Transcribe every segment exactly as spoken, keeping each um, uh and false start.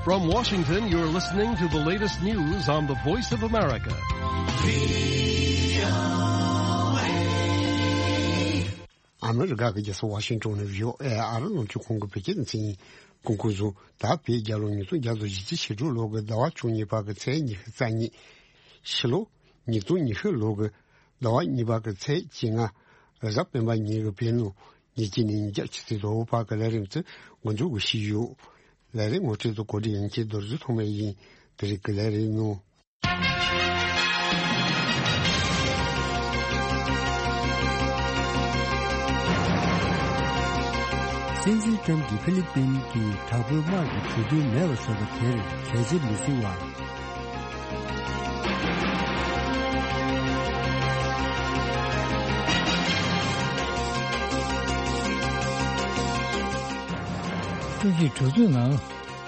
From Washington, you're listening to the latest news on the Voice of America. ཨ་མི་རི་ཀ་གི་རྒྱལ་ས་ཝ་ཤིང་ཊོན་ནས་བྷི་ཨོ་ཨེ་ཨ་རི་རླུང་འཕྲིན་ཁང་གི་བོད་སྐད་སྡེ་ཚན་ཡིན། གོང་གོང་བཟུང་ད་བོད་རྒྱལ་ལོ་ཉིས་སྟོང་བརྒྱ་དང་བཞི་བཅུ་ཞེ་དྲུག་ལོ་གི་ཟླ་བ་བཅུ་གཉིས་པ་གི་ཚེས་ཉི་ཤུ་རྩ་གཉིས། ཕྱི་ལོ་ཉིས་སྟོང་ཉི་ཤུ་ལོ་གི་ཟླ་བ་གཉིས་པ་གི་ཚེས་བཅོ་ལྔ། རེས་གཟའ་སྤེན་པ་ཉིན་གྱི་བོད་ནང་ཉིན་གཅིག་ནས་ཉིན་གྱ་ཆུ་ཚོད་དང་པོ་བར་གྱི་ལས་རིམ་དེ་འགོ་འཛུགས་ཞུས་ཡོད། ལས་རིམ་ངོ་སྤྲོད་དང་གོ་སྒྲིག་ཡན་ཆད་རྡོ་རྗེ་ཐོགས་མེད་ཡིན། དེ་རིང་གི་ལས་རིམ་ནང་། སྲིད་འཛིན་ཏྲམ་གྱིས་ཧྥི་ལི་པིན་གྱི་དྲག་པོའི་དམག་གི་གྲོས་མཐུན་མེད་པ་བཟོས་པ་དེར་གལ་ཆེ་མི་བཟུང་བ། ཀྲུའུ་ཞི་གྲོས་ཚོགས་ནང་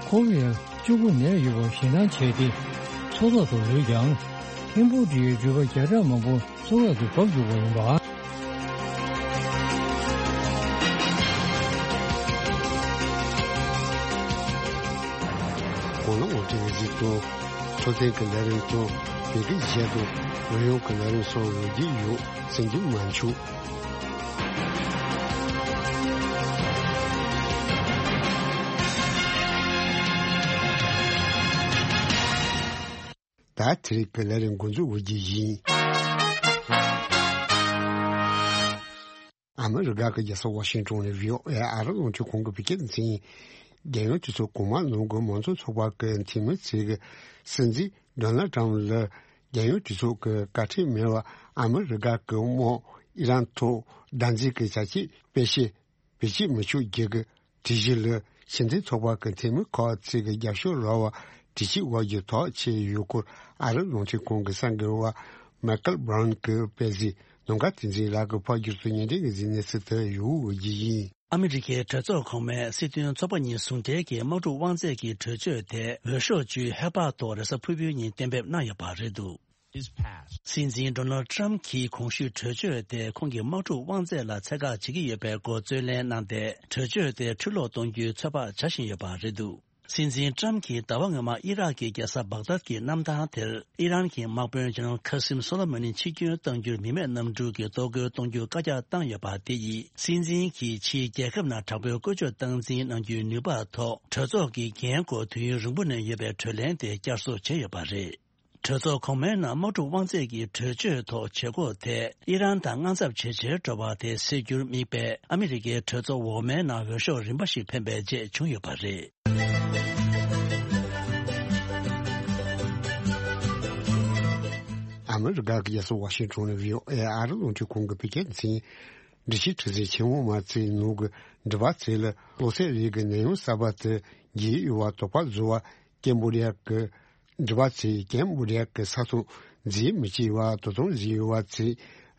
ཁོ་བོས་གཅིག་པུ་ནད་ཡོད་པ་ཞེད་སྣང་བྱས་ཏེ་འཚོ་ཐོག་ཏུ་ལུས་ཀྱང་། ཁེམ་བྷོ་ཌི་ཡའི་འགྲུལ་པ་བརྒྱ་ཕྲག་མང་པོ་མཚོ་ཁ་དུ་བབས་འཇུག་པ་ཡིན་པ། གོང་ལ་ངོ་སྤྲོད་གཟིགས་དང་། འཕྲོད་བསྟེན་གྱི་ལས་རིམ་དང་། བོད་སྐད་གཞས་དང་། རོལ་དབྱངས་ཀྱི་ལས་རིམ་སོགས་འོས་བསྡུ་ཡོད། གསན་རྒྱུ་མ་འཆུག་ད་དེ་རིང་གི་ལས་རིམ་འགོ་འཛུགས་འོས་བསྡུ་ཡིན། ཨ་མི་རི་ཀ་གི་རྒྱལ་ས་ཝ་ཤིང་ཊོན་ནས་བྷི་ཨོ་ཨེ་ཨ་རི་རླུང་འཕྲིན་ཁང་གི་བོད་སྐད་སྡེ་ཚན་ཡིན། རྒྱལ་ཡོངས་གྲོས་ཚོགས་གོང་མ་ནང་གི་མང་གཙོ་ཚོགས་པ་གི་འཐུས་མི་ཚོས་སྲིད་འཛིན་ཌོ་ནལ་ཊམ་ལ་རྒྱལ་ཡོངས་གྲོས་ཚོགས་ཀྱི་བཀའ་ཁྲིམས་མེད་པར་ཨ་མི་རི་ཀ་གི་དམག་ཨི་རན་ཐོག་བདག་འཛིན་གྱི་བྱ་སྤྱོད་སྤེལ་ཆེད་བེད་སྤྱོད་མི་ཆོག་རྒྱུ་གི་སྒྲིག་གཞི་ལ་ཕྱི་འཐེན་ཚོགས་པ་གི་འཐུས་མི་ཁག་ཚོས་ཀྱི་རྒྱབ་སྐྱོར་རག་པར་དྲི་ཞིབ་འོག་གི་ཐག་བཅད་ཡོད་སྐོར་ཨ་རི་རླུང་འཕྲིན་ཁང་གི་གསར་འགོད་པ་མའི་ཀལ་བྷ་རའུན་གྱིས་སྤེལ་གཟིགས། ནམ་མཁའ་བསྟན་འཛིན་ལགས་ཀྱིས་ཕབ་བསྒྱུར་དུ་སྙན་སྒྲོན་གྱི་གཟིགས་གནས་ཚུལ་དུ་ཡོད་འོས་ཀྱི་ཡིན། ཨ་མི་རི་ཀའི་གྲོས་ཚོགས་གོང་མས་སྲིད་དོན་ཚོགས་པ་གཉིས་ཟུང་འབྲེལ་གྱི་དམག་འཁྲུག་དབང་ཚད་ཀྱི་གྲོས་ཆོད་དེ་འོས་ཤོག་བཅུའི་ཧེ་བག་ཐོག་རེས་གཟའ་ཕུར་བུའི་ཉིན་གཏན་འབེབས་གནང་ཡོད་པ་རེད་འདུག། སྲིད་འཛིན་ཌོ་ནལ་ཊམ་གྱིས་གོང་ཞུས་གྲོས་ཆོད་དེ་ཁོང་གི་དམག་འཁྲུག་དབང་ཚད་ལ་ཚད་བཀག་བྱེད་ཀྱི་ཡོད་པའི་སྐོར་རྩོད་ལེན་གནང་སྟེ། གྲོས་ཆོད་དེ་འཕྲི་སློག་གཏོང་རྒྱུའི་ཚོད་དཔག་བྱ་བཞིན་ཡོད་པ་རེད་འདུག། སྲིད་འཛིན་ཊམ་གྱིས་ཟླ་བ་སྔོན་མ་ཨི་རག་གི་རྒྱལ་ས་བག་དཱད་ཀྱི་གནམ་ཐང་དེར་ཨི་རན་གྱི་དམག་དཔོན་ཇེ་ནེ་རལ་ཁ་སིམ་སོ་ལེ་མ་ནི་འཆི་སྐྱོན་གཏང་རྒྱུར་མི་མེད་གནམ་གྲུ་གིས་གཏོར་རྒོལ་གཏོང་རྒྱུ་བཀའ་རྒྱ་བཏང་ཡོད་པ་དེ་ཡིས། སྲིད་འཛིན་གྱིས་ཕྱིའི་རྒྱལ་ཁབ་ནང་དྲག་པོའི་བཀོལ་སྤྱོད་སྟངས་འཛིན་གནང་རྒྱུའི་ནུས་པ་ཐོག་གྲོས་ཚོགས་ཀྱི་འགན་སྐོར་དུས་ཡུན་རིང་པོ་ནས་ཡོད་པའི་གྲོས་གླེང་དེ་བསྐྱར་གསོ་བྱས་ཡོད་པ་རེད། གྲོས་ཚོགས་གོང་མའི་ནང་དམག་འཁྲུག་དབང་ཚད་ཀྱི་གྲོས་ཆོད་ཐོག་བྱེད་སྒོ་དེ་ཨི་རན་དང་དངངས་འཚབ་ཇེ་ཆེར་འགྲོ་བ་དེ་སེལ་རྒྱུར་དམིགས་པའི་ཨ་མི་རི་ཀའི་གྲོས་ཚོགས་འོག་མའི་ནང་འོས་ཤོག་རིམ་པ་ཞིག་འཕེན་པའི་རྗེས་བྱུང་ཡོད་པ་རེད། ཨ་མི་རི་ཀ་གི་རྒྱལ་ས་ཝ་ཤིང་ཊོན་ནས་བྷི་ཨོ་ཨེ་ཨ་རི་རླུང་འཕྲིན་ཁང་གི་བོད་སྐད་སྡེ་ཚན་འགྲེལ་བཤད་ཁྲི་འཛིན་ཆེན་མོ་མ་ཚེ་ནུབ་ཀྱི་འགྲུལ་པ་ཚོས་ལ་གློ་ཚད་རིགས་ཀྱི་ནད་ཡམས་གསར་པ་དེ་རྒྱས་ཡོད་པ་དོགས་པ་བཟོ་བར་ཀེམ་བྷོ་ཌི་ཡ་གི་འགྲུལ་པ་ཚོས་ཀེམ་བྷོ་ཌི་ཡ་གི་ས་མཚམས་འཛེག་མི་བྱེད་པ་དོ་དམ་བཟོས་ཡོད་པ་ཚོས་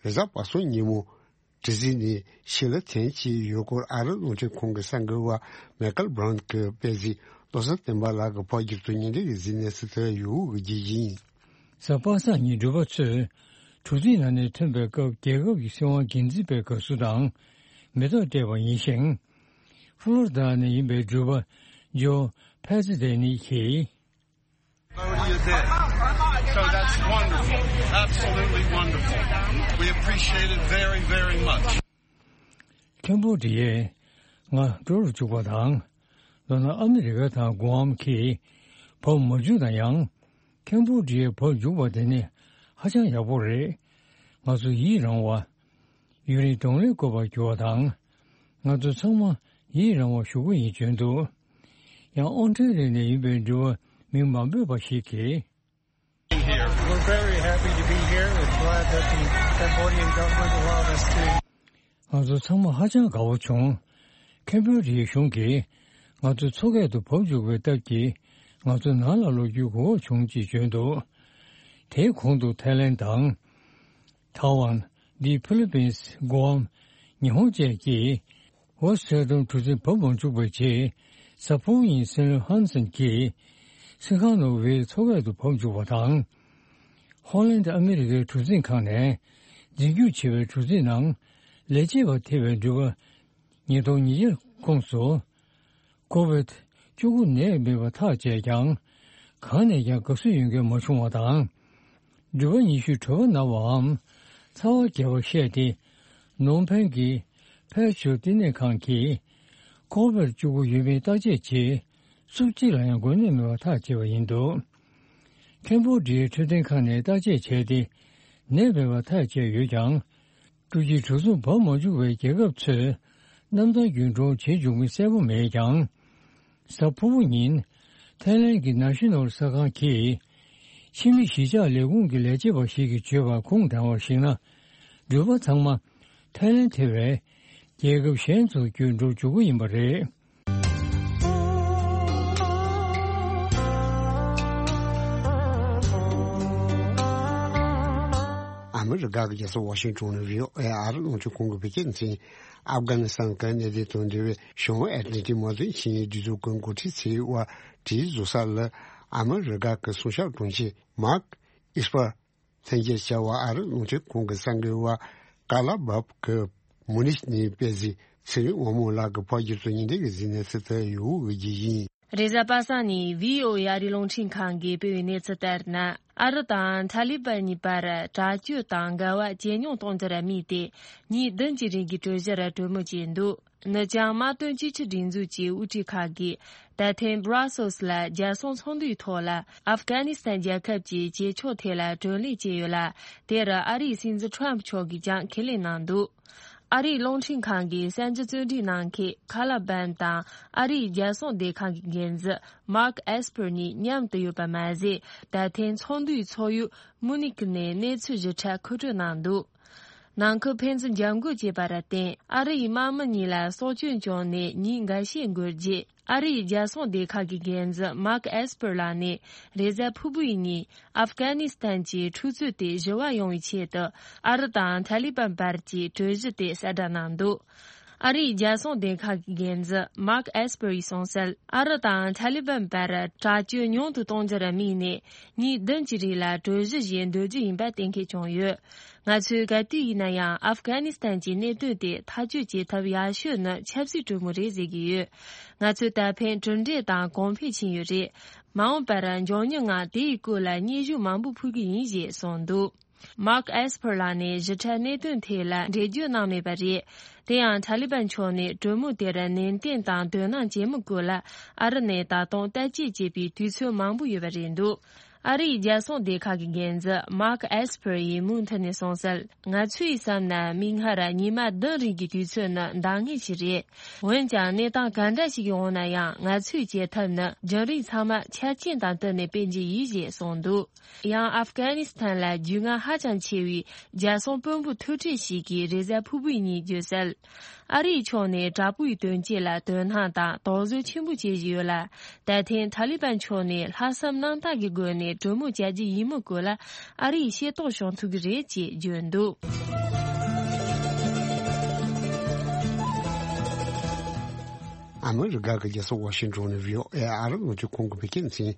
རེས་གཟའ་པ་སངས་ཉིན་མོ་དྲི་རྩད་ནས་ཕྱི་ལ་འཐེན་བྱས་ཡོད་སྐོར་ཨ་རི་རླུང་འཕྲིན་ཁང་གི་གསར་འགོད་པ་མའི་ཀལ་བྷ་རའུན་གྱིས་སྤེལ་གཟིགས། བློ་བཟང་བསྟན་པ་ལགས་ཀྱིས་ཕབ་བསྒྱུར་དུ་སྙན་སྒྲོན་གྱི་གཟིགས་གནས་ཚུལ་དུ་ཡོད་འོས་ཀྱི་ཡིན། གཟའ་པ་སངས་ཉིན་འགྲུལ་པ་ཚོས་གྲུ་གཟིངས་ནང་ནས་ཐོན་པའི་སྐབས་རྒྱལ་ཁབ་ཀྱི་སྲིད་དབང་སྒེར་འཛིན་པའི་དགའ་བསུ་དང་མེ་ཏོག་སྤྲད་པ་ཡིན་ཞིང་། ཕློ་རི་ཌ་ནས་ཡིན་པའི་འགྲུལ་པ་ཇོ་ཕེ་ཛི་ཌེ་ནི་གྱིས། Florida there. So that's wonderful. Absolutely wonderful. We appreciate it very, very much. ཁེམ་བྷོ་ཌི་ཡས་ང་འགྲོ་རུ་བཅུག་པ་དང་། མདོར་ན་ཨ་མི་རི་ཀ་དང་གུའམ་གྱིས་བབས་མ་བཅུག་ན་ཡང་། ཁེམ་བྷོ་ཌི་ཡས་བབས་འཇུག་པ་དེ་ནི་ཧ་ཅང་ཡག་པོ་རེད། ང་ཚོ་ཡིད་རང་བ། ཡུན་རིང་གདོང་ལེན་དགོས་པར་གྱུར་བ་དང་། ང་ཚོ་ཚང་མ་ཡིད་རང་བ་ཞུ་གི་ཡིན་བརྗོད་འདུག། ཡང་ཨོ་སི་ཀྲི་ལི་ཡ་ནས་ཡིན་པའི་འགྲུལ་པ་མིང་མ་འབོད་པ་ཞིག་གིས། We're very happy to be here. We're glad that the Cambodian government allowed us to. ང་ཚོ་ཚང་མ་ཧ་ཅང་དགའ་བོ་བྱུང་། ཁེམ་བྷོ་ཌི་ཡའི་གཞུང་གིས་ང་ཚོ་མཚོ་ཁ་དུ་བབས་འཇུག་པའི་སྟབས་ཀྱིས་ང་ཚོ་ནང་ལ་ལོག་རྒྱུའི་གོ་སྐབས་བྱུང་ཅེས་བརྗོད་འདུག། དེའི་གོང་དུ་ཐའི་ལེན་དང་། ཐའེ་ཝན། འདི་ཕི་ལི་པིན། གུའམ། ཉི་ཧོང་བཅས་ཀྱིས་ཝོ་སི་ཊི་ཧྥི་རི་ཌམ་གྲུ་གཟིངས་བབས་མ་བཅུག་པའི་རྗེས། གཟའ་ཕུར་བུ་ཉིན་སེ་ལོན་ཧན་སན་གྱིས་སི་ཁ་ནོ་ཝེ་མཚོ་ཁ་དུ་བབས་བཅུག་པ་དང་། ཧོ་ལན་ཨ་མི་རི་ཀའི་གྲུ་གཟིངས་ཁང་ནས་འཛིན་སྐྱོང་བྱེད་པའི་གྲུ་གཟིངས་ནང་ལས་བྱེད་པ་ཐེ་བའི་འགྲུལ་པ་ཉིས་སྟོང་ཉིས་བརྒྱ་ཁོངས་སུ། ཀོ་ཝིད་ བཅུ་དགུ་ནད་མེད་པ་ཐག་བཅད་ཀྱང་། གང་ནས་ཀྱང་དགའ་བསུ་ཡོང་མཁན་མ་བྱུང་བ་དང་། འགྲུལ་པ་ཉི་ཤུས་གྲོད་པ་ན་བའམ་ཚ་བ་རྒྱས་པར་བཤད་དེ། ནོར་ཕན་གྱི་ཕེ་ཆུ་བསྟི་གནས་ཁང་གིས་ཁོ་བིཌ་བཅུ་དགུ་ཡོད་མེད་བརྟག་དཔྱད་བྱས། སུ་གཅིག་ལ་ཡང་འགོས་ནད་མེད་པར་ཐག་བཅད་པ་ཡིན་འདུག་ཁེམ་བྷོ་ཌི་ཡའི་འཕྲོད་བསྟེན་ཁང་ནས་བརྟག་དཔྱད་བྱས་ཏེ། ནད་མེད་པར་ཐག་བཅད་ཡོད་ཀྱང་། འཕྲུལ་ཆས་གྲུ་གཟིངས་འབབ་མ་བཅུག་པའི་རྒྱལ་ཁབ་ཚོས་གནམ་ཐང་རྒྱུན་གྲོན་བྱེད་འཇུག་མིན་གསལ་པོ་མེད་ཀྱང་། གཟའ་ཕུར་བུ་ཉིན་ཐའི་ལན་གྱི་ནཱ་ཤི་ནོལ་གསར་ཁང་གིས་ཕྱི་མི་གཞིས་ཆགས་ལས་ཁུངས་ཀྱི་ལས་བྱེད་པ་ཞིག་གིས་བརྗོད་པར་ཁུངས་དྲངས་པར་གཞིགས་ན། འགྲུལ་པ་ཚང་མ་ཐའི་ལན་ཐེ་བའི་རྒྱལ་ཁབ་གཞན་ཚོར་རྒྱུན་འགྲོ་འཇུག་གི་ཡིན་པ་རེད། ཨ་མི་རི་ཀ་གི་རྒྱལ་ས་ཝ་ཤིང་ཊོན་ནས་བྷི་ཨོ་ཨེ་ཨ་རི་རླུང་འཕྲིན་ཁང་གི་བོད་སྐད་སྡེ་ཚན། ཨབ་གྷ་ནི་སི་ཐན་གྱི་གནད་དོན་དང་འབྲེལ་བའི་བྱང་ཨེ་ཏི་ལན་ཏིག་མ་དངུལ་ཆིངས་ཡིག་སྒྲིག་འཛུགས་ཀྱི་འགོ་ཁྲིད་ཚོའི་དབར་གྲོས་བཟོ་ས་ལ། ཨ་མི་རི་ཀ་གི་སྲུང་སྐྱོབ་དྲུང་ཆེ་མཱག་ཨེས་པར། ལྷན་རྒྱས་བྱ་བ་ཨ་རི་རླུང་འཕྲིན་ཁང་གི་གསར་འགོད་པ་ཀ་ལ་བབ་ཀྱིས་མུ་ནིག་ནས་སྤེལ་གཟིགས། ཚེ་རིང་དབང་མོ་ལགས་ཀྱིས་ཕབ་སྒྱུར་དང་སྙན་སྒྲོན་གྱི་གཟིགས་གནས་ཚུལ་དུ་ཡོད་འོས་ཀྱི་ཡིན། རེས་གཟའ་པ་སངས་ཉིན་བྷི་ཨོ་ཨེ་ཨ་རིའི་རླུང་འཕྲིན་ཁང་གིས་སྤེལ་བའི་གནས་ཚུལ་ལྟར་ན། ཨ་རི་དང་ཐ་ལི་པན་གཉིས་བར་དྲག་སྤྱོད་དང་འགལ་བ་ཇེ་ཉུང་གཏོང་རྒྱུར་དམིགས་ཏེ། ཉིན་བདུན་གྱི་རིང་གི་གྲོས་གཞིར་གྲོས་མོལ་བྱས་འདུག་ནུབ་བྱང་དམག་དོན་གཅིག་སྒྲིལ་སྒྲིག་འཛུགས་ཀྱི་དབུ་ཁྲིད་ཁག་གིས་ད་ཐེངས་Brussels་ལ་རྒྱལ་སྲུང་ཚོགས་འདུའི་ཐོག་ལ་ཨབ་གྷ་ནི་སི་ཐན་རྒྱལ་ཁབ་ཀྱི་བྱེད་ཕྱོགས་ཐད་ལ་གྲོས་གླེང་བྱས་ཡོད་ལ། དེར་ཨ་རིའི་སྲིད་འཛིན་Trump་མཆོག་གིས་ཀྱང་ཁས་ལེན་གནང་འདུག་ཨ་རིའི་རླུང་འཕྲིན་ཁང་གི་གསར་འགྱུར་བརྩོན་འགྲུས་གནང་མཁན་ཁ་ལ་བན་དང་ཨ་རིའི་རྒྱལ་སྲུང་སྡེ་ཁང་གི་འགན་འཛིན་Mark Esper་གཉིས་མཉམ་དུ་ཡོད་པ་མ་ཟད། ད་ཐེངས་ཚོགས་འདུའི་ཚོགས་ཡུལ་མུ་ནིག་ནས་གནས་ཚུལ་ཞིབ་ཕྲ་མཁོ་སྤྲོད་གནང་འདུག་ནང་ཁུལ་ཕན་ཚུན་འཇབ་རྒོལ་བྱས་པར་བརྟེན། ཨ་རིའི་དམག་མི་གཉིས་ལ་སྲོག་སྐྱོན་བྱུང་ནས་ཉིན་འགའ་ཤས་འགོར་རྗེས། ཨ་རིའི་རྒྱལ་སྲུང་སྡེ་ཁག་གི་འགན་འཛིན་Mark Esper་ལགས་ནས་རེས་གཟའ་ཕུར་བུའི་ཉིན་ཨབ་གྷ་ནི་སི་ཐན་གྱི་འཁྲུག་རྩོད་དེ་ཞི་བ་ཡོང་བའི་ཆེད་དུ། ཨ་རི་དང་ཐ་ལི་པན་བར་གྱི་གྲོས་གཞི་དེ་གསལ་བསྒྲགས་གནང་འདུག་ཨ་རིའི་རྒྱལ་སྲུང་སྡེ་ཁག་གི་འགན་འཛིན་Mark Esper་ཡིས་གསུངས་གསལ། ཨ་རི་དང་ཐ་ལི་པན་བར་དྲག་སྤྱོད་ཉུང་དུ་གཏོང་རྒྱུར་དམིགས་ནས། ཉིན་བདུན་གྱི་རིང་ལ་གྲོས་གཞི་ཞིག་འདོད་རྒྱུ་ཡིན་པ་གཏན་འཁེལ་བྱུང་ཡོད། ང་ཚོས་ག་དུས་ཡིན་ན་ཡང་ཨབ་གྷ་ནི་སི་ཐན་གྱི་གནད་དོན་དེ་ཐག་གཅོད་བྱེད་ཐབས་ཡག་ཤོས་ནི་ཆབ་སྲིད་གྲོས་མོལ་རེད་ཟེར་གྱི་ཡོད། ང་ཚོས་ད་ཕན་གྲུབ་འབྲས་དང་གོང་འཕེལ་ཕྱིན་ཡོད་རེད། མ་འོངས་པར་མགྱོགས་མྱུར་ངང་དེའི་སྐོར་ལ་སྙན་ཞུ་མང་པོ་ཕུལ་གྱི་ཡིན་ཞེས་གསུངས་འདུག Mark Esper་ལགས་ནས་ཞིབ་ཕྲ་གནད་དོན་ཐད་ལ་འགྲེལ་བརྗོད་གནང་མེད་པ་རེད། དེ་ཡང་ཐ་ལི་པན་ཕྱོགས་ནས་གྲོས་མོལ་དེར་ནན་ཏན་དང་དོ་སྣང་བྱེད་མི་དགོས་ལ། ཨ་རི་ནས་ད་དུང་བརྟག་དཔྱད་བྱེད་པའི་དུས་ཚོད་མང་པོ་ཡོད་པ་རེད་འདུག་ཨ་རིའི་རྒྱལ་སྲུང་སྡེ་ཁག་གི་འགན་འཛིན་Mark Esper་ཡིས་མུ་མཐུད་ནས་གསུངས་གསལ། ང་ཚོས་བསམ་ན་མིག་སྔར་ཉི་མ་བདུན་རིང་གི་དུས་ཚོད་ནི་འདང་ངེས་ཤིག་རེད། འོན་ཀྱང་གནས་སྟངས་ག་འདྲ་ཞིག་ཡོང་ན་ཡང་ང་ཚོས་བྱེད་ཐབས་ནི་རྒྱུན་རིང་ཚང་མ་ཆ་རྐྱེན་དང་བསྟུན་ནས་སྤེལ་གྱི་ཡིན་ཞེས་གསུངས་འདུག་ཡང་ཨབ་གྷ་ནི་སི་ཐན་ལ་རྒྱུས་མངའ་ཧ་ཅང་ཆེ་བའི་རྒྱལ་སྲུང་དཔོན་པོ་ཐུག་འཕྲད་ཞིག་གིས་རེས་གཟའ་ཕུར་བུའི་ཉིན་བརྗོད་གསལ། ཨ་རིའི་ཕྱོགས་ནས་དྲག་པོའི་དོན་རྐྱེན་ལ་དོ་སྣང་དང་དོགས་ཟོན་ཆེན་པོ་བྱེད་བཞིན་ཡོད་ལ། ད་ཐེངས་ཐ་ལི་པན་ཕྱོགས་ནས་ལྷག་བསམ་རྣམ་དག་གི་སྒོ་ནས་གྲོས་མོལ་བྱ་རྒྱུ་ཡིན་མི་སྐོར་ལ་ཨ་རིས་ཤེས་རྟོགས་བྱུང་ཐུབ་ཀྱི་རེད་ཅེས་བརྗོད་འདུག་ཨ་མི་རི་ཀ་གི་རྒྱལ་ས་ཝ་ཤིང་ཊོན་ནས་བྷི་ཨོ་ཨེ་ཨ་རི་རླུང་འཕྲིན་ཁང་གི་བོད་སྐད་སྡེ་ཚན།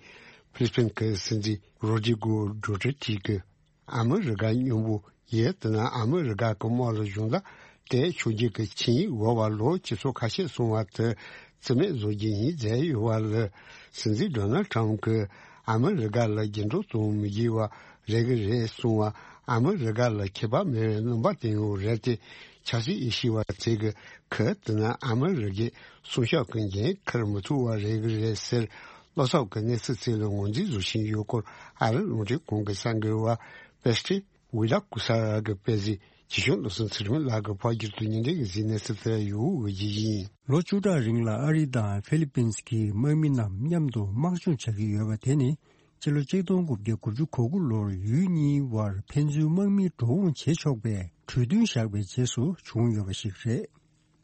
ཕི་ལི་པིན་གྱི་སྲིད་འཛིན་རོ་དྲི་གོ་ཌུ་ཏེར་ཏི་གིས། ཨ་མི་རི་ཀ་མཉམ་པོ་ཡས་དེ་ན་ཨ་མི་རི་ཀ་གི་དམག་ལ་གཞུང་བརྡ་སྤྲད་ཆོག་རྒྱུ་གི་ཆིངས་ཡིག་འོག་བར་ལོ་ཁྱི་སོ་ཁ་ཤས་སོང་བ་དེ་རྩིས་མེད་བཟོ་རྒྱུ་ཡིན་ཟེར་ཡོད་པ་ལ། སྲིད་འཛིན་ཌོ་ནལ་ཊམ་གྱིས་ཨ་མི་རི་ཀ་ལ་རྒྱུན་འགྲོ་གཏོང་མི་དགོས་པ་རེད་གི་རེད་གསུངས་པ། ཨ་མི་རི་ཀ་ལ་ཁྱད་པར་མེད་པའི་རྣམ་པ་བསྟན་ཡོད་རེད་དེ། ཆབ་སྲིད་དབྱེ་ཞིབ་པ་ཚོས་གི་ག་དེ་ན་ཨ་མི་རི་ཀའི་སྲུང་སྐྱོབ་ཀྱི་འགན་འཁུར་མི་ཐུབ་པ་རེད་གི་རེད་ཟེར། བློ་འཚབ་ཀྱི་གནས་ཚུལ་ཚོ་ལ་ངོས་འཛིན་བཟོ་བཞིན་ཡོད་སྐོར་ཨ་རི་རླུང་འཕྲིན་ཁང་གི་གསར་འགོད་པ་པེ་སི་ཊི་ཝི་ལ་ཀུ་ས་ར་གིས་སྤེལ་གཟིགས། ཇི་གཞུང་བློ་བཟང་ཚེ་རིང་ལགས་ཀྱིས་ཕབ་སྒྱུར་དུ་སྙན་སྒྲོན་གྱི་གཟིགས་གནས་ཚུལ་དེ་ཡོད་འོས་ཀྱི་ཡིན། ལོ་བཅུ་ཕྲག་རིང་ལ་ཨ་རི་དང་ཧྥི་ལི་པིན་གྱི་དམག་མི་རྣམས་མཉམ་དུ་དམག་སྦྱོང་བྱ་གི་ཡོད་པ་དེ་ནི། སྤྱི་ལོ་ཆིག་སྟོང་དགུ་བརྒྱ་དགུ་བཅུ་གོ་དགུ་ལོར་ཡུལ་གཉིས་བར་ཕན་ཚུན་དམག་མི་འགྲོ་འོང་བྱེད་ཆོག་པའི་གྲོས་མཐུན་བཞག་པའི་རྗེས་སུ་བྱུང་ཡོད་པ་ཞིག་རེད།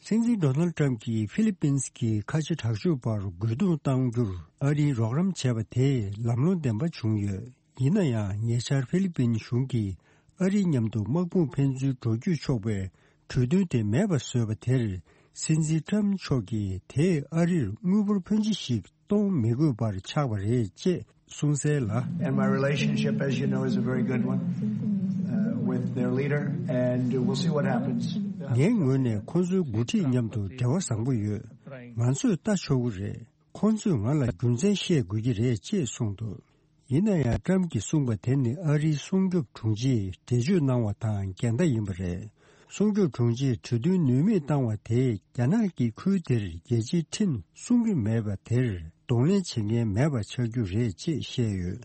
སྲིད་འཛིན་ཌོ་ནལ་ཊམ་གྱིས་ཧྥི་ལི་པིན་གྱི་ཁ་ཆེ་དྲག་སྤྱོད་པར་རྒོལ་རྡུང་གཏང་རྒྱུར་ཨ་རིས་རོགས་རམ་བྱས་པ་དེས་ལམ་ལྷོང་ལྡན་པ་བྱུང་ཡོད། ཡིན་ན་ཡང་ཉེ་ཆར་ཧྥི་ལི་པིན་གཞུང་གིས་ཨ་རིའི་མཉམ་དུ་དམག་དཔུང་ཕན་ཚུན་འགྲོ་སྐྱོད་ཆོག་པའི་གྲོས་མཐུན་དེ་མེད་པ་བཟོས་པ་དེར། སྲིད་འཛིན་ཊམ་མཆོག་གིས་དེས་ཨ་རིར་དངུལ་འབོར་ཕོན་ཆེ་ཞིག་གཏོང་མི་དགོས་པར་ཆགས་པ་རེད་ཅེས་གསུངས་གསལ་ལ། And my relationship, as you know, is a very good one, uh, with their leader, and we'll see what happens. ངའི་ངོས་ནས་ཁོང་ཚོའི་འགོ་ཁྲིད་མཉམ་དུ་འབྲེལ་བ་བཟང་པོ་ཡོད། ང་ཚོས་ལྟ་ཆོག་གི་རེད། ཁོང་ཚོས་ང་ལ་རྒྱུ་མཚན་བཤད་དགོས་ཀྱི་རེད་ཅེས་གསུངས་འདུག། ཡིན་ན་ཡང་ཊམ་གྱིས་གསུངས་པ་དེ་ནི་ཨ་རིའི་སྲུང་སྐྱོབ་དྲུང་ཆེས་འགྲེལ་བརྗོད་གནང་བ་དང་འགལ་ཟླ་ཡིན་པ་རེད། སྲུང་སྐྱོབ་དྲུང་ཆེས་གྲོས་མཐུན་ནུས་མེད་བཏང་བ་དེས་རྒྱ་ནག་གིས་ཁུལ་དེར་རྒྱལ་སྤྱིའི་ཁྲིམས་སྲུང་གི་མེད་པ་དེར་གདོང་ལེན་བྱེད་མཁན་མེད་པ་ཆགས་རྒྱུ་རེད་ཅེས་བཤད་ཡོད།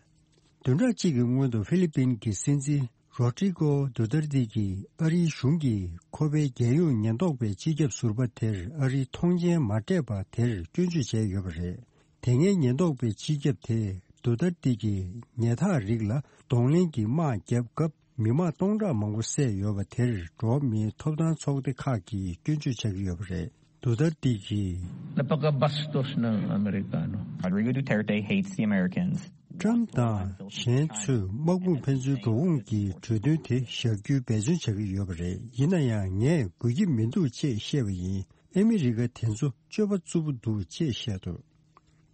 བདུན་ཕྲག་གཅིག་གི་སྔོན་དུ་ཧྥི་ལི་པིན་གྱི་སྲིད་འཛིན་རོ་ཏྲི་ཀོ་དུ་ཏར་ཏི་གིས་ཨ་རིའི་གཞུང་གིས་ཁོ་པའི་རྒྱལ་ཡོངས་ཉེན་རྟོག་པའི་སྤྱི་ཁྱབ་ཟུར་པ་དེར་ཨ་རིའི་ཐོངས་མཆན་མ་སྤྲད་པ་དེར་སྐྱོན་བརྗོད་བྱས་ཡོད་པ་རེད། དེ་སྔའི་ཉེན་རྟོག་པའི་སྤྱི་ཁྱབ་དེས་དུ་ཏར་ཏི་གིས་ཉལ་ཐག་རིགས་ལ་གདོང་ལེན་གྱི་དམག་བརྒྱབ་སྐབས་མི་མང་སྟོང་ཕྲག་མང་པོ་བསད་ཡོད་པ་དེར་འགྲོ་བ་མིའི་ཐོབ་ཐང་ཚོགས་སྡེ་ཁག་གིས་སྐྱོན་བརྗོད་བྱ་གི་ཡོད་པ་རེད། དུ་ཏར་ཏི་གིས། La poca bastos ng Amerikano. Rodrigo Duterte hates the Americans. ཊམ་དང་གཞན་ཚོས་དམག་དཔུང་ཕན་ཚུན་འགྲོ་འོང་གི་གྲོས་མཐུན་དེ་བཞག་རྒྱུའི་འབད་བརྩོན་བྱ་གི་ཡོད་པ་རེད། ཡིན་ན་ཡང་ངས་དགོས་ཀྱི་མི་འདུག་ཅེས་བཤད་པ་ཡིན། ཨ་མི་རི་ཀ་དེ་ཚོ་སྤྱོད་པ་རྩུབ་པོ་འདུག་ཅེས་བཤད་འདུག།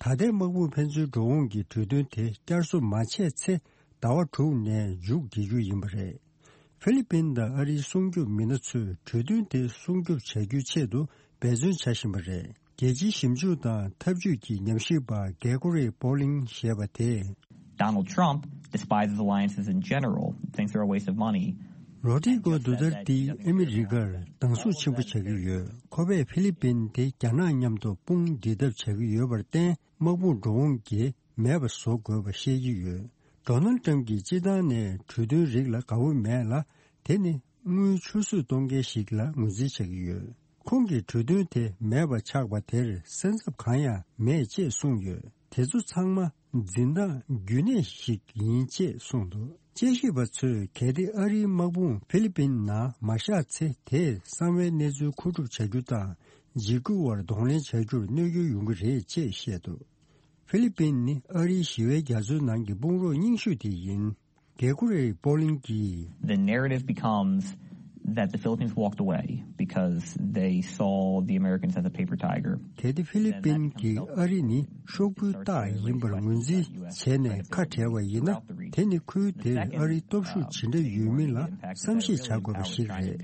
ད་ལྟའི་དམག་དཔུང་ཕན་ཚུན་འགྲོ་འོང་གི་གྲོས་མཐུན་དེ་བསྐྱར་གསོ་མ་བྱས་ཚེ་ཟླ་བ་དྲུག་ནས་མཇུག་བསྒྲིལ་རྒྱུ་ཡིན་པ་རེད། ཧྥི་ལི་པིན་དང་ཨ་རིའི་སྲུང་སྐྱོབ་མི་སྣ་ཚོས་གྲོས་མཐུན་དེ་སྲུང་སྐྱོབ་བྱ་རྒྱུའི་ཆེད་དུ་འབད་བརྩོན་བྱ་བཞིན་པ་རེད། རྒྱལ་སྤྱིའི་ཞིབ་འཇུག་དང་འཐབ་ཇུས་ཀྱི་ཉམས་ཞིབ་པ་གེ་གོ་རེ་པོ་ལིང་ཞེས་པ་དེས། Donald Trump despises alliances in general, thinks they're a waste of money. རོ་ཏི་ཀོ་དུ་ཏར་ཏི་ཨ་མི་རི་ཀར་སྡང་ཟུག་ཆེན་པོ་བྱ་གི་ཡོད། ཁོ་པས་ཧྥི་ལི་པིན་དེ་རྒྱ་ནག་མཉམ་དུ་དཔུང་སྒྲིལ་ཐབས་བྱ་གི་ཡོད་པར་བརྟེན། དམག་དཔུང་འགྲོ་འོང་གི་མེད་པ་བཟོ་དགོས་པ་བཤད་ཀྱི་ཡོད། ཌོ་ནལ་ཊམ་གྱིས་སྤྱི་བཏང་ནས་གྲོས་མཐུན་རིགས་ལ་དགའ་བོ་མེད་ལ། དེ་ནི་དངུལ་ཆུད་ཟོས་གཏོང་མཁན་ཞིག་ལ་ངོས་འཛིན་བྱ་གི་ཡོད། ཁོང་གིས་གྲོས་མཐུན་དེ་མེད་པ་ཆགས་པ་དེར་སེམས་འཚབ་གང་ཡང་མེད་ཅེས་གསུངས་ཡོད། དེ་ཚོ་ཚང་མ་འཛིན་སྟངས་རྒྱུན་གནས་ཤིག་ཡིན་ཅེས་གསུངས་འདུག། དཔྱད་ཞིབ་པ་ཚོས་གལ་ཏེ་ཨ་རིའི་དམག་དཔུང་ཧྥི་ལི་པིན་ནང་མ་བཞག་ཚེ། དེས་གསང་བའི་གནས་ཚུལ་མཁོ་སྒྲུབ་བྱ་རྒྱུ་དང་། འཇིགས་སྐུལ་བར་གདོང་ལེན་བྱ་རྒྱུར་གནོད་སྐྱོན་ཡོང་གི་རེད་ཅེས་བཤད་འདུག། ཧྥི་ལི་པིན་ནི་ཨ་རིའི་ཞི་བའི་རྒྱ་མཚོའི་ནང་གི་དཔུང་རོགས་རྙིང་ཤོས་དེ་ཡིན། གེ་གོ་རེ་པོ་ལིང་གིས། The narrative becomes that the Philippines walked away because they saw the Americans as a paper tiger. གལ་ཏེ་ཧྥི་ལི་པིན་གྱིས་ཨ་རི་ནི་ཤོག་བུའི་རྟགས་ཡིན་པར་ངོས་འཛིན་བྱས་ནས་ཁ་བྲལ་བ་ཡིན་ན། དེ་ནི་ཁུལ་དེར་ཨ་རིའི་སྟོབས་ཤུགས་ཇི་འདྲ་ཡོད་མིན་ལ་བསམ་ཤེས་བྱ་དགོས་པ་ཞིག་རེད།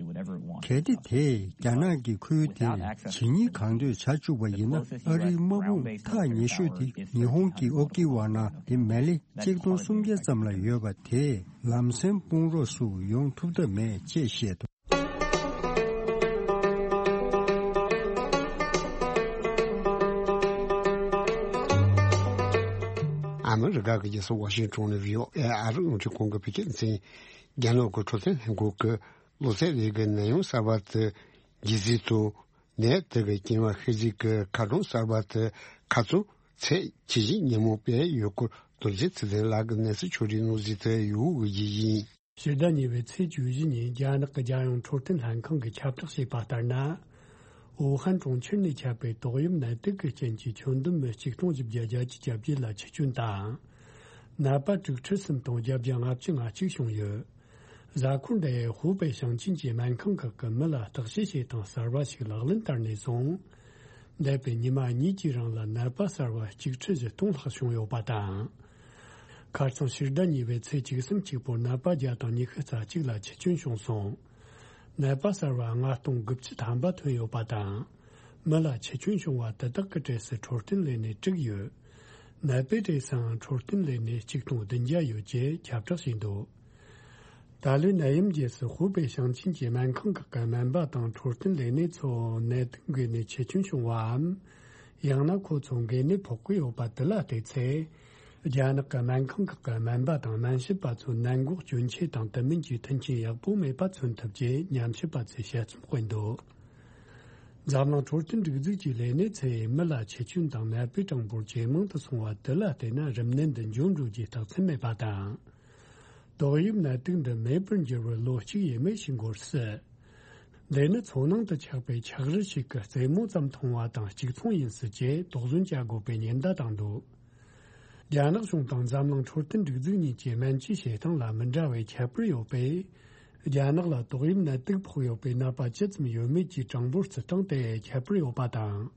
གལ་ཏེ་དེས་རྒྱ་ནག་གིས་ཁུལ་དེར་ཇི་སྙེད་གང་འདོད་བྱ་བཅུག་པ་ཡིན་ན། ཨ་རིའི་དམག་དཔུང་ཐག་ཉེ་ཤོས་དེ་ཉི་ཧོང་གི་ཨོ་ཀི་ཝ་ན་དེ་མེ་ལེ་གཅིག་སྟོང་སུམ་བརྒྱ་ཙམ་ལ་ཡོད་པ་དེས་ལམ་སེང་དཔུང་རོགས་སུ་ཡོང་ཐུབ་ཐབས་མེད་ཅེས་བཤད་འདུག། ཨ་མི་རི་ཀ་གི་རྒྱལ་ས་ཝ་ཤིང་ཊོན་ནས་བྷི་ཨོ་ཨེ་ཨ་རི་རླུང་འཕྲིན་ཁང་གི་བོད་སྐད་སྡེ་ཚན། རྒྱ་ནག་གི་འཕྲོད་བསྟེན་ལྷན་ཁང་གིས་གློ་ཚད་ལས་ཀྱི་ནད་ཡམས་གསར་པ་དེ་རྒྱས་བཟོས་དང་། ནད་དེ་གི་རྐྱེན་པ་ཤས་ཤིག་གི་ཁ་གྲངས་གསར་པ་དེ་ཁ་ཚོན་ཚད་ཇི་བཞིན་ཉིན་མོ་སྤེལ་ཡོད་སྐོར་རྡོ་རྗེ་ཚེ་བརྟན་ལགས་ཀྱིས་གནས་ཚུལ་ཕྱོགས་སྒྲིག་གནང་གཟིགས་དུ་ཡོད་པ་ཞིག་ཡིན། ཕྱི་ཟླ་གཉིས་པའི་ཚེས་བཅུ་བཞི་ཉིན་རྒྱ་ནག་གི་རྒྱལ་ཡོངས་འཕྲོད་བསྟེན་ལྷན་ཁང་གིས་ཁྱབ་བསྒྲགས་བྱས་པ་ལྟར་ན། ཝུ་ཧན་གྲོང་ཁྱེར་ནས་ཁྱབ་པའི་ཏོག་དབྱིབས་ནད་དུག་གི་རྐྱེན་གྱིས་ཁྱོན་བསྡོམས་མི་གཅིག་སྟོང་བཞི་བརྒྱ་བརྒྱད་ཅུ་གྱ་བརྒྱད་ལ་འཆི་སྐྱོན་དང་། ནད་པ་དྲུག་ཁྲི་གསུམ་སྟོང་བརྒྱད་བརྒྱ་ལྔ་བཅུ་ང་གཅིག་བྱུང་ཡོད། གཟའ་འཁོར་འདིའི་ཧུའུ་པེ་ཞིང་ཆེན་གྱི་སྨན་ཁང་ཁག་གི་མི་ལ་བརྟག་དཔྱད་བྱེད་སྟངས་གསར་བ་ཞིག་ལག་ལེན་བསྟར་ནས་བཟུང་། འདས་པའི་ཉི་མ་གཉིས་ཀྱི་རིང་ལ་ནད་པ་གསར་བ་གཅིག་ཁྲི་བཞི་སྟོང་ལྷག་བྱུང་ཡོད་པ་དང་། ཁ་རྩང་ཕྱི་ཟླ་གཉིས་པའི་ཚེས་བཅུ་གསུམ་གཅིག་པོར་ནད་པ་བརྒྱ་དང་ཉི་ཤུ་རྩ་གཅིག་ལ་འཆི་སྐྱོན་བྱུང་སོང་། ནད་པ་གསར་བ་ལྔ་སྟོང་དགུ་བཅུ་ཐམ་པ་ཐོན་ཡོད་པ་དང་། མི་ལ་འཆི་སྐྱོན་བྱུང་བ་དེ་དག་གི་གྲས་སུ་འཕྲོད་བསྟེན་ལས་སྣེ་དྲུག་ཡོད། ནད་པའི་གྲས་སུའང་འཕྲོད་བསྟེན་ལས་སྣེ་གཅིག་སྟོང་བདུན་བརྒྱ་ཡོད་ཅེས་ཁྱབ་བསྒྲགས་བྱས་འདུག། ད་ལོའི་ནད་ཡམས་རྗེས་སུ་ཧུའུ་པེ་ཞིང་ཆེན་གྱི་སྨན་ཁང་ཁག་གི་སྨན་པ་དང་འཕྲོད་བསྟེན་ལས་སྣེ་ཚོ་ནད་དུག་འགོས་ནས་འཆི་སྐྱོན་བྱུང་བའམ། ཡང་ན་ཁོ་ཚོ་འགོས་ནད་ཕོག་གི་ཡོད་པ་དེ་ལ་བལྟས་ཚེ། རྒྱ་ནག་གི་སྨན་ཁང་ཁག་གི་སྨན་པ་དང་སྨན་ཞབས་པ་ཚོའི་ནད་འགོག་སྐྱོན་ཆས་དང་དེ་མིན་གྱི་མཐུན་རྐྱེན་ཡག་པོ་མེད་པ་མཚོན་ཐུབ་ཅེས་ཉམས་ཞིབ་པ་ཚོས་དཔྱད་རྩོམ་སྤེལ་འདུག། འཛམ་གླིང་འཕྲོད་བསྟེན་སྒྲིག་འཛུགས་ཀྱི་ལས་སྣེ་ཚོས་མི་ལ་འཆི་སྐྱོན་དང་ནད་པའི་གྲངས་འབོར་ཇེ་མང་དུ་སོང་བ་དེ་ལ་བལྟས་ན། རིམས་ནད་འདི་འབྱུང་འགྲོ་རྒྱུའི་རྟགས་མཚན་མེད་པ་དང་། ཏོག་དབྱིབས་ནད་དུག་འདི་མེད་པར་འགྱུར་བར་ལོ་གཅིག་ཡས་མས་ཤིག་འགོར་སྲིད། འདི་ནི་མཚོ་ནང་དུ་ཆགས་པའི་ཆག་རི་ཞིག་གི་རྩེ་མོ་ཙམ་མཐོང་བ་དང་གཅིག་མཚུངས་ཡིན་སྲིད་ཅེས་དོགས་ཟོན་བྱ་དགོས་པའི་ཉེན་བརྡ་བཏང་འདུག། རྒྱ་ནག་གཞུང་དང་འཛམ་གླིང་འཕྲོད་བསྟེན་སྒྲིག་འཛུགས་གཉིས་ཀྱི་སྨན་བཅོས་བྱེད་སྟངས་ལ་མི་འདྲ་བའི་ཁྱད་པར་ཡོད་པས། རྒྱ་ནག་ལ་ཏོག་དབྱིབས་ནད་དུག་ཕོག་ཡོད་པའི་ནད་པ་ཇི་ཙམ་ཡོད་མེད་ཀྱི་གྲངས་འབོར་བརྩི་སྟངས་དེ་ཁྱད་པར་ཡོད་པ་དང་།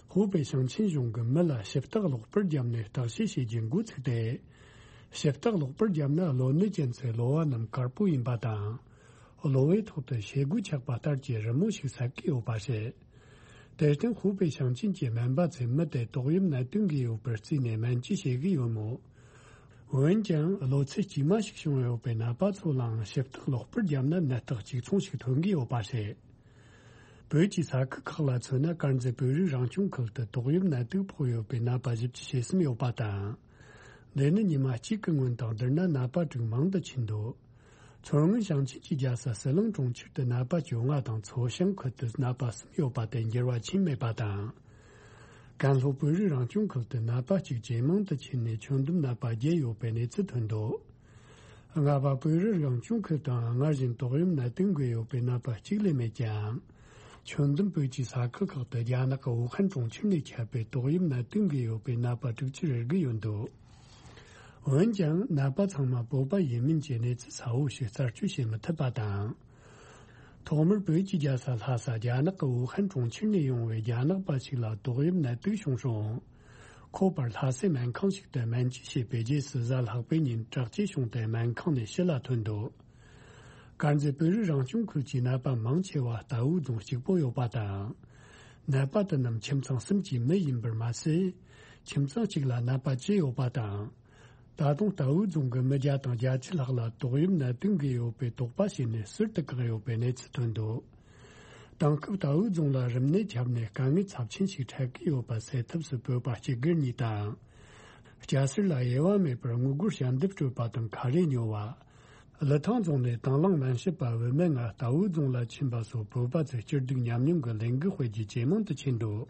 ཧུའུ་པེ་ཞིང་ཆེན་གཞུང་གིས་མི་ལ་ཞིབ་བརྟག་གློག་པར་བརྒྱབ་ནས་བརྟག་དཔྱད་བྱེད་རྒྱུ་འགོ་ཚུགས་ཏེ། ཞིབ་བརྟག་གློག་པར་བརྒྱབ་ན་གློ་ནད་ཅན་ཚོའི་གློ་བ་རྣམས་དཀར་པོ་ཡིན་པ་དང་། གློ་བའི་ཐོག་ཏུ་བྱེ་རྒོད་ཆགས་པ་ལྟར་གྱི་རི་མོ་ཞིག་གསལ་གྱི་ཡོད་པ་རེད། དེར་བརྟེན་ཧུའུ་པེ་ཞིང་ཆེན་གྱི་སྨན་པ་ཚོས་མི་དེ་ཏོག་དབྱིབས་ནད་དུག་འགོས་ཡོད་པར་བརྩིས་ནས་སྨན་བཅོས་བྱེད་ཀྱི་ཡོད་མོད། འོན་ཀྱང་ལོ་ཚད་དཀྱུས་མ་ཞིག་བྱུང་ཡོད་པའི་ནད་པ་ཚོ་ལའང་ཞིབ་བརྟག་ལོག་པར་བརྒྱབ་ན་ནད་རྟགས་གཅིག་མཚུངས་ཤིག་ཐོན་གྱི་ཡོད་པ་རེད། བོད་ཀྱི་ས་ཁུལ་ཁག་ལ་མཚོན་ན། དཀར་མཛེས་བོད་རིགས་རང་སྐྱོང་ཁུལ་དུ་ཏོག་དབྱིབས་ནད་དུག་ཕོག་ཡོད་པའི་ནད་པ་བཞི་བཅུ་ཞེ་གསུམ་ཡོད་པ་དང་། འདི་ནི་ཉི་མ་གཅིག་གི་སྔོན་དང་བསྡུར་ན་ནད་པ་དྲུག་མང་དུ་ཕྱིན་འདུག་མཚོ་སྔོན་ཞིང་ཆེན་གྱི་རྒྱལ་ས་ཟི་ལིང་གྲོང་ཁྱེར་དུ་ནད་པ་བཅོ་ལྔ་དང་མཚོ་བྱང་ཁུལ་དུ་ནད་པ་གསུམ་ཡོད་པ་དེ་འགྱུར་བ་ཕྱིན་མེད་པ་དང་། ཀན་ལྷོ་བོད་རིགས་རང་སྐྱོང་ཁུལ་དུ་ནད་པ་གཅིག་ཇེ་མང་དུ་ཕྱིན་ནས་ཁྱོན་བསྡོམས་ནད་པ་བརྒྱད་ཡོད་པའི་གནས་ཚུལ་ཐོན་འདུག་རྔ་པ་བོད་རིགས་རང་སྐྱོང་ཁུལ་དུའང་སྔར་བཞིན་ཏོག་དབྱིབས་ནད་དུག་འགོས་ཡོད་པའི་ནད་པ་གཅིག་ལས་མེད་ཀྱང་། ཁྱོན་བསྡོམས་བོད་ཀྱི་ས་ཁུལ་ཁག་ཏུ་རྒྱ་ནག་གི་ཝུ་ཧན་གྲོང་ཁྱེར་ནས་ཁྱབ་པའི་ཏོག་དབྱིབས་ནད་དུག་འགོས་ཡོད་པའི་ནད་པ་དྲུག་ཅུ་རེ་དགུ་ཡོད་འདུག་འོན་ཀྱང་ནད་པ་ཚང་མ་བོད་པ་ཡིན་མིན་གྱི་གནས་ཚུལ་གསལ་བོ་ཞིག་རྩད་གཅོད་བྱེད་མི་ཐུབ་པ་དང་། ཐོག་མར་བོད་ཀྱི་རྒྱལ་ས་ལྷ་ས་རྒྱ་ནག་གི་ཝུ་ཧན་གྲོང་ཁྱེར་ནས་ཡོང་བའི་རྒྱ་ནག་པ་ཞིག་ལ་ཏོག་དབྱིབས་ནད་དུག་བྱུང་རུང་། ཁོ་པར་ལྷ་སའི་སྨན་ཁང་ཞིག་ཏུ་སྨན་བཅོས་བྱས་པའི་རྗེས་སུ་གཟའ་ལྷག་པའི་ཉིན་དྲག་སྐྱེད་བྱུང་སྟེ་སྨན་ཁང་ནས་ཕྱི་ལ་ཐོན་འདུག་དཀར་མཛེས་བོད་རིགས་རང་སྐྱོང་ཁུལ་གྱི་ནད་པ་མང་ཆེ་བ་རྟའུ་རྫོང་གཅིག་པོ་ཡོད་པ་དང་། ནད་པ་དེ་རྣམས་ཁྱིམ་ཚང་གསུམ་གྱི་མི་ཡིན་པར་མ་ཟད། ཁྱིམ་ཚང་གཅིག་ལ་ནད་པ་བཅུ་ཡོད་པ་དང་། ད་དུང་རྟའུ་རྫོང་གི་མི་བརྒྱ་དང་བརྒྱད་ཅུ་ལྷག་ལ་ཏོག་དབྱིབས་ནད་དུག་འགོས་ཡོད་པའི་དོགས་པ་བྱས་ནས་ཟུར་དུ་བཀག་ཡོད་པའི་གནས་ཚུལ་ཐོན་འདུག་དེང་སྐབས་རྟའུ་རྫོང་ལ་རིམས་ནད་ཁྱབ་ནས་དཀའ་ངལ་ཚབས་ཆེན་ཞིག་འཕྲད་ཀྱི་ཡོད་པ་སེལ་ཐབས་སུ་བོད་པ་སྐྱེ་རྒུ་གཉིས་དང་། སྐྱ་སེར་ལ་དབྱེ་བ་མེད་པར་དངུལ་སྒོར་ཞལ་འདེབས་སྤྲོད་པ་དང་ཁ་རས་ཉོ་བ། ལི་ཐང་རྫོང་ནས་དང་བླངས་སྨན་ཞབས་པ་བུད་མེད་ལྔ་རྟའུ་རྫོང་ལ་ཕྱིན་པ་སོགས་བོད་པ་ཚོས་སྐྱིད་སྡུག་མཉམ་མྱོང་གི་ལས་འགུལ་སྤེལ་རྒྱུ་ཇེ་མང་དུ་ཕྱིན་འདུག་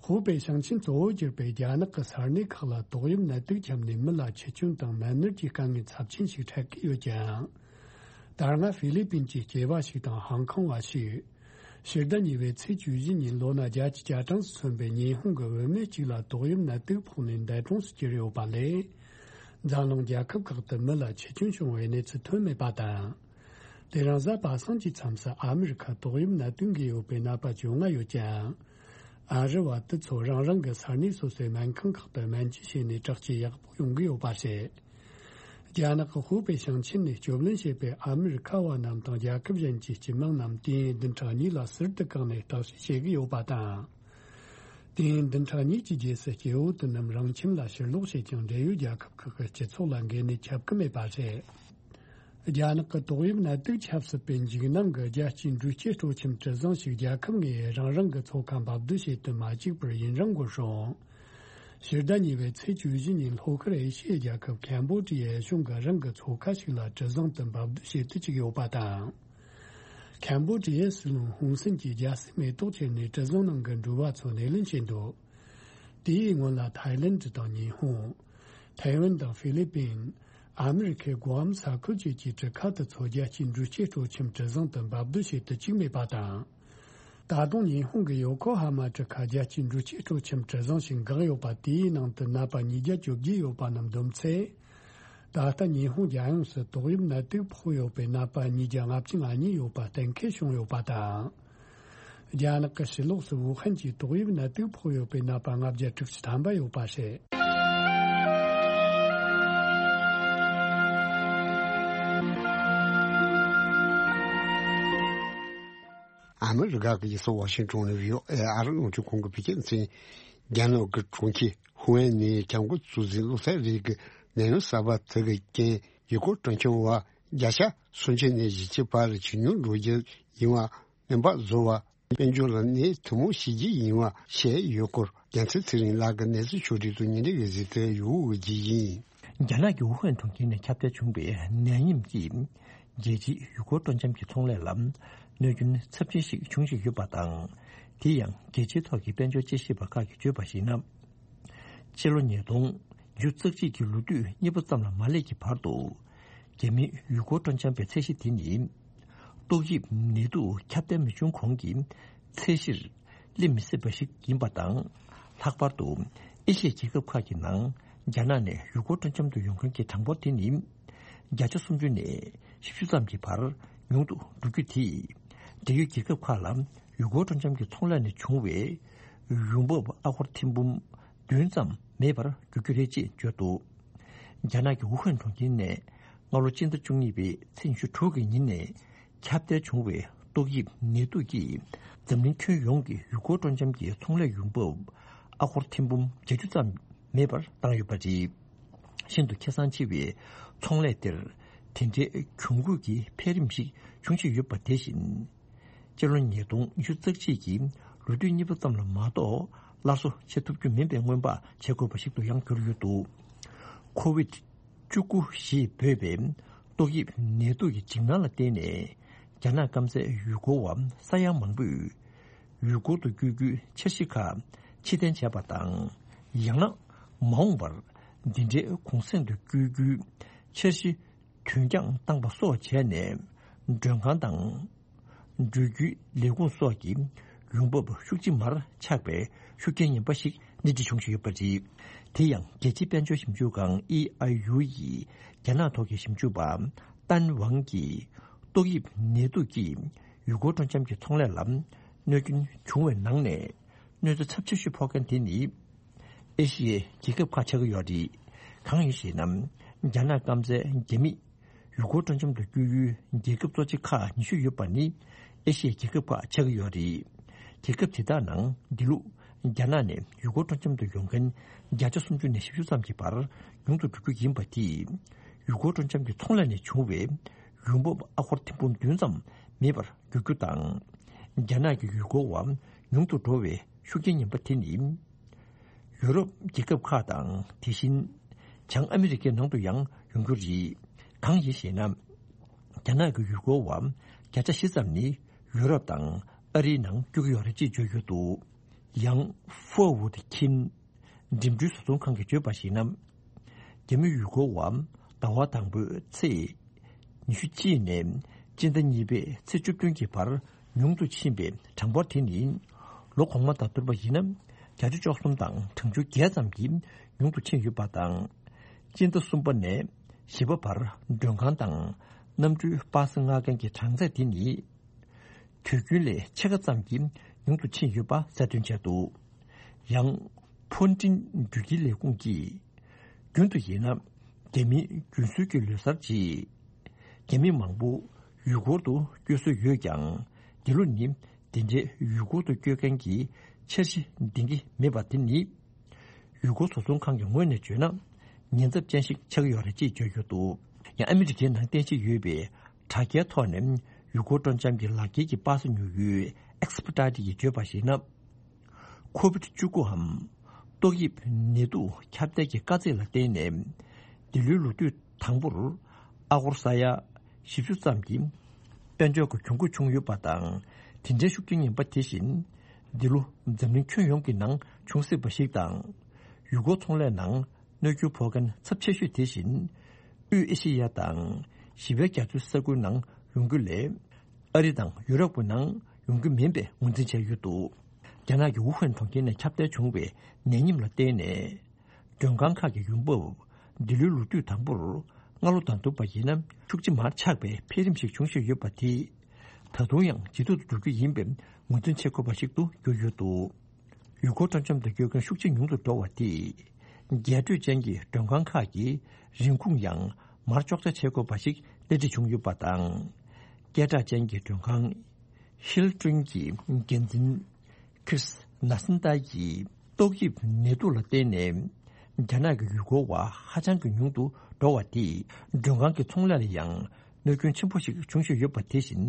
ཧུའུ་པེ་ཞིང་ཆེན་གཙོ་བོར་གྱུར་པའི་རྒྱ་ནག་གི་ས་གནས་ཁག་ལ་ཏོག་དབྱིབས་ནད་དུག་ཁྱབ་ནས་མི་ལ་འཆི་སྐྱོན་དང་ནད་མནར་གྱི་དཀའ་ངལ་ཚབས་ཆེན་ཞིག་འཕྲད་ཀྱི་ཡོད་ཀྱང་། ད་སྔ་ཧྥི་ལི་པིན་གྱི་སྐྱེས་པ་ཞིག་དང་ཧང་ཀོང་བ་ཞིག་ཕྱི་ཟླ་གཉིས་པའི་ཚེས་བཅུ་བཞི་ཉིན་ལོ་ན་བརྒྱད་ཅུ་གྱ་གྲངས་སུ་སོན་པའི་ཉི་ཧོང་གི་བུད་མེད་ཅིག་ལ་ཏོག་དབྱིབས་ནད་དུག་ཕོག་ནས་འདས་གྲོངས་སུ་གྱུར་ཡོད་པ་ལས། འཛམ་གླིང་རྒྱལ་ཁབ་ཁག་ཏུ་མི་ལ་འཆི་སྐྱོན་བྱུང་བའི་གནས་ཚུལ་ཐོན་མེད་པ་དང་། དེ་རིང་གཟའ་པ་སངས་ཀྱི་མཚམས་སུ་ཨ་མི་རི་ཁར་ཏོག་དབྱིབས་ནད་དུག་འགོས་ཡོད་པའི་ནད་པ་བཅོ་ལྔ་ཡོད་ཀྱང་། ཨ་རི་བ་དེ་ཚོ་རང་རང་གི་ས་གནས་སོ་སོའི་སྨན་ཁང་ཁག་ཏུ་སྨན་བཅོས་བྱས་ནས་དྲག་སྐྱེད་ཡག་པོ་ཡོང་གི་ཡོད་པ་རེད། རྒྱ་ནག་གི་ཧུའུ་པེ་ཞིང་ཆེན་ནས་སྐྱོབ་ལེན་བྱས་པའི་ཨ་མི་རི་ཁ་བ་རྣམས་དང་རྒྱལ་ཁབ་གཞན་གྱི་སྤྱི་དམངས་རྣམས་དུས་ཡུན་བདུན་ཕྲག་གཉིས་ལ་ཟུར་དུ་བཀག་ནས་བརྟག་དཔྱད་བྱེད་ཀྱི་ཡོད་པ་དང་། དུས་ཡུན་བདུན་ཕྲག་གཉིས་ཀྱི་རྗེས་སུ་སྐྱེ་བོ་དེ་རྣམས་རང་ཁྱིམ་ལ་ཕྱིར་ལོག་བྱེད་ཀྱང་འབྲེལ་ཡོད་རྒྱལ་ཁབ་ཁག་གི་སྤྱི་ཚོགས་ལ་འགོས་ནད་ཁྱབ་ཀྱི་མེད་པ་རེད། རྒྱ་ནག་གི་ཏོག་དབྱིབས་ནད་དུག་ཁྱབ་སྲིད་པའི་འཇིགས་སྣང་གི་རྒྱལ་སྤྱིའི་འགྲུལ་སྐྱེལ་སྤྲོ་འཆམ་གྲུ་གཟིངས་ཤིག་རྒྱལ་ཁབ་ལྔའི་རང་རང་གི་ཚོགས་ཁང་འབབ་སྡུད་བྱེད་དུ་མ་བཅུག་པར་ཡུན་རིང་འགོར་སོང་། ཕྱི་ཟླ་གཉིས་པའི་ཚེས་བཅུ་བཞི་ཉིན་ལྷོ་ཤར་ཨེ་ཤི་ཡའི་རྒྱལ་ཁབ་ཁམ་བོ་ཌི་ཡའི་གཞུང་གིས་རང་གི་ཚོགས་ཁང་ཞིག་ལ་གྲུ་གཟིངས་དེ་འབབ་སྡུད་བྱེད་དུ་བཅུག་ཡོད་པ་དང་། ཁམ་བོ་ཌི་ཡའི་སྲིད་བློན་ཧུན་སེན་གྱིས་རྒྱལ་སྲིད་མེ་ཏོག་ཁྱེར་ནས་གྲུ་གཟིངས་ནང་གི་འགྲུལ་བ་ཚོ་སྣེ་ལེན་བྱས་འདུག་དེའི་སྔོན་ལ་ཐའི་ལེན་ཌི་དང་ཉི་ཧོང་། ཐའེ་ཝན་དང་ཧྥི་ལི་པིན། ཨ་མི་རི་ཁའི་གུ་ཨམ་ས་ཁུལ་བཅས་ཀྱི་གྲུ་ཁ་དེ་ཚོ་རྒྱལ་སྤྱིའི་འགྲུལ་སྐྱེལ་སྤྲོ་འཆམ་གྲུ་གཟིངས་དུ་འབབ་སྡུད་བྱེད་དུ་བཅུག་མེད་པ་དང་། ད་དུང་ཉི་ཧོང་གི་ཡོ་ཀོ་ཧ་མ་གྲུ་ཁ་རྒྱལ་སྤྱིའི་འགྲུལ་སྐྱེལ་སྤྲོ་འཆམ་གྲུ་གཟིངས་ཤིག་འགག་ཡོད་པ་དེའི་ནང་དུ་ནད་པ་ཉིས་བརྒྱ་བཅོ་བརྒྱད་ཡོད་པ་རྣམས་བསྡོམས་ཚེ། ད་ལྟ་ཉི་ཧོང་རྒྱལ་ཡོངས་སུ་ཏོག་དབྱིབས་ནད་དུག་ཕོག་ཡོད་པའི་ནད་པ་ཉིས་བརྒྱ་ལྔ་བཅུ་ང་གཉིས་ཡོད་པ་གཏན་འཁེལ་བྱུང་ཡོད་པ་དང་། རྒྱ་ནག་གི་ཕྱི་ལོགས་སུ་ཝུ་ཧན་གྱི་ཏོག་དབྱིབས་ནད་དུག་ཕོག་ཡོད་པའི་ནད་པ་ལྔ་བརྒྱ་དྲུག་ཅུ་ཐམ་པ་ཡོད་པ་རེད། ཨ་མི་རི་ཀ་གི་རྒྱལ་ས་ཝ་ཤིང་ཏོན་ནས་བྷི་ཨོ་ཨེ་ཨ་རི་རླུང་འཕྲིན་ཁང་གི་བོད་སྐད་སྡེ་ཚན། རྒྱ་ནག་གི་གྲོང་ཁྱེར་ཧུའུ་ཨན་ནས་ཁྱབ་མགོན་གཙོ་འཛིན་བློ་བཟང་རིགས་ཀྱི་ནད་ཡམས་གསར་པ་དེ་གི་རྐྱེན་ཡུལ་སྐོར་སྤྲོ་འཆམ་བ་བརྒྱ་ཆ་སུམ་ཅུ་ནས་བཞི་བཅུ་བར་ཇེ་ཉུང་འགྲོ་རྒྱུ་ཡིན་པ། སྨན་པ་བཟོ་བ། དཔལ་འབྱོར་ལ་ནད་ཐུན་མོང་ཞི་རྒྱུ་ཡིན་པ་བཤད་ཡོད་སྐོར། རྒྱལ་མཚན་ཚེ་རིང་ལགས་ཀྱི་གནས་ཚུལ་ཕྱོགས་སྒྲིག་ཏུ་ཉིན་རེའི་གཟིགས་ཚུལ་ཡོད་རྒྱུ་ཡིན། རྒྱ་ནག་གི་ཝུ་ཧན་གྲོང་ཁྱེར་ནས་ཁྱབ་གདལ་བྱུང་བའི་ནད་ཡམས་ཀྱིས་རྒྱལ་སྤྱིའི་ཡུལ་སྐོར་སྤྲོ་འཆམ་གྱི་ཚོང་ལས་ལ་གནོད་སྐྱོན་ཚབས་ཆེན་ཞིག་བྱུང་བཞིན་ཡོད་པ་དང་། དེ་ཡང་རྒྱལ་སྤྱིའི་ཐོག་གི་དཔལ་འབྱོར་དཔྱད་ཞིབ་པ་ཁག་གིས་བརྗོད་པར་གཞིགས་ན། ཕྱི་ལོ་ཉིས་སྟོང་ཉེར་གཅིག་གི་ལོ་དུས་གཉིས་པ་ཙམ་ལ་མ་སླེབས་ཀྱི་བར་དུ། རྒྱ་མིའི་ཡུལ་སྐོར་སྤྲོ་འཆམ་པའི་ཚད་གཞི་དེ་ནི། ཏོག་དབྱིབས་ནད་དུག་ཁྱབ་གདལ་མི་བྱུང་གོང་གི་ཚད་གཞིར་སླེབས་མི་སྲིད་པ་ཞིག་ཡིན་པ་དང་། ལྷག་པར་དུ་ཨེ་ཤི་ཡའི་རྒྱལ་ཁབ་ཁག་གི་ནང་རྒྱ་ནག་ནས་ཡུལ་སྐོར་སྤྲོ་འཆམ་དུ་ཡོང་མཁན་གྱི་གྲངས་འབོར་དེ་ནི། བརྒྱ་ཆ་སུམ་ཅུ་ནས་བཞི་བཅུ་ཙམ་གྱི་བར་ཉུང་དུ་འགྲོ་རྒྱུ་དེས། འབྲེལ་ཡོད་རྒྱལ་ཁབ་ཁག་ལ་ཡུལ་སྐོར་སྤྲོ་འཆམ་གྱི་ཚོང་ལས་ནས་བྱུང་བའི་ཡོང་འབབ་ཨ་སྒོར་ཐེར་འབུམ་བདུན་ཙམ་མེད་པར་འགྱུར་རྒྱུ་རེད་ཅེས་བརྗོད་འདུག་རྒྱ་ནག་གི་ཝུ་ཧན་གྲོང་ཁྱེར་ནས་སྔ་ལོ་སྤྱི་ཟླ་བཅུ་གཉིས་པའི་ཚེས་ཉི་ཤུ་དྲུག་གི་ཉིན་ནས་ཁྱབ་གདལ་བྱུང་བའི་ ཏོག་དབྱིབས་ནད་དུག་གིས་འཛམ་གླིང་ཁྱོན་ཡོངས་ཀྱི་ཡུལ་སྐོར་སྤྲོ་འཆམ་གྱི་ཚོང་ལས་ཡོང་འབབ་ཨ་སྒོར་ཐེར་འབུམ་བརྒྱད་ཅུ་ཙམ་མེད་པར་བཏང་ཡོད་པ་རེད། ཤིན་ཏུ་ཁེ་བཟང་ཆེ་བའི་ཚོང་ལས་དེར་དེ་འདྲའི་གྱོང་གུད་ཀྱི་འཕེལ་རིམ་ཞིག་འབྱུང་བཞིན་ཡོད་པ་དེ་བཞིན། སྤྱི་ལོ་ཉིས་སྟོང་ཉི་ཤུ་རྩ་གཅིག་གི་ལོ་དུས་གཉིས་པ་ཙམ་ལ་མ་གཏོགས་སླར་གསོ་བྱེད་ཐུབ་རྒྱུ་མིན་པའི་སྔོན་དཔག་བྱེད་དགོས་པ་ཞིག་ཏུ་ཡང་གྱུར་ཡོད་འདུག་ཁོ་ཝིད་བཅུ་དགུ་ཞེས་འབོད་པའི་ཏོག་དབྱིབས་ནད་དུག་གི་འཇིགས་སྣང་ལ་བརྟེན་ནས། རྒྱ་ནག་སྐམ་སའི་ཡུལ་སྐོར་བ་ས་ཡ་མང་པོས་ཡུལ་སྐོར་དུ་བསྐྱོད་རྒྱུའི་འཆར་གཞི་ཁག་ཕྱིར་འཐེན་བྱས་པ་དང་། ཡང་ན་མ་འོངས་པར་འདི་འདྲའི་གུང་གསེང་དུ་བསྐྱོད་རྒྱུའི་འཆར་གཞི་དུས་འགྱངས་བཏང་པ་སོགས་བྱས་ནས། མགྲོན་ཁང་དང་འགྲུལ་སྐྱོད་ལས་ཁུངས་སོགས་ཀྱི་ཡོང་འབབ་ཤུགས་ཆེ་མར་ཆག་པའི་ཤུགས་རྐྱེན་ངན་པ་ཞིག་སྣེ་ཁྲིད་བྱུང་བཞིན་ཡོད་པ་རེད། དེ་ཡང་རྒྱལ་སྤྱིའི་དཔལ་འབྱོར་ཞིབ་འཇུག་ཁང་ཨི་ཨའི་ཡུ་ཡི་རྒྱ་ནག་ཐོག་གི་ཞིབ་འཇུག་པ་ཏན་ཝང་གིས། ཏོག་དབྱིབས་ནད་དུག་གིས་ཡུལ་སྐོར་སྤྲོ་འཆམ་གྱི་ཚོང་ལས་ལ་གནོད་སྐྱོན་བྱུང་བའི་ནང་ནས། གནོད་འཚེ་ཚབས་ཆེ་ཤོས་ཕོག་མཁན་དེ་ནི་ཨེ་ཤི་ཡའི་རྒྱལ་ཁབ་ཁག་ཆགས་ཀྱི་ཡོད་རེད། གང་ཡིན་ཞེ་ན། རྒྱ་ནག་སྐམ་སའི་རྒྱ་མིས་ཡུལ་སྐོར་སྤྲོ་འཆམ་དུ་བསྐྱོད་ཡུལ་རྒྱལ་ཁབ་གཙོ་ཆེ་ཁག་ཉི་ཤུ་ཡོད་པ་ནི་ཨེ་ཤི་ཡའི་རྒྱལ་ཁབ་ཁག་ཆགས་ཀྱི་ཡོད་རེད། རྒྱལ་ཁབ་དེ་དག་ནང་འདི་ལོ་རྒྱ་ནག་ནས་ཡུལ་སྐོར་སྤྲོ་འཆམ་དུ་ཡོང་མཁན་བརྒྱ་ཆ་སུམ་ཅུ་ནས་བཞི་བཅུ་ཙམ་གྱི་བར་ཉུང་དུ་འགྲོ་རྒྱུ་ཡིན་པ་དེས། ཡུལ་སྐོར་སྤྲོ་འཆམ་གྱི་ཚོང་ལས་ནས་བྱུང་བའི་ཡོང་འབབ་ཨ་སྒོར་ཐེར་འབུམ་བདུན་ཙམ་མེད་པར་འགྱུར་རྒྱུ་དང་། རྒྱ་ནག་གི་ཡུལ་སྐོར་བ་ཉུང་དུ་འགྲོ་བའི་ཤུགས་རྐྱེན་ངན་པ་དེ་ནི། ཡུ་རོབ་རྒྱལ་ཁབ་ཁག་དང་དེ་བཞིན་བྱང་ཨ་མི་རི་ཀའི་ནང་དུ་ཡང་ཡོང་རྒྱུ་རེད། གང་ཡིན་ཞེ་ན། རྒྱ་ནག་གི་ཡུལ་སྐོར་བ་བརྒྱ་ཆ་བཞི་ཙམ་ནི་ཡུ་རོབ་དང་ཨ་རིའི་ནང་བསྐྱོད་ཀྱི་ཡོད་རེད་ཅེས་བརྗོད་ཡོད་འདུག་ཡང་Forward Khin འགྲིམ་འགྲུལ་བཟོ་ཚོང་ཁང་གིས་བརྗོད་པར་གཞིགས་ན། རྒྱ་མི་ཡུལ་སྐོར་བ་ཟླ་བ་དང་པོའི་ཚེས་ཉི་ཤུ་གཅིག་ནས་སྤྱི་ཟླ་གཉིས་པའི་ཚེས་བཅུ་བདུན་གྱི་བར་ཉུང་དུ་ཕྱིན་པའི་གྲངས་འབོར་དེ་ནི། ལོ་གོང་མ་དང་བསྡུར་བ་ཡིན་ན་བརྒྱ་ཆ་བཅུ་གསུམ་དང་གྲངས་ཆུང་བརྒྱད་ཙམ་གྱིས་ཉུང་དུ་ཕྱིན་ཡོད་པ་དང་། སྤྱི་ཟླ་གསུམ་པ་ནས་བཞི་པ་བར་མགྲོན་ཁང་དང་གནམ་གྲུའི་པ་སེ་མངགས་མཁན་གྱི་གྲངས་ཚད་དེ་ནི། དུས་རྒྱུན་ལས་ཕྱེད་ཀ་ཙམ་གྱིས་ཉུང་དུ་ཕྱིན་ཡོད་པ་གསལ་སྟོན་བྱས་འདུག་ཡང་། ཕོན་ཀྲིན་འགྲུལ་སྐྱེལ་ལས་ཁུངས་ཀྱིས། རྒྱུན་དུ་ཡིན་ན། རྒྱ་མིའི་རྒྱུན་སྲོལ་གྱི་ལོ་གསར་རྗེས། རྒྱ་མི་མང་པོ་ཡུལ་སྐོར་དུ་བསྐྱོད་སྲོལ་ཡོད་ཀྱང་། འདི་ལོ་ནི་དེ་འདྲའི་ཡུལ་སྐོར་དུ་བསྐྱོད་མཁན་གྱི་འཆར་གཞི་འདིང་གི་མེད་པ་དེ་ནི། ཡུལ་སྐོར་བཟོ་ཚོང་ཁང་གི་ངོས་ནས་བརྗོད་ན། ཉེན་ཚབས་ཅན་ཞིག་ཆགས་ཀྱི་ཡོད་རེད་ཅེས་བརྗོད་ཡོད་འདུག་ཡང་ཨ་མི་རི་ཀའི་ནང་རྟེན་གཞི་ཡོད་པའི་དྲ་རྒྱའི་ཐོག་ནས་ཡུལ་སྐོར་སྤྲོ་འཆམ་གྱི་ལག་འཁྱེར་གྱི་པ་སེ་ཉོ་ཡུལ་Expedite ཡིས་བརྗོད་པར་གཞིགས་ན། ཁོ་ཝིད་བཅུ་དགུའམ་ཏོག་དབྱིབས་ནད་དུག་ཁྱབ་གདལ་གྱི་དཀའ་ཚེགས་ལ་བརྟེན་ནས། འདི་ལོའི་ལོ་དུས་དང་པོར་ཨ་སྒོར་ས་ཡ་བཞི་བཅུ་ཙམ་གྱི་དཔལ་འབྱོར་གྱི་གྱོང་གུད་བྱུང་ཡོད་པ་དང་། དེ་འདྲའི་ཤུགས་རྐྱེན་ངན་པ་དེ་བཞིན་འདི་ལོ་འཛམ་གླིང་ཁྱོན་ཡོངས་ཀྱི་ནང་བྱུང་སྲིད་པ་ཞིག་དང་། ཡུལ་སྐོར་ཚོང་ལས་ནང་གནོད་འགྱུར་ཕོག་མཁན་ཚབས་ཆེ་ཤོས་དེ་བཞིན། དབུས་ཨེ་ཤེ་ཡ་དང་ཞི་བའི་རྒྱ་མཚོའི་ས་ཁུལ་ནང་ཡོང་རྒྱུ་ལས། ཨ་རི་དང་ཡུ་རོབ་ཀྱི་ནང་ཡོང་རྒྱུ་མིན་པའི་ངོས་འཛིན་བྱས་ཡོད་འདུག་རྒྱ་ནག་གི་ཝུ་ཧན་གྲོང་ཁྱེར་ནས་ཁྱབ་གདལ་བྱུང་བའི་ནད་ཉིམ་ལ་བརྟེན་ནས། མགྲོན་ཁང་ཁག་གི་ཡོང་འབབ་འདི་ལོའི་ལོ་དུས་དང་པོར་སྔ་ལོ་དང་བསྡུར་བ་ཡིན་ན་ཤུགས་ཆེ་མར་ཆག་པའི་འཕེལ་རིམ་ཞིག་བྱུང་བཞིན་ཡོད་པ་དེས། ད་དུང་ཡང་ཇེ་སྡུག་ཏུ་འགྲོ་རྒྱུ་ཡིན་པའི་ངོས་འཛིན་བྱེད་དགོས་པ་ཞིག་ཏུ་གྱུར་ཡོད་འདུག་ཡུལ་སྐོར་སྤྲོ་འཆམ་དུ་བསྐྱོད་མཁན་ཤུགས་ཆེ་ཉུང་དུ་འགྲོ་བ་དེས། རྒྱས་སྤྲོས་ཅན་གྱི་མགྲོན་ཁང་ཁག་གི་རིན་ཁུངས་ཡང་མར་གཅོག་ཆ་བྱེད་དགོས་པ་ཞིག་སྣེ་ཁྲིད་བྱུང་ཡོད་པ་དང་། སྐད་གྲགས་ཅན་གྱི་མགྲོན་ཁང་ཧིལ་ཏོན་གྱི་འགན་འཛིན་ཁྲིས་ན་སན་ཏཱ་ཡིས་ཏོག་དབྱིབས་ནད་དུག་ལ་བརྟེན་ནས་རྒྱ་ནག་གི་ཡུལ་སྐོར་བ་ཧ་ཅང་གི་ཉུང་དུ་འགྲོ་བ་དེས་མགྲོན་ཁང་གི་ཚོང་ལས་ལ་ཡང་གནོད་སྐྱོན་ཆེན་པོ་ཞིག་བྱུང་བཞིན་ཡོད་པ་དེ་བཞིན་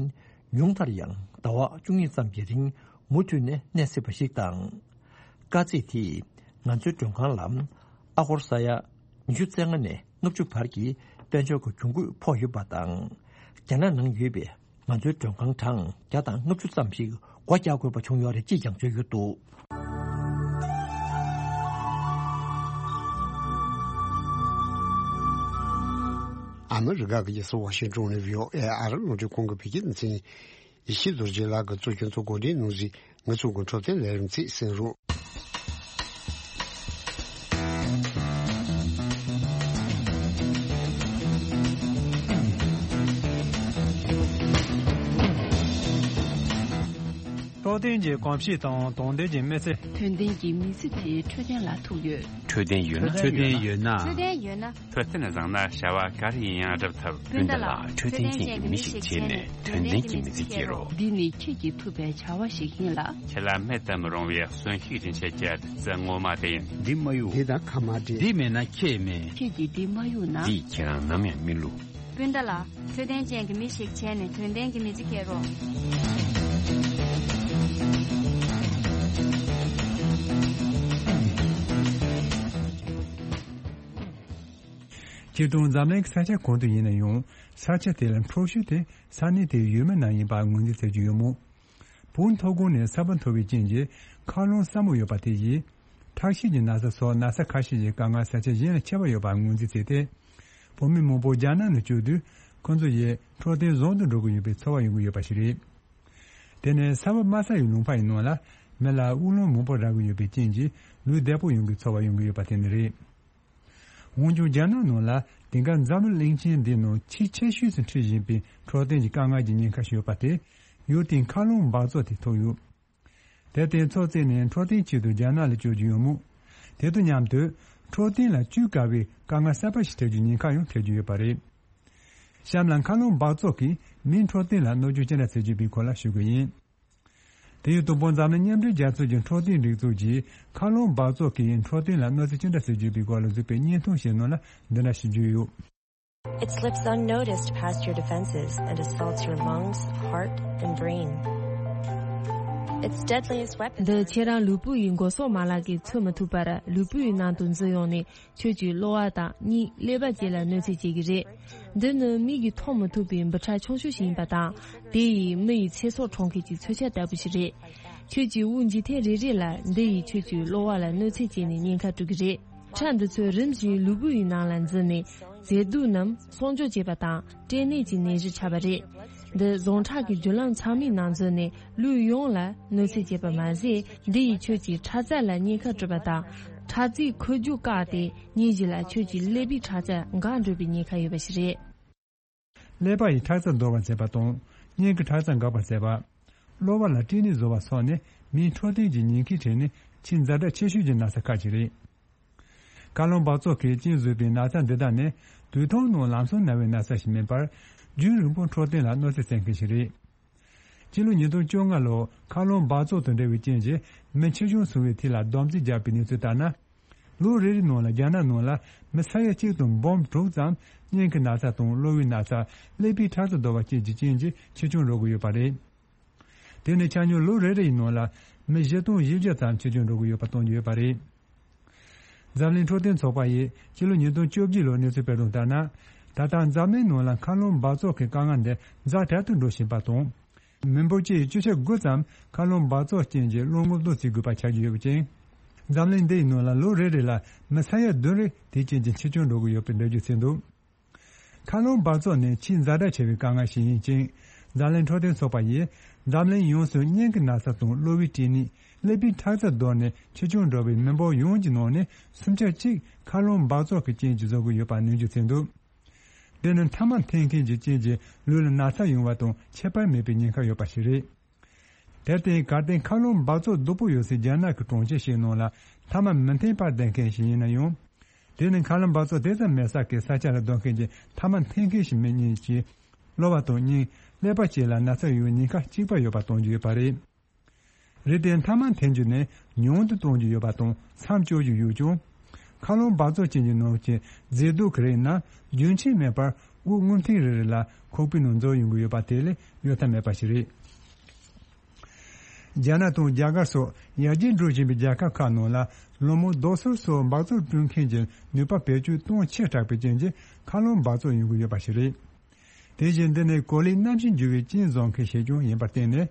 ཉུང་མཐར་ཡང་ཟླ་བ་བཅུ་གཉིས་ཙམ་གྱི་རིང་མུ་མཐུད་ནས་གནས་སྲིད་པ་ཞིག་དང་། དཀའ་ཚེགས་དེས་ང་ཚོའི་མགྲོན་ཁང་ལ་ཨ་སྒོར་ས་ཡ་ཉི་ཤུ་རྩ་ལྔ་ནས་ལྔ་བཅུ་བར་གྱི་དཔལ་འབྱོར་གྱི་གྱོང་གུད་ཕོག་ཡོད་པ་དང་། རྒྱ་ནག་ནང་ཡོད་པའི་ང་ཚོའི་མགྲོན་ཁང་གྲངས་བརྒྱ་དང་ལྔ་བཅུ་ཙམ་ཞིག་སྒོ་རྒྱག་དགོས་པ་བྱུང་ཡོད་རེད་ཅེས་ཀྱང་བརྗོད་ཡོད་འདུག་ཨ་མི་རི་ཀ་གི་རྒྱལ་ས་ཝ་ཤིང་ཏོན་ནས་བྷི་ཨོ་ཨེ་ཨ་རི་རླུང་འཕྲིན་ཁང་གི་བོད་སྐད་སྡེ་ཚན། ཡེ་ཤེས་རྡོ་རྗེ་ལགས་ཀྱིས་གཙོ་སྐྱོང་དུ་གོ་སྒྲིག་གནང་གཟིགས། ང་ཚོ་གི་འཕྲོད་བསྟེན་ལས་རིམ་ཚིག་གསན་རོགས། འཕྲོད་བསྟེན་གྱི་གོམས་གཤིས་དང་དོན་ལྡན་གྱི་མི་ཚེ། དོན་ལྡན་གྱི་མི་ཚེ་དེ་འཕྲོད་བསྟེན་ལ་ཐུག་ཡོད། འཕྲོད་བསྟེན་ཡོད་ན། འཕྲོད་བསྟེན་ཡོད་ན། འཕྲོད་བསྟེན་ཡོད་ན། འཕྲོད་བསྟེན་བཟང་ན་བྱ་བ་ག་རེ་ཡིན་ཡང་སྒྲུབ་ཐུབ། སྤུན་ཟླ་ལགས། འཕྲོད་བསྟེན་ཅན་གྱི་མི་ཞིག་བྱས་ནས་དོན་ལྡན་གྱི་མི་ཚེ་སྐྱེལ་རོགས། འདི་ནི་ཁྱེད་ཀྱིས་ཐུབ་པའི་བྱ་བ་ཞིག་ཡིན་ལ། ཁྱེད་ལ་མེད་དུ་མི་རུང་བའི་གསོན་ཤུགས་སྦྱིན་བྱེད་ཀྱི་བདུད་རྩི་ངོ་མ་དེ་ཡིན། འདི་མ་གཡུག་འདི་དང་ཁ་མ་འབྲལ། འདི་མེད་ན་ཁྱེད་མེད། ཁྱེད་ཀྱིས་འདི་མ་གཡུག་ན། འདིས་ཁྱེད་རང་ནམ་ཡང་མི་བསླུ། སྤུན་ཟླ་ལགས། འཕྲོད་བསྟེན་ཅན་གྱི་མི་ཞིག་བྱས་ནས་དོན་ལྡན་གྱི་མི་ཚེ་སྐྱེལ་རོགས། སྤྱིར་བཏང་འཛམ་གླིང་གི་ས་ཆ་གང་དུ་ཡིན་ན་ཡང་ས་ཆ་དེ་ལ་འཕྲོད་བསྟེན་དེ་ས་གནས་དེའི་ཡུལ་མི་རྣམས་ཡིན་པ་ངོས་འཛིན་བྱེད་ཀྱི་ཡོད་མོད། བོད་མཐོ་སྒང་ནས་ས་བབ་མཐོ་བའི་རྐྱེན་གྱིས་མཁའ་རླུང་སྲབ་མོ་ཡོད་པ་དེ་ཡིས། ཁྲག་ཤེད་ཀྱི་ན་ཚ་སོགས་ན་ཚ་ཁ་ཤས་ཀྱི་དཀའ་ངལ་ས་ཆ་གཞན་ལས་ཆེ་བ་ཡོད་པ་ངོས་འཛིན་བྱས་ཏེ། བོད་མི་མང་པོ་རྒྱ་ནག་ནང་བསྐྱོད་དུས་ཁོང་ཚོ་ཡི་འཕྲོད་བསྟེན་བཟང་དུ་འགྲོ་གི་ཡོད་པའི་ཚོར་བ་ཡོང་གི་ཡོད་པ་ཞིག་རེད། དེ་ནས་ས་བབ་དམའ་ས་ཡི་ལུང་པ་ཡི་ནང་ལ་མི་ལ་དབུགས་རླུང་མང་པོ་རག་གི་ཡོད་པའི་རྐྱེན་གྱིས་ལུས་བདེ་པོ་ཡོང་གི་ཚོར་བ་ཡོང་གི་ཡོད་པ་དེ་ནི་རེད། འོན་ཀྱང་རྒྱ་ནག་ནང་ལ་དེང་སྐབས་འཛམ་གླིང་གླིང་ཆེན་འདིའི་ནང་ཆེས་ཆེ་ཤོས་སུ་འཁྲི་བཞིན་པའི་འཕྲོད་བསྟེན་གྱི་དཀའ་ངལ་གྱི་ཉེན་ཁ་ཞིག་ཡོད་པ་དེ་ཡུལ་དེའི་མཁའ་རླུང་འབག་བཙོག་དེ་ཐུག་ཡོད། དེར་བརྟེན་ཚོགས་བཙལ་ནས་འཕྲོད་བསྟེན་ཆེད་དུ་རྒྱ་ནག་ལ་བསྐྱོད་ཀྱི་ཡོད་མོད། དེ་དང་མཉམ་དུ་འཕྲོད་བསྟེན་ལ་བཅོས་དཀའ་བའི་དཀའ་ངལ་གསར་པ་ཞིག་འཕྲད་རྒྱུའི་ཉེན་ཁ་ཡང་འཕྲད་ཀྱི་ཡོད་པ་རེད། གཤམ་ལ་མཁའ་རླུང་འབག་བཙོག་གིས་མིའི་འཕྲོད་བསྟེན་ལ་གནོད་སྐྱོན་ཅི་འདྲ་བྱེད་ཀྱི་ཡོད་པའི་སྐོར་ལ་ཞུ་གི་ཡིན། དེ་ཡང་དང་པོ་འཛམ་གླིང་མཉམ་འབྲེལ་རྒྱལ་ཚོགས་ཀྱི་འཕྲོད་བསྟེན་སྒྲིག་འཛུགས་ཀྱིས་མཁའ་རླུང་འབག་བཙོག་གིས་འཕྲོད་བསྟེན་ལ་གནོད་འཚེ་ཅི་འདྲ་བྱེད་ཀྱི་ཡོད་པའི་སྐོར་ལ་གཟིགས་པའི་བརྙན་ཐུང་ཞིག་ནང་ལ་འདི་འདྲ་ཞིག་བརྗོད་ཡོད། It slips unnoticed past your defenses and assaults your lungs, heart, and brain. Its deadliest weapon. འདི་ཁྱེད་རང་ལུས་པོ་ཡི་མགོ་སོག་མ་ལག་གིས་ཚུད་མི་ཐུབ་པར་ལུས་པོ་ཡི་ནང་དུ་འཛུལ་ཡོང་ནས་ཁྱོད་ཀྱི་གློ་བ་དང་སྙིང་ཀླད་པ་བཅས་ལ་གནོད་འཚེ་བྱེད་ཀྱི་རེད། འདི་ནི་མིག་གིས་མཐོང་མི་ཐུབ་པའི་འབུ་ཕྲ་ཆུང་ཤོས་ཤིག་ཡིན་པ་དང་། དེ་ཡིས་མི་ཡི་ཚེ་སྲོག་འཕྲོག་མཁན་གྱི་མཚོན་ཆ་ལྟ་བུ་ཞིག་རེད། ཁྱོད་ཀྱི་དབུགས་འབྱིན་ཐེངས་རེ་རེ་ལ་འདི་ཡིས་ཁྱོད་ཀྱི་གློ་བ་ལ་གནོད་འཚེ་བྱས་ནས་ཉེན་ཁ་སྤྲོད་ཀྱི་རེད། ཕྲ་འདི་ཚོས་རིམ་བཞིན་ལུས་པོ་ཡི་ནང་ལ་འཛུལ་ནས་མཛེས་སྡུག་རྣམས་གསོག་འཇོག་བྱེད་པ་དང་སྐྲན་ནད་ཀྱི་ནད་གཞི་ཆགས་པ་རེད། འདི་ཟངས་ཁྲག་གི་རྒྱུ་ལམ་ཚང་མའི་ནང་འཛུལ་ནས་ལུས་ཡོངས་ལ་གནོད་འཚེ་བྱེད་པ་མ་ཟད། འདི་ཡིས་ཁྱོད་ཀྱི་ཁྲག་རྩ་ལ་ཉེན་ཁ་སྤྲོད་པ་དང་། ཁྲག་རྩའི་འཁོར་རྒྱུག་བཀག་སྟེ་ཉིན་བཞི་ལ་ཁྱོད་ཀྱི་ཀླད་པའི་ཁྲག་རྩ་འགག་འགྲོ་བའི་ཉེན་ཁ་ཡོད་པ་ཞིག་རེད། ཀླད་པ་ཡི་ཁྲག་རྩ་འདོར་བར་བྱེད་པ་དང་། སྙིང་གི་ཁྲག་རྩ་འགག་པར་བྱེད་པ། གློ་བ་ལ་སྐྲན་ནད་བཟོ་བ་སོགས་ནི་མིའི་འཕྲོད་བསྟེན་གྱི་ཉེན་ཁའི་གྲས་ནས་ཆེས་ཛ་དྲག་ཆེ་ཤོས་ཀྱི་ན་ཚ་ཁག་ཅིག་རེད། མཁའ་རླུང་འབག་བཙོག་གིས་རྐྱེན་བཟོས་པའི་ན་ཚ་འདི་དག་ནི་དུས་ཐུང་ནང་ལམ་སང་ན་བའི་ན་ཚ་ཞིག་མིན་པར། རྒྱུན་རིང་པོ་འཕྲོད་བསྟེན་ལ་གནོད་འཚེ་བྱེད་མཁན་ཞིག་རེད། སྤྱི་ལོ་ཉིས་སྟོང་བཅོ་ལྔ་ལོར་མཁའ་རླུང་འབག་བཙོག་དང་འབྲེལ་བའི་རྐྱེན་གྱིས་མི་འཆི་སྐྱོན་སོང་བའི་ཐད་ལ་བསྡོམས་རྩིས་བརྒྱབ་པའི་གནས་ཚུལ་ལྟར་ན། ལོ་རེ་རེའི་ནང་ལ་རྒྱ་ནག་ནང་ལ་མི་ས་ཡ་གཅིག་དང་འབུམ་དྲུག་ཙམ་སྙིང་གི་ན་ཚ་དང་གློ་བའི་ན་ཚ། ཀླད་པའི་ཁྲག་རྩ་འདོར་བ་བཅས་ཀྱི་རྐྱེན་གྱིས་འཆི་སྐྱོན་འགྲོ་གི་ཡོད་པ་རེད། དེ་ནི་ཆ་སྙོམས་ལོ་རེ་རེའི་ནང་ལ་མི་བཞི་སྟོང་བཞི་བརྒྱ་ཙམ་འཆི་སྐྱོན་འགྲོ་གི་ཡོད་པ་སྟོན་གྱི་ཡོད་པ་རེད། འཛམ་གླིང་འཕྲོད་བསྟེན་ཚོགས་པ་ཡིས་སྤྱི་ལོ་ཉིས་སྟོང་བཅོ་བརྒྱད་ལོར་གནས་ཚུལ་སྤེལ་དོན་ལྟར་ན། ད་ལྟ་འཛམ་གླིང་ནང་ལ་མཁའ་རླུང་འབག་བཙོག་གི་དཀའ་ངལ་འདི་ཛ་དྲག་ཏུ་འགྲོ་བཞིན་པ་དང་། མི་འབོར་སྤྱིའི་བཅུ་ཆ་དགུ་ཙམ་མཁའ་རླུང་འབག་བཙོག་རྐྱེན་གྱིས་བློ་ངོ་བདོ་བྱེད་དགོས་པ་ཆགས་ཀྱི་ཡོད་པ་ཅིང་། འཛམ་གླིང་འདིའི་ནང་ལ་ལོ་རེ་རེ་ལ་མི་ས་ཡ་བདུན་རེ་དེའི་རྐྱེན་གྱིས་འཆི་སྐྱོན་འགྲོ་གི་ཡོད་པའི་འགྲེལ་བརྗོད་བྱས་འདུག་མཁའ་རླུང་འབག་བཙོག་ནི་ཆེས་ཛ་དྲག་ཆེ་བའི་དཀའ་ངལ་ཞིག་ཡིན་ཅིང་། འཛམ་གླིང་འཕྲོད་བསྟེན་ཚོགས་པ་ཡིས་འཛམ་གླིང་ཡོངས་སུ་སྙིང་གི་ན་ཚ་དང་གློ་བའི་སྐྲན་ནད། ཀླད་པའི་ཁྲག་རྩ་གདོད་ནས་འཆི་སྐྱོན་འགྲོ་བའི་མི་འབོར་ཡོངས་ཀྱི་ནང་ནས་སུམ་ཆ་གཅིག་མཁའ་རླུང་འབག་བཙོག་གི་རྐྱེན་གྱིས་བཟོ་གི་ཡོད་པ་ནན་བརྗོད་བྱས་འདུག་འདི་ནི་མཐའ་མ་འཐེན་མཁན་གྱི་རྐྱེན་གྱིས་ལུས་ལ་ན་ཚ་ཡོང་བ་དང་ཁྱད་པར་མེད་པའི་ཉེན་ཁ་ཡོད་པ་ཞིག་རེད། དེར་བརྟེན་གལ་ཏེ་མཁའ་རླུང་འབག་བཙོག་སྡུག་པོ་ཡོད་སའི་རྒྱ་ནག་གི་གྲོང་ཁྱེར་ཞིག་ནང་ལ་མཐའ་མ་མི་འཐེན་པར་བསྡད་མཁན་ཞིག་ཡིན་ན་ཡང་། དེ་ནི་མཁའ་རླུང་འབག་བཙོག་དེ་ཙམ་མེད་ས་ཀྱི་ས་ཆ་ལ་སྡོད་མཁན་གྱི་མཐའ་མ་འཐེན་མཁན་ཞིག་མིན་ཉིད་ཀྱིས། གློ་བ་དང་སྙིང་། ཀླད་པ་བཅས་ལ་ན་ཚ་ཡོང་བའི་ཉེན་ཁ་གཅིག་པ་ཡོད་པ་སྟོན་རྒྱུ་ཡོད་པ་རེད། རེད་དེ་མཐའ་མ་འཐེན་རྒྱུ་ནི་ཉུང་དུ་གཏོང་རྒྱུ་ཡོད་པ་དང་མཚམས་གཅོད་རྒྱུ་ཡོད་ཀྱང་། མཁའ་རླུང་འབག་བཙོག་ཅན་གྱི་ནང་གི་མཛེས་སྡུག་གི་རིགས་ནི་རྒྱུན་ཆད་མེད་པར་དབུགས་རྔུབ་ཐེངས་རེ་རེ་ལ་ཁོག་པའི་ནང་འཛུལ་ཡོང་གི་ཡོད་པ་དེ་ལས་གཡོལ་ཐབས་མེད་པ་ཞིག་རེད། རྒྱ་ནག་དང་རྒྱ་གར་སོགས་ཡར་རྒྱས་འགྲོ་བཞིན་པའི་རྒྱལ་ཁབ་ཁག་ནང་ལ་ལོ་མང་རྡོ་སོལ་སོགས་འབག་བཙོག་བསྐྲུན་མཁན་གྱི་ནུས་པ་བེད་སྤྱོད་གཏོང་ཆེ་དྲགས་པའི་རྐྱེན་གྱིས་མཁའ་རླུང་འབག་བཙོག་ཡོང་གི་ཡོད་པ་ཞིག་རེད། དེ་བཞིན་འདི་ནི་གོ་ལའི་གནམ་གཤིས་འགྱུར་བའི་རྐྱེན་བཟོ་མཁན་ཞིག་ཀྱང་ཡིན་པར་བརྟེན་ནས།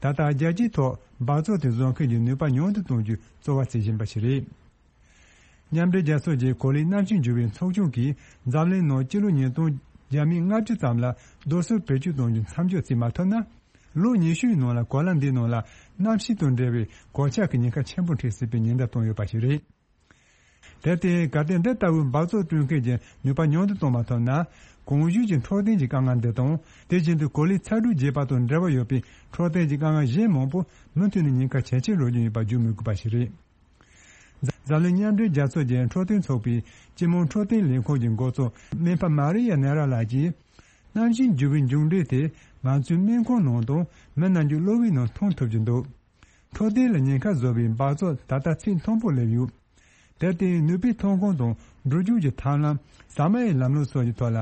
ད་ལྟ་རྒྱལ་སྤྱིའི་ཐོག་འབག་བཙོག་དེ་བཟོ་མཁན་གྱི་ནུས་པ་ཉུང་དུ་གཏོང་རྒྱུའི་རྩོལ་བ་བྱེད་བཞིན་པ་ཞིག་རེད། མཉམ་འབྲེལ་རྒྱལ་ཚོགས་ཀྱི་གོ་ལའི་གནམ་གཤིས་འགྱུར་བའི་ཚོགས་ཆུང་གིས་འཛམ་གླིང་ནང་སྤྱི་ལོ་ཉིས་སྟོང་བརྒྱ་མེད་ལྔ་བཅུ་ཙམ་ལ་རྡོ་སོལ་བེད་སྤྱོད་གཏོང་རྒྱུ་མཚམས་འཇོག་བྱེད་མ་ཐུབ་ན། ལོ་ཉི་ཤུའི་ནང་ལ་གོ་ལ་འདིའི་ནང་ལ་གནམ་གཤིས་དང་འབྲེལ་བའི་གོད་ཆག་གི་ཉེན་ཁ་ཆེན་པོ་འཕྲད་སྲིད་པའི་ཉེན་བརྡ་བཏང་ཡོད་པ་ཞིག་རེད། དེར་བརྟེན་གལ་ཏེ་འདི་ལྟ་བུའི་འབག་བཙོག་བསྐྲུན་མཁན་གྱི་ནུས་པ་ཉུང་དུ་གཏོང་མ་ཐུབ་ན། གོང་ཞུས་ཀྱི་འཕྲོད་བསྟེན་གྱི་དཀའ་ངལ་འདི་དང་། དེ་བཞིན་དུ་གོ་ལའི་ཚ་དྲོད་རྒྱས་པ་དང་འབྲེལ་བ་ཡོད་པའི་འཕྲོད་བསྟེན་གྱི་དཀའ་ངལ་གཞན་མང་པོ་མུ་མཐུད་ནས་ཉེན་ཁ་ཇེ་ཆེར་འགྲོ་རྒྱུ་ཡིན་པ་བརྗོད་མི་དགོས་པ་ཞིག་རེད། འཛམ་གླིང་མཉམ་འབྲེལ་རྒྱལ་ཚོགས་ཀྱི་འཕྲོད་བསྟེན་ཚོགས་པའི་སྤྱི་དམངས་འཕྲོད་བསྟེན་ལས་ཁུངས་ཀྱི་འགོ་གཙོ་སྨན་པ་མ་རི་ཡ་ནེ་ར་ལགས་ཀྱིས། གནམ་གཤིས་འགྱུར་བའི་མཇུག་འབྲས་དེ་ང་ཚོའི་སྨན་ཁང་ནང་དང་མི་རྣམས་ཀྱི་གློ་བའི་ནང་མཐོང་ཐུབ་ཀྱི་འདུག་འཕྲོད་བསྟེན་ལ་ཉེན་ཁ་བཟོ་བའི་འབག་བཙོག་ད་ལྟ་ཚད་མཐོན་པོར་སླེབས་ཡོད། དེར་བརྟེན་ནུས་པའི་ཐོན་ཁུངས་དང་འགྲོ་རྒྱུག་གི་ཐབས་ལམ། ཟ་མ་ཡི་ལམ་ལུགས་སོགས་ཀྱི་ཐོག་ལ་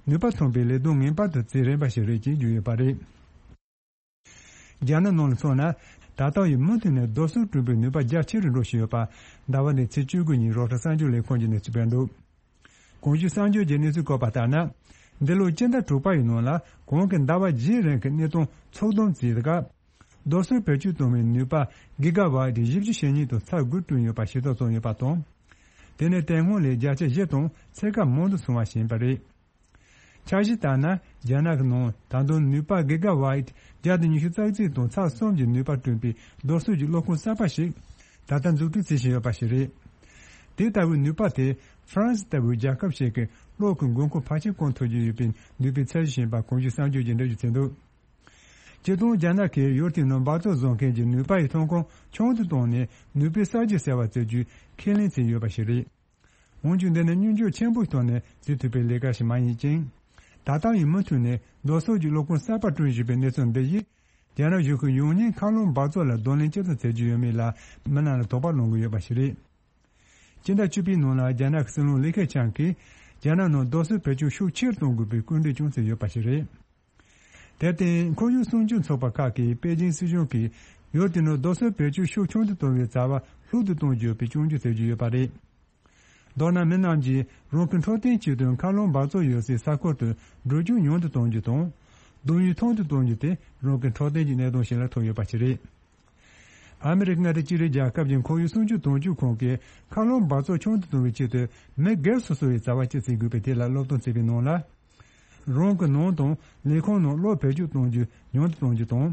ནུས་པ་ཐོན་པའི་ལས་དོན་ངེས་པར་དུ་བྱེད་རན་པ་ཞིག་རེད་ཅེས་བརྗོད་ཡོད་པ་རེད། རྒྱ་ནག་ནང་ལ་མཚོན་ན། ད་ལྟ་ཡི་མུ་མཐུད་ནས་རྡོ་སོལ་བསྐྲུན་པའི་ནུས་པ་རྒྱ་ཆེ་རུ་འགྲོ་བཞིན་ཡོད་པ་ཟླ་བ་འདིའི་ཚེས་བཅུ་དགུ་ཉིན་རོའི་ཊར་གསར་འགྱུར་ལས་ཁུངས་ཀྱིས་གནས་ཚུལ་སྤེལ་འདུག་གོང་ཞུས་གསར་འགྱུར་གྱི་གནས་ཚུལ་བཀོད་པ་ལྟར་ན། འདི་ལོའི་སྤྱི་ཟླ་དྲུག་པ་ཡི་ནང་ལ་གོང་གི་ཟླ་བ་བཞིའི་རིང་གི་གནས་སྟངས་ཚོད་བསྡོམས་བྱས་སྐབས། རྡོ་སོལ་བེད་སྤྱོད་གཏོང་བའི་ནུས་པ་གི་ག་ཝཊ་བཞི་བཅུ་ཞེ་གཉིས་དང་ཚེག་དགུ་བསྐྲུན་ཡོད་པ་ཞིབ་ཚགས་བྱུང་ཡོད་པ་དང་། དེ་ནི་དེ་སྔོན་ལས་བརྒྱ་ཆ་བཞི་དང་ཚེག་ཁ་མང་དུ་སོང་བ་ཞིག་ཡིན་པ་རེད། འཆར་གཞི་ལྟར་ན། རྒྱ་ནག་གི་ནང་ད་དུང་ནུས་པ་གི་ག་ཝཊ་བརྒྱ་དང་ཉི་ཤུ་རྩ་གཅིག་དང་ཚེག་གསུམ་གྱི་ནུས་པ་བསྐྲུན་པའི་རྡོ་སོལ་གྱི་གློག་ཁང་གསར་པ་ཞིག་ད་ལྟ་འཛུགས་སྐྲུན་བྱེད་བཞིན་ཡོད་པ་ཞིག་རེད། དེ་ལྟ་བུའི་ནུས་པ་དེ་ཧྥ་རན་སི་ལྟ་བུའི་རྒྱལ་ཁབ་ཞིག་གི་གློག་གི་མགོ་འཁོར་ཕལ་ཆེར་སྐོང་ཐུབ་རྒྱུ་ཡོད་པའི་ནུས་པའི་ཚད་གཞི་ཡིན་པ་གོང་ཞུས་གསར་འགྱུར་གྱིས་འགྲེལ་བརྗོད་བྱས་འདུག་སྤྱིར་བཏང་རྒྱ་ནག་གིས་ཡུལ་དེའི་ནང་འབག་བཙོག་བཟོ་མཁན་གྱི་ནུས་པ་ཡི་ཐོན་ཁུངས་ཆུང་དུ་བཏང་ནས་ནུས་པའི་གསར་བརྗེ་ཟེར་བ་བྱེད་རྒྱུའི་ཁས་ལེན་བྱས་ཡོད་པ་ཞིག་རེད། འོན་ཀྱང་འདི་ནི་སྙོན་འཇུག་ཆེན་པོའི་ཐོག་ནས་བྱེད་ཐུབ་པའི་ལས་ཀ་ཞིག་མ་ཡིན་ཅིང་། ད་ལྟ་ཡང་མུ་མཐུད་ནས་རྡོ་སོལ་གྱི་གློག་ཁང་གསར་པ་བསྐྲུན་བཞིན་པའི་གནས་ཚུལ་འདི་ཡིས། རྒྱ་ནག་གཞུང་གིས་ཡང་སྙིང་མཁའ་རླུང་འབག་བཙོག་ལ་གདོང་ལེན་ཇི་ལྟར་བྱེད་རྒྱུ་ཡོད་མེད་ལ་མི་རྣམས་ལ་དོགས་པ་སློང་གི་ཡོད་པ་ཞིག་རེད། སྤྱི་ཟླ་བཅུ་པའི་ནང་ལ་རྒྱ་ནག་གི་སྲིད་བློན་ལི་ཁེ་ཆང་གིས་རྒྱ་ནག་ནང་རྡོ་སོལ་བེད་སྤྱོད་ཤུགས་ཆེར་གཏོང་དགོས་པའི་སྐུལ་འདེད་ཀྱང་བྱས་ཡོད་པ་ཞིག་རེད། དེར་བརྟེན་ཁོར་ཡུག་སྲུང་སྐྱོབ་ཚོགས་པ་ཁག་གིས་པེ་ཅིང་སྲིད་གཞུང་གིས་ཡུལ་དེ་ནང་རྡོ་སོལ་བེད་སྤྱོད་ཤུགས་ཆུང་དུ་གཏོང་བའི་བྱ་བ་ལྷུག་ཏུ་གཏོང་རྒྱུ་ཡོད་པའི་སྐྱོན་བརྗོད་བྱེད་ཀྱི་ཡོད་པ་རེད། མདོར་ན་མི་རྣམས་ཀྱིས་རང་གི་འཕྲོད་བསྟེན་ཆེད་དུ་མཁའ་རླུང་འབག་བཙོག་ཡོད་སའི་ས་ཁུལ་དུ་འགྲོ་རྒྱུག་ཉུང་དུ་གཏོང་རྒྱུ་དང་། སྡོད་ཡུལ་ཐུང་དུ་གཏོང་རྒྱུ་དེ་རང་གི་འཕྲོད་བསྟེན་གྱི་གནད་དོན་ཞིག་ལ་ཐུག་ཡོད་པ་ཞིག་རེད། ཨ་མི་རི་ཀ་མངའ་སྡེ་ཅི་རིགས་རྒྱལ་ཁབ་ཀྱི་ཁོར་ཡུག་སྲུང་སྐྱོབ་དོན་གཅོད་ཁང་གིས་མཁའ་རླུང་འབག་བཙོག་ཆུང་དུ་གཏོང་བའི་ཆེད་དུ་མི་སྒེར་སོ་སོ་ཡིས་བྱ་བ་ཅི་བྱེད་དགོས་པའི་ཐད་ལ་སློབ་སྟོན་བྱས་པའི་ནང་ལ། རང་གི་ནང་དང་ལས་ཁུངས་ནང་གློག་བེད་སྤྱོད་གཏོང་རྒྱུ་ཉུང་དུ་གཏོང་རྒྱུ་དང་།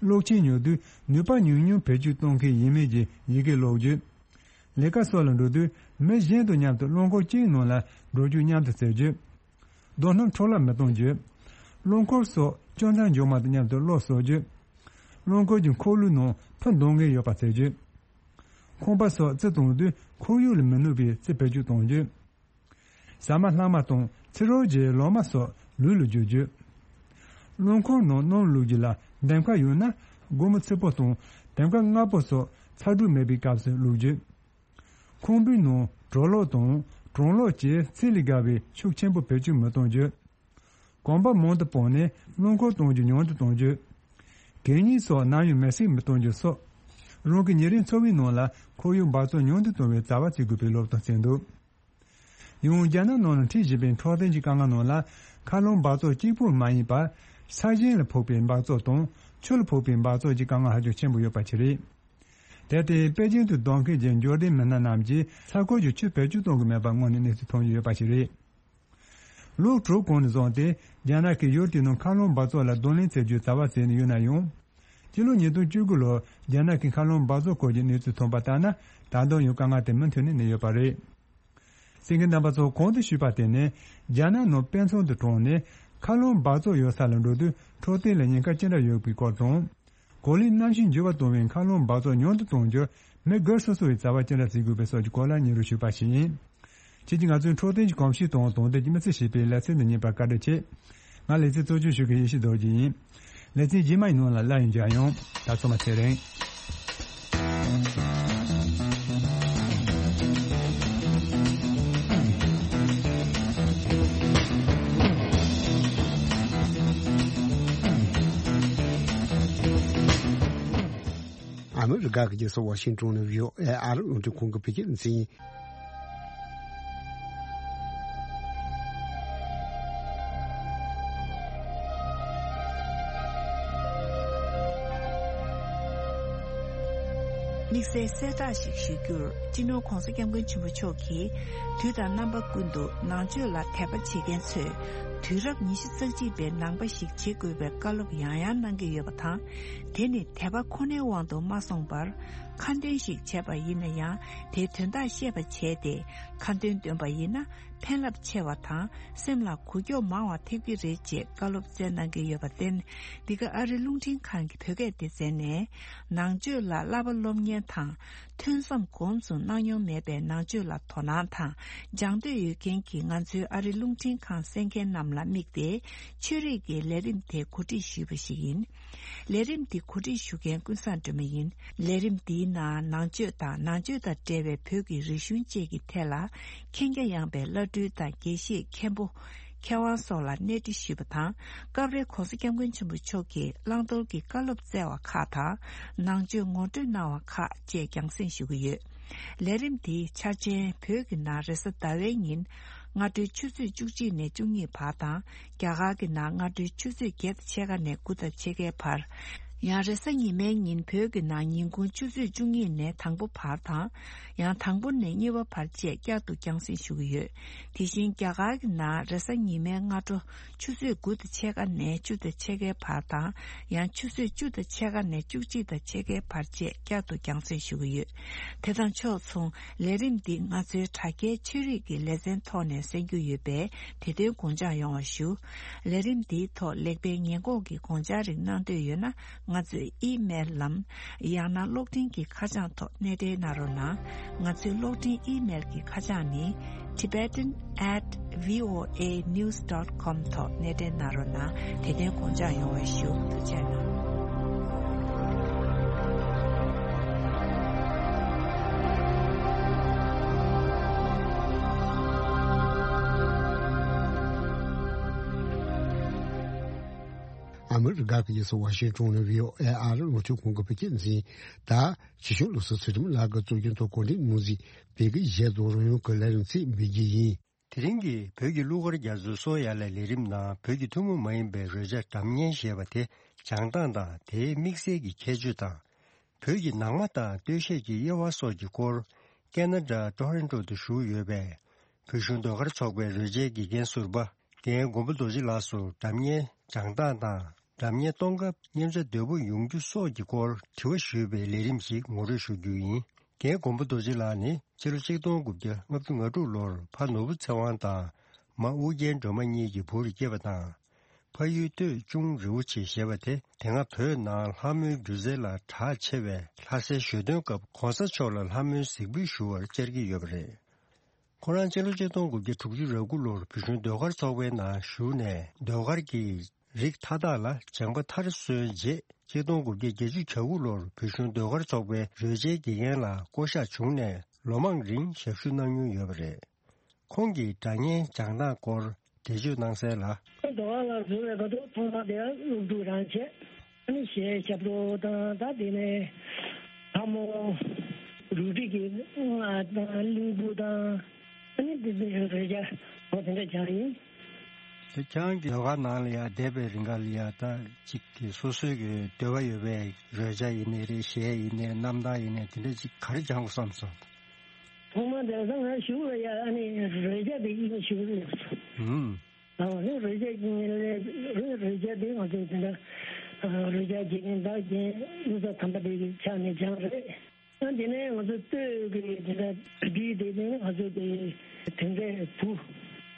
གློག་ཆས་ཉོ་དུས་ནུས་པ་ཉུང་ཉུང་བེད་སྤྱོད་གཏོང་མཁན་ཡིན་མིན་གྱི་ཡི་གེ་ཀློག་རྒྱུ། ལས་ཀ་སོགས་ལ་འགྲོ་དུས་མི་གཞན་དང་མཉམ་དུ་རླངས་འཁོར་གཅིག་ནང་ལ་འགྲོ་རྒྱུག་མཉམ་དུ་བྱེད་རྒྱུ། རྡོ་སྣུམ་འཕྲོ་བརླག་མི་གཏོང་རྒྱུ། རླངས་འཁོར་སོགས་སྐྱོ་མཚར་འཇོག་མ་ཐུབ་མཉམ་དུ་གློག་གསོག་རྒྱུ། རླངས་འཁོར་གྱི་འཁོར་ལོའི་ནང་ཕུ་འདང་མཁན་ཡོད་པ་བྱེད་རྒྱུ། ཁང་པ་སོགས་རྩི་གཏོང་དུས་ཁོར་ཡུག་ལ་མི་གནོད་པའི་རྩི་བེད་སྤྱོད་གཏོང་རྒྱུ། ཟ་མ་ལྷག་མ་དང་ཚིག་རོ་བརྒྱའི་ལོ་མ་སོགས་ལུད་ལ་བརྗོད་རྒྱུ། རླངས་འཁོར་ནང་སྣུམ་བླུགས་རྒྱུ་ལ་འདེམས་ཀ་ཡོད་ན་སྒོར་མོ་ཚིག་པོ་དང་འདེམས་ཀ་ལྔ་པོ་སོགས་ཚ་དྲོད་མེད་པའི་སྐབས་སུ་བླུགས་རྒྱུ། ཁང་པའི་ནང་གྲོ་ལོག་དང་གྲང་ལོག་བཅས་ཚད་ལས་བརྒལ་བའི་ཤུགས་ཆེན་པོ་བེད་སྤྱོད་མི་གཏོང་རྒྱུ། གོམ་པ་མང་དུ་སྤོས་ནས་རླངས་འཁོར་གཏོང་རྒྱུ་ཉུང་དུ་གཏོང་རྒྱུ། གད་སྙིགས་སོགས་ནམ་ཡང་མེ་བསྲེགས་མི་གཏོང་རྒྱུ་སོགས། རང་གི་ཉིན་རེའི་འཚོ་བའི་ནང་ལ་ཁོར་ཡུག་འབག་བཙོག་ཉུང་དུ་གཏོང་བའི་བྱ་བ་བྱེད་དགོས་པའི་སློབ་སྟོན་བྱས་འདུག་ཡང་རྒྱ་ནག་ནང་ལ་འཁྲུག་བཞིན་པའི་འཕྲོད་བསྟེན་གྱི་དཀའ་ངལ་ནང་ལ་མཁའ་རླུང་འབག་བཙོག་གཅིག་པུ་མ་ཡིན་པར། ས་ཞིང་ལ་ཕོག་པའི་འབག་བཙོག་དང་ཆུ་ལ་ཕོག་པའི་འབག་བཙོག་གི་དཀའ་ངལ་ཧ་ཅང་ཆེན་པོ་ཡོད་པ་ཞིག་རེད། དེར་བརྟེན་པེ་ཅིང་དུ་སྡོད་མཁན་གྱི་འབྱོར་ལྡན་མི་སྣ་རྣམས་ཀྱིས་ས་ཁུལ་གྱི་ཆུ་བེད་སྤྱོད་གཏོང་གི་མེད་པ་དངོས་གནས་གནས་ཚུལ་ཐོན་གྱི་ཡོད་པ་ཞིག་རེད། ལོ་དྲུག་གོང་ནས་བཟུང་སྟེ་རྒྱ་ནག་གིས་ཡུལ་དེའི་ནང་མཁའ་རླུང་འབག་བཙོག་ལ་གདོང་ལེན་བྱེད་རྒྱུའི་བྱ་བ་བྱས་ནས་ཡོད་ན་ཡང་། སྤྱི་ལོ་ཉིས་སྟོང་བཅུ་དགུ་ལོར་རྒྱ་ནག་གི་མཁའ་རླུང་འབག་བཙོག་སྐོར་གྱི་གནས་ཚུལ་ཐོན་པ་ལྟར་ན། ད་དུང་ཡང་དཀའ་ངལ་དེ་མུ་མཐུད་ནས་གནས་ཡོད་པ་རེད། གསན་མཁན་རྣམ་པ་ཚོ། གོང་དུ་ཞུས་པ་དེ་ནི་རྒྱ་ནག་ནང་དཔེ་མཚོན་དུ་དྲངས་ནས་མཁའ་རླུང་འབག་བཙོག་ཡོད་ས་ལ་འགྲོ་དུས་འཕྲོད་བསྟེན་ལ་ཉེན་ཁ་ཅི་འདྲ་ཡོད་པའི་སྐོར་དང་། གོ་ལའི་གནམ་གཤིས་འགྱུར་བ་གཏོང་བའི་མཁའ་རླུང་འབག་བཙོག་ཉུང་དུ་གཏོང་རྒྱུར་མི་སྒེར་སོ་སོ་ཡིས་བྱ་བ་ཅི་འདྲ་བྱེད་དགོས་པའི་སོགས་ཀྱི་སྐོར་ལ་སྙན་སྒྲོན་ཞུས་པ་ཞིག་ཡིན། ཁྱེད་ཀྱིས་ང་ཚོའི་འཕྲོད་བསྟེན་གྱི་གོམས་གཤིས་དང་དོན་དེ་གྱི་མི་ཚེ་ཞེས་པའི་ལེ་ཚན་འདི་ཉན་པར་བཀའ་དྲིན་ཆེ། ང་ལེ་ཚན་གཙོ་སྐྱོང་ཞུ་མཁན་ཡེ་ཤེས་རྡོ་རྗེ་ཡིན། ལེ་ཚན་རྗེས་མའི་ནང་ལ་སླར་ཡང་མཇལ་ཡོང་། ད་ཚང་མ་ཚེ་རིང་། ཨ་མི་རི་ཀ་གི་རྒྱལ་ས་ཝ་ཤིང་ཏོན་ནས་བྷི་ཨོ་ཨེ་ཨ་རི་རླུང་འཕྲིན་ཁང་གི་བོད་སྐད་སྡེ་ཚན་ཡིན། དམིགས་བསལ་གསལ་བསྒྲགས་ཤིག་ཞུ་རྒྱུར། སྤྱི་ནོར་༧གོང་ས་༧སྐྱབས་མགོན་ཆེན་པོ་མཆོག་གིས་དུས་དང་རྣམ་པ་ཀུན་ཏུ་ནང་ཆོས་ལ་དད་པ་བྱེད་མཁན་ཚོས། དུས་རབས་ཉི་ཤུ་རྩ་གཅིག་པའི་ནང་པ་ཞིག་བྱེད་དགོས་པའི་བཀའ་སློབ་ཡང་ཡང་གནང་གི་ཡོད་པ་དང་། དེ་ནི་དད་པ་ཁོ་ནའི་དབང་དུ་མ་སོང་བར། ཁ་འདོན་ཞིག་བྱས་པ་ཡིན་ན་ཡང་། དེའི་དོན་དག་ཤེས་པ་བྱས་ཏེ། ཁ་འདོན་འདོན་པ་ཡིན་ན། ཕན་རླབས་ཆེ་བ་དང་། སེམས་ལ་འགུག་སྐྱོབ་མང་བ་ཐེབས་ཀྱི་རེད་ཅེས་བཀའ་སློབ་སྩལ་གནང་གི་ཡོད་པར་བརྟེན། འདི་ག་ཨ་རི་རླུང་འཕྲིན་ཁང་གི་བོད་སྐད་སྡེ་ཚན་ནས། ནང་ཆོས་ལ་བསླབ་པ་སློབ་གཉེར་དང་། ཐོས་བསམ་སྒོམ་གསུམ་གནང་མྱོང་མེད་པའི་ནང་ཆོས་ལ་དོ་སྣང་དང་སྦྱང་འདོད་ཡོད་མཁན་གྱི་ང་ཚོའི་ཨ་རི་རླུང་འཕྲིན་ཁང་གསན་མཁན་རྣམས་ལ་དམིགས་ཏེ། ཆོས་རིག་གི་ལས་རིམ་དེ་གོ་སྒྲིག་ཞུས་པ་ཞིག་ཡིན། ལས་རིམ་འདི་གོ་སྒྲིག་ཞུ་མཁན་ཀུན་བཟང་སྒྲོལ་མ་ཡིན། ལས་རིམ་འདིའི་ནང་ནང་ཆོས་དང་ནང་ཆོས་དང་འབྲེལ་བའི་བོད་ཀྱི་རིག་གཞུང་བཅས་ཀྱི་ཐད་ལ་མཁྱེན་རྒྱ་ཡངས་པའི་བླ་སྤྲུལ་དང་དགེ་བཤེས་མཁན་པོ། མཁས་དབང་སོགས་ལ་གནས་འདྲི་ཞུས་པ་དང་། སྐབས་རེ་༸གོང་ས་༸སྐྱབས་མགོན་ཆེན་པོ་མཆོག་གིས་བླང་དོར་གྱི་བཀའ་སློབ་སྩལ་བ་ཁག་དང་། ནང་ཆོས་ངོ་སྤྲོད་གནང་བ་ཁག་བཅས་རྒྱང་སྲིང་ཞུ་གི་ཡོད། ལས་རིམ་འདིའི་འཆར་ཅན་བོད་ཀྱི་ནང་རེས་གཟའ་ཟླ་བའི་ཉིན། སྔ་དྲོའི་ཆུ་ཚོད་བཅུ་གཅིག་ནས་བཅུ་གཉིས་བར་དང་། རྒྱ་གར་གྱི་ནང་སྔ་དྲོའི་ཆུ་ཚོད་བརྒྱད་དང་ཕྱེད་ཀ་ནས་དགུ་དང་ཕྱེད་ཀའི་བར། ཡང་རེས་གཟའ་ཉི་མའི་ཉིན་བོད་ཀྱི་ནང་ཉིན་གུང་ཆུ་ཚོད་བཅུ་གཉིས་ནས་དང་པོ་བར་དང་། ཡང་དང་པོ་ནས་གཉིས་པ་བར་བཅས་བསྐྱར་དུ་རྒྱང་སྲིང་ཞུ་གི་ཡོད། དེ་བཞིན་རྒྱ་གར་གྱི་ནང་རེས་གཟའ་ཉི་མའི་སྔ་དྲོ་ཆུ་ཚོད་དགུ་དང་ཕྱེད་ཀ་ནས་བཅུ་དང་ཕྱེད་ཀའི་བར་དང་། ཡང་ཆུ་ཚོད་བཅུ་དང་ཕྱེད་ཀ་ནས་བཅུ་གཅིག་དང་ཕྱེད་ཀའི་བར་བཅས་བསྐྱར་དུ་རྒྱང་སྲིང་ཞུ་གི་ཡོད། དེ་དང་ཕྱོགས་མཚུངས། ལས་རིམ་འདི་ང་ཚོའི་དྲ་རྒྱའི་ཆོས་རིག་གི་ལེ་ཚན་ཐོག་ནས་གསན་རྒྱུ་ཡོད་པས། དེ་དོན་དགོངས་འཇགས་ཡོང་བ་ཞུ། ལས་རིམ་འདིའི་ཐོག་ལེགས་སྤེལ་ཉེས་འགོག་གི་དགོངས་འཆར་རིགས་གནང་འདོད་ཡོད་ན། ང་ཚོའི་ཨི་མེལ་ལམ། ཡང་ན་གློག་འཕྲིན་གྱི་ཁ་བྱང་ཐོག་གནས་འབྲེལ་གནང་རོགས་གནང་། ང་ཚོའི་གློག་འཕྲིན་ཨི་མེལ་གྱི་ཁ་བྱང་ནི། tibetan at voanews dot com ཐོག་གནས་འབྲེལ་གནང་རོགས་གནང་། དེ་དོན་དགོངས་འཇགས་ཡོང་བ་ཞུ། ཐུགས་རྗེ་གནང་། ཨ་མི་རི་ཀ་གི་རྒྱལ་ས་ཝ་ཤིང་ཏོན་ནས་བྷི་ཨོ་ཨེ་ཨ་རི་རླུང་འཕྲིན་ཁང་གི་བོད་སྐད་འཛིན། ད་ཆེ་ཤོས་ལོ་སི་ཚུལ་ཁྲིམས་ལགས་ཀྱིས་གཙོ་སྐྱོང་ཐོག་གོ་སྒྲིག་ངོས་འཛིན་བོད་ཀྱི་བཞད་དོ་རང་ཡོང་གི་ལས་རིམ་ཚིག་འབུལ་རྒྱུ་ཡིན། དེ་རིང་གི་བོད་ཀྱི་གླུ་གར་རྒྱ་མཚོའི་སོ་ཡ་ལས་ལས་རིམ་ནང་བོད་ཀྱི་ཐུན་མོང་མ་ཡིན་པའི་རོལ་ཆ་སྒྲ་སྙན་ཞེས་པ་དེ་སྦྱང་སྟངས་དང་དེའི་དམིགས་བསལ་གྱི་ཁྱད་ཆོས་དང་། བོད་ཀྱི་ནང་མ་དང་སྟོད་གཞས་ཀྱི་དབྱེ་བ་སོགས་ཀྱི་སྐོར། ཀེ་ན་ཌ་ཊོ་རོན་ཊོ་དུ་བཞུགས་ཡོད་པའི་བོད་གཞུང་ཟློས་གར་ཚོགས་པའི་རོལ་ཆའི་དགེ་རྒན་ཟུར་པ། རྒན་མགོན་པོ་རྡོ་རྗེ་ལགས་སུ་སྒྲ་སྙན་སྦྱང་སྟངས་དང་། སྒྲ་སྙན་གཏོང་སྐབས་སྙན་ཆ་དོད་པོ་ཡོང་རྒྱུ་སོགས་ཀྱི་སྐོར་དྲི་བ་ཞུས་པའི་ལས་རིམ་ཞིག་ངོ་སྤྲོད་ཞུ་རྒྱུ་ཡིན། རྒན་མགོན་པོ་རྡོ་རྗེ་ལགས་ནི་ཕྱི་ལོ་ཆིག་སྟོང་དགུ་བརྒྱ་ལྔ་བཅུ་ང་དྲུག་ལོར་ཕ་ནོར་བུ་ཚེ་དབང་དང་མ་ཨུ་རྒྱན་སྒྲོལ་མ་གཉིས་ཀྱི་བུར་སྐྱེས་པ་དང་། ཕ་ཡུལ་སྟོད་ལྕོང་རི་བོ་ཆེ་ཞེས་པ་དེ་དེ་སྔ་བོད་ནང་ལྷ་མོའི་སྒྱུ་རྩལ་ལ་གྲགས་ཆེ་བས། ལྷ་སའི་ཞོ་སྟོན་སྐབས་གོང་ས་མཆོག་ལ་ལྷ་མོའི་གཟིགས་འབུལ་ཞུ་བར་བཅར་གྱི་ཡོད་པ་རེད། ཁོ་རང་སྤྱི་ལོ་ཆིག་སྟོང་དགུ་བརྒྱ་དྲུག་ཅུ་རེ་དགུ་ལོར་བོད་གཞུང་ཟློས་གར་ཚོགས་པའི་ནང་ཞུགས་ནས་ཟློས་གར་གྱི་རིགས་མཐའ་དག་ལ་སྦྱངས་པ་མཐར་སོན་རྗེས། ཆིག་སྟོང་དགུ་བརྒྱ་བརྒྱད་ཅུ་གྱ་དགུ་ལོར་བོད་གཞུང་ཟློས་གར་ཚོགས་པའི་རོལ་ཆའི་དགེ་རྒན་ལ་བསྐོ་གཞག་བྱུང་ནས་ལོ་མང་རིང་ཞབས་ཞུ་གནང་མྱོང་ཡོད་པ་རེད། ཁོང་གིས་སྒྲ་སྙན་སྦྱང་སྟངས་སྐོར་འགྲེལ་བརྗོད་གནང་གསལ་ལ། ཟློས་གར་ལ་འཛུལ་བའི་སྐབས་སུ་ཐོག་མ་དེ་སློབ་ཕྲུག་རང་བྱས། ཨ་ནི་གཞས་རྒྱབ་སྐྱོར་དང་། ད་དེ་ནས་ལྷ་མོ། རུ་སྒྲིག་གི་རྔ་དང་གླིང་བུ་དང་། ཨ་ནི་དེ་ཚོའི་རོལ་ཆ་འོ་དེ་འདྲ་སྦྱངས་ཡིན། དེ་ཁྱེད་རང་གི་ཟློས་གར་ནང་ལ་ཡ་བསྡད་པའི་རིང་ག་ལ་ཡ་ད་ཅིག་གི་སོ་སོའི་གི་འདོད་པ་ཡོད་པའི་རོལ་ཆ་ཡིན་ནའི་རེད། གཞས་ཡིན་ནའི་རྣམ་ཐར་ཡིན་ནའི་དེ་འདྲ་ཅིག་ག་རེ་སྦྱང་དགོས་བསམ་སོང་། ཐོག་མ་དེ་ད་ང་གཞུག་ལ་ཡ་ཨ་ནི་རོལ་ཆ་དེ་ཡིན་ཞུ་གི་ཡོད་སོང་། ཨང་། ཨ་ནི་རོལ་ཆ་ཡིན་ལས་རོལ་ཆ་དེ་ང་ཚོ་དེ་འདྲ་རོལ་ཆ་དགེ་རྒན་ད་རྒན་གཡུ་རྩ་དམ་པ་དེ་གི་ཕྱག་ནས་སྦྱངས་རེད། ཨ་དེ་ནས་ང་ཚོ་སྟོད་ཀྱི་དེ་འདྲ་བྲིས་དེ་ནས་ང་ཚོ་དེ་དེ་འདྲའི་བུ་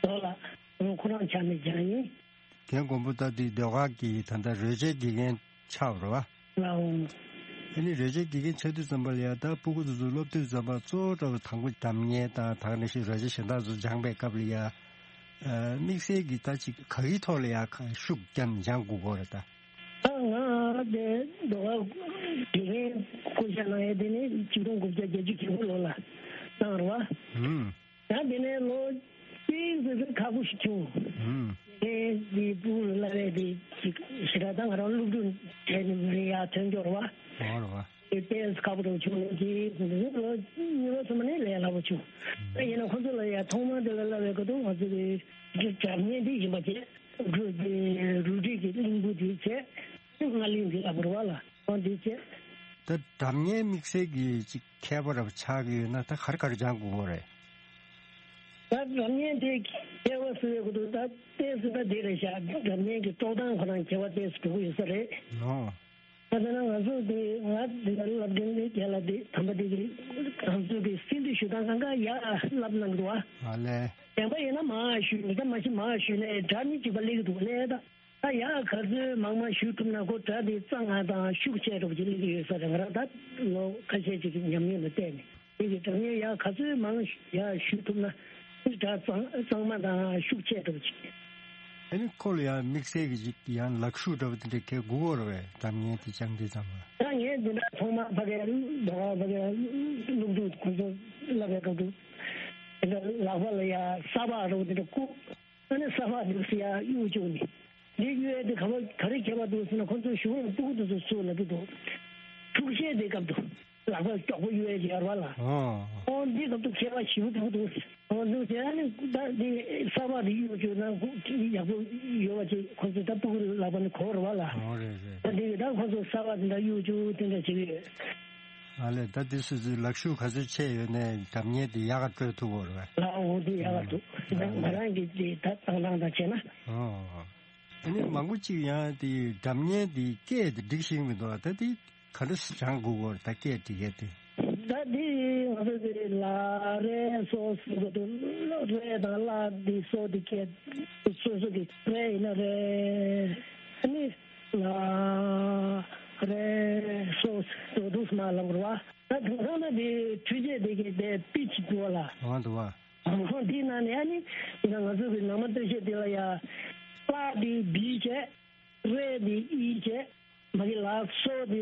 རྡོ་ལ་ཁོ་རང་ཕྱག་ནས་སྦྱངས་ཡིན། རྒན་མགོན་པོ་ད་དེ་ཟློས་གར་གྱི་ད་ལྟ་རོལ་ཆའི་དགེ་རྒན་ཆགས་པ་རེད་བ། ལའོ། ཨ་ནི་རོལ་ཆའི་དགེ་རྒན་ཆགས་དུས་ཙམ་པ་ལ་ཡ་ད་སྤུ་གུ་དེ་ཚོ་སློབ་དུས་ཙམ་པ་གཙོ་བོ་འདྲ་བོ་དང་པོ་སྒྲ་སྙན་དང་དེ་ནང་བཞིན་རོལ་ཆ་གཞན་དག་ཚོ་སྦྱངས་པའི་སྐབས་ལ་ཡ། ཨ་དམིགས་བསལ་གྱི་ད་ཅིག་ག་གི་ཐོག་ལ་ཡ་ཤུགས་བརྒྱབ་ནས་སྦྱང་དགོས་ཀྱི་རེད་ད། ད་ང་དེ་ཟློས་གར་དགེ་རྒན་བསྐོ་བཞག་གནང་ཡས་དེ་ནི་ཆིག་སྟོང་དགུ་བརྒྱ་བརྒྱད་ཅུ་གྱ་དགུ་ལོ་ལ་གནང་རེད་བ། ཧུམ། ཡང་དེ་ནས་ལོ་གཅིག་ཙམ་ཁག་པོ་ཞིག་བྱུང་། ཧུམ། དེ་དེ་སྤུ་གུ་ལ་བས་དེ་ཞེ་དྲག་ད་ང་རང་སློབ་ཕྲུག་གྲས་ནས་མི་ཡར་ཐོན་རྒྱུ་རེད་བ། འོ་རེད་བ། དེ་ཏོག་ཙམ་ཁག་པོ་འདྲ་བོ་བྱུང་། ལོ་གཅིག་ཙམ་ལོ་གཉིས་པ་ཙམ་ནས་ལས་སླ་པོ་བྱུང་། ད་ཡིན་ན་ཁོ་ཚོ་ལ་ཡ་ཐོག་མ་དེ་ལ་བསླབ་པའི་སྐབས་དུ་ང་ཚོ་གི་སྒྲ་སྙན་དེ་ཡིན་པ་བྱས། རུ་དེ་རུ་སྒྲིག་གི་གླིང་བུ་དེ་བྱས། རྔ་གླིང་དེ་ལ་བོར་བ་ལ་འོ་དེ་བྱས། ད་སྒྲ་སྙན་དམིགས་བསལ་གྱི་ཅིག་མཁས་པ་རབ་ཆགས་ཀྱི་ཡོད་ན་ད་ག་རེ་ག་རེ་སྦྱང་དགོས་ཀྱི་རེད། ད་སྒྲ་སྙན་དེ་ ཁྱད་པར་ཟེར་བའི་སྐོར་དུ་ད་ཏོག་ཙམ་ད་འདི་རེད་ཤག་སྒྲ་སྙན་གྱི་དཀྲོག་སྟངས་ཁོ་རང་ཁྱད་པར་ཏོག་ཙམ་འགྲོ་གི་ཡོད་ས་རེད། ཨོ། ད་དེ་ན་ང་ཚོ་འདི་ང་འདི་ལ་སློབ་འབྲིང་རྒན་ལགས་འདི་དམ་པ་འདི་གི་ང་ཚོ་གི་སྲིད་འདི་ཞུ་སྟངས་གང་ག་ཡག་བསླབ་གནང་གི་འདུག་ཨ། ཨ་ལས། གཞན་པ་ཡིན་ན་མ་ཞུས་མི་ད་མ་ཤི་མ་ཞུས་ནས་སྒྲ་ནི་གཅིག་པ་སླེབས་ཀྱི་འདུག་ལས་ད། ད་ཡག་ག་ཚོད་མང་མང་ཞུ་ཐུབ་ན་ཁོ་སྒྲ་དེ་གཙང་ང་དང་ཤུགས་ཆེ་འགྲོ་གི་སླེབས་ཀྱི་ཡོད་ས་རེད། ང་རང་ད་ལོ་ཁ་ཤས་ཅིག་གི་ཉམས་མྱོང་ལ་བལྟས་ནས་དེ་གི་སྒྲ་སྙན་ཡག་ག་ཚོད་མང་ཡག་ཞུ་ཐུབ་ན་སྒྲ་གཙང་གཙང་མ་དང་ཤུགས་ཆེ་འགྲོ་གི། ཨ་ནི་ཁོ་ལ་ཡང་དམིགས་བསལ་གྱི་ཅིག་ཡང་ལག་ཤུབས་འདྲ་བོ་དེ་འདྲ་གས་དགོས་ཀྱི་རེད་པས། སྒྲ་སྙན་དེ་སྦྱང་དུས་ཙམ་པ། ད་ངས་འདི་འདྲ་ཐོག་མར་ཕ་གིར་ཟླ་བ་ཕ་གིར་སློབ་ཕྲུག་ཁོ་ཚོ་བསླབ་པའི་སྐབས་དུ་དེ་འདྲ་ལག་པ་ལ་ཡང་ས་ཕག་འདྲ་བོ་དེ་འདྲ་བཀུག་ཨ་ནི་ས་ཕག་འདུག་སེ་ཡར་གཡུག་བཅུག་ནས། འདི་གཡུག་ཡས་དེ་ག་པར་ག་རེ་ཁྱད་པར་འདུག་ཟེར་ན་ཁོང་ཚོས་ཞུ་བར་སྤུ་གུ་དེ་ཚོ་ཚུར་ལབ་ཀྱི་འདུག་འཁྲུག་ཆས་དེ་སྐབས་དུ་ལག་པ་མགྱོགས་པོ་གཡུག་ཡས་ཀྱི་ཡོད་རེད་པ་ལ། ཨོ། ཨོ་འདི་སྐབས་དུ་ཁྱད་པར་ཞེ་པོ་འདུག་འདུག་ཨོ་འདུག་ཟེར་ཨ་ནི་ད་འདི་ས་ཕག་དེ་གཡུག་བཅུག་ན་ཡག་པོ་ཡོད་པ་ཅིག་ཁོང་ཚོས་ད་སྤུ་གུ་ལག་པ་ནས་གོ་རེད་པ་ལ། ཨོ་རེད་རེད། ད་འདི་གི་ད་ཁོང་ཚོ་ས་ཕག་དེ་འདྲ་གཡུག་བཅུག་དེ་འདྲ་བྱེད་ཀྱི་ཡོད། ཨ་ལས། ད་དེ་སོ་སོའི་ལག་ཤུབས་ག་ཚོད་ཆེ་ཡོད་ནའི་སྒྲ་སྙན་དེ་ཡག་ག་དཀྲོལ་ཐུབ་ཀྱི་རེད་པས། ལགས་འོང་དེ་ཡག་ག་འདུག་ང་རང་གི་དེ་ད་བཏང་སྟངས་དང་བྱས་ན། ཨོ། ཨ་ནི་མང་པོ་ཅིག་ཡང་དེ་སྒྲ་སྙན་དེ་སྐད་དེ་སྒྲིག་ཤེས་མི་འདུག་ད་དེ་ག་འདྲ་སྦྱང་དགོས་ཀྱི་རེད། ད་སྐད་སྒྲིག་ཡས་དེ། ད་དེ་ང་ཚོ་དེ་ལ་རེ་སོ་ཟེར་གྱི་འདུག་རེ་དང་ལ་དེ་སོ་དེ་སྐད་སོ་སོ་དེ་རེ་ཡིན་ན་རེ། ཨ་ནི། ལ་རེ་སོ་དོ་དུ་སྨ་ལབ་ར་བ། ད་དུང་ཐང་ན་དེ་འཕྲུལ་ཆས་དེ་གི་དེ་པི་ཆི་འདུག་བ་ལ། འོ་འདུག་བ། འོ་དེ་ན་ནི་ཨ་ནི་ང་ཚོ་གི་ནང་མ་སྟོད་གཞས་དེ་ལ་ཡ། ལ་དེ་བི་བྱས། རེ་དེ་ཨི་བྱས། མ་གི་ལ་སོ་དེ་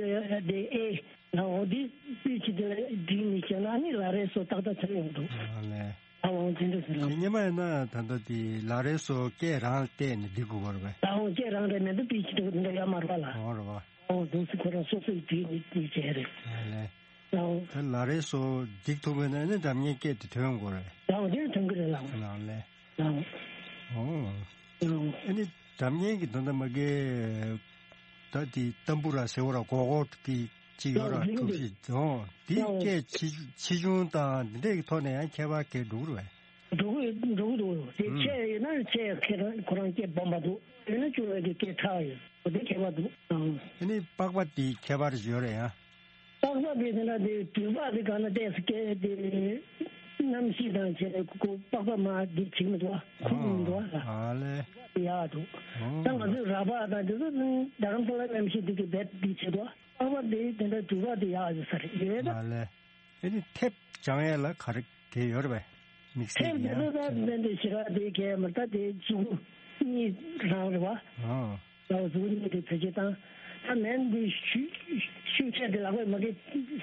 དེ་ཨེ། ལ་འོ་དེ་པི་ཆི་དེ་ལ་བསྒྲིགས་ནས་བྱས་ན་ཨ་ནི་ལ་རེ་སོ་ཏག་ཏག་ཆགས་ཡོང་འདུག་ཨ་ལས། ཨ་འོང་དེ་འདྲ་ཟེར་ལ། དེ་སྔོན་མ་ཡིན་ན་ད་ལྟ་དེ་ལ་རེ་སོ་སྐད་རང་བལྟས་ནས་འབྲི་དགོས་པ་རེད་པས། ཨ་འོང་སྐད་རང་རེད་མེད་འདུག་པི་ཆི་འདུག་འདི་འདྲ་ཡོད་མ་རེད་པ་ལ། འོ་རེད་པ། ཨ་འོང་དུང་སི་ཁོ་རང་སོ་སོས་བྲིས་ནས་བྲིས་བྱས་རེད། ཨ་ལས། ཨ་འོང་། ད་ལ་རེ་སོ་འགྲིག་ཐུབ་པ་ཡིན་ན་ཨ་ནི་སྒྲ་སྙན་སྐད་དེ་ཐོན་དགོས་རེད། ཨ་འོང་དེ་ཐོན་གི་རེད་ལགས། ལགས་ལས། ཨ་འོང་། ཨ་འོང་། ཨོ། ཨ་ནི་སྒྲ་སྙན་གྱི་དོན་དག་མ་གི་ད་དེ་ཏམ་བུ་ར་ཟེར་བ་ར་གོ་གོ་གི་ཅི་ཡོད་ར་ཨོ་གྲུབ་ཞིག་ཨོ་དེ་ཨོ་སྐད་ཆེ་ཆེ་ཆུང་དང་འདི་འདྲའི་ཐོག་ནས་ཡང་ཁྱད་པར་གས་འགྲོ་གི་རེད། འགྲོ་གི་འགྲོ་གི་འདུག་དེ་ཨུམ་ཆེ་ཡོད་ན་ཆེ་ཁེ་རང་ཁོ་རང་སྐད་སྦོམ་པ་འདུག་ཡོད་ན་ཆུང་བའི་གི་སྐད་ཕྲ་བ་ཡོད་འོ་དེ་ཁྱད་པར་འདུག་ཨང་། ཨ་ནི་པགས་པ་དེ་ཁྱད་པར་ཡོད་རེད་ཡ། པགས་པ་དེ་དེ་འདྲ་དེ་དུས་པགས་དེ་གང་ན་ཏོག་ཙམ་སྐད་དེ་གནམ་གཤིས་དང་བྱས་ནས་ཁོ་པགས་པ་མ་དེ་བྱེད་མི་འདུག་ཨ་ཁུག་མི་འདུག་ཨ་ལ། ཨ་ལས། ཡག་འདུག་ཨོ། ད་ང་ཚོའི་ར་པགས་དང་དེ་ཚོ་རྡ་རམ་ས་ལ་གནམ་གཤིས་དེ་གི་རྦད་དེ་བྱེད་འདུག་ཨ། པགས་པ་དེ་དེ་འདྲ་དུས་པགས་དེ་ཡག་ཡོད་ས་རེད་ཡོད་ད། ཨ་ལས། ཨ་ནི་ཐེབས་སྦྱང་ཡས་ལ་ག་རེ་གལ་ཡོད་རེད་པས། དམིགས་བསལ་ཐེབས་གྱི་དེ་ཡང་ཚོ་ད་དེ་འདྲ་ཞེ་དྲག་དེ་གལ་མི་ད་དེ་མཛུབ་གུ་གཉིས་རང་རེད་པ། ཨོ། ལག་གཟུགས་གཉིས་དེ་བེད་སྤྱོད་བཏང་། ད་མེན་དེ་ཤུ་ཤུགས་ཆེ་དེ་ལག་པས་མ་གི་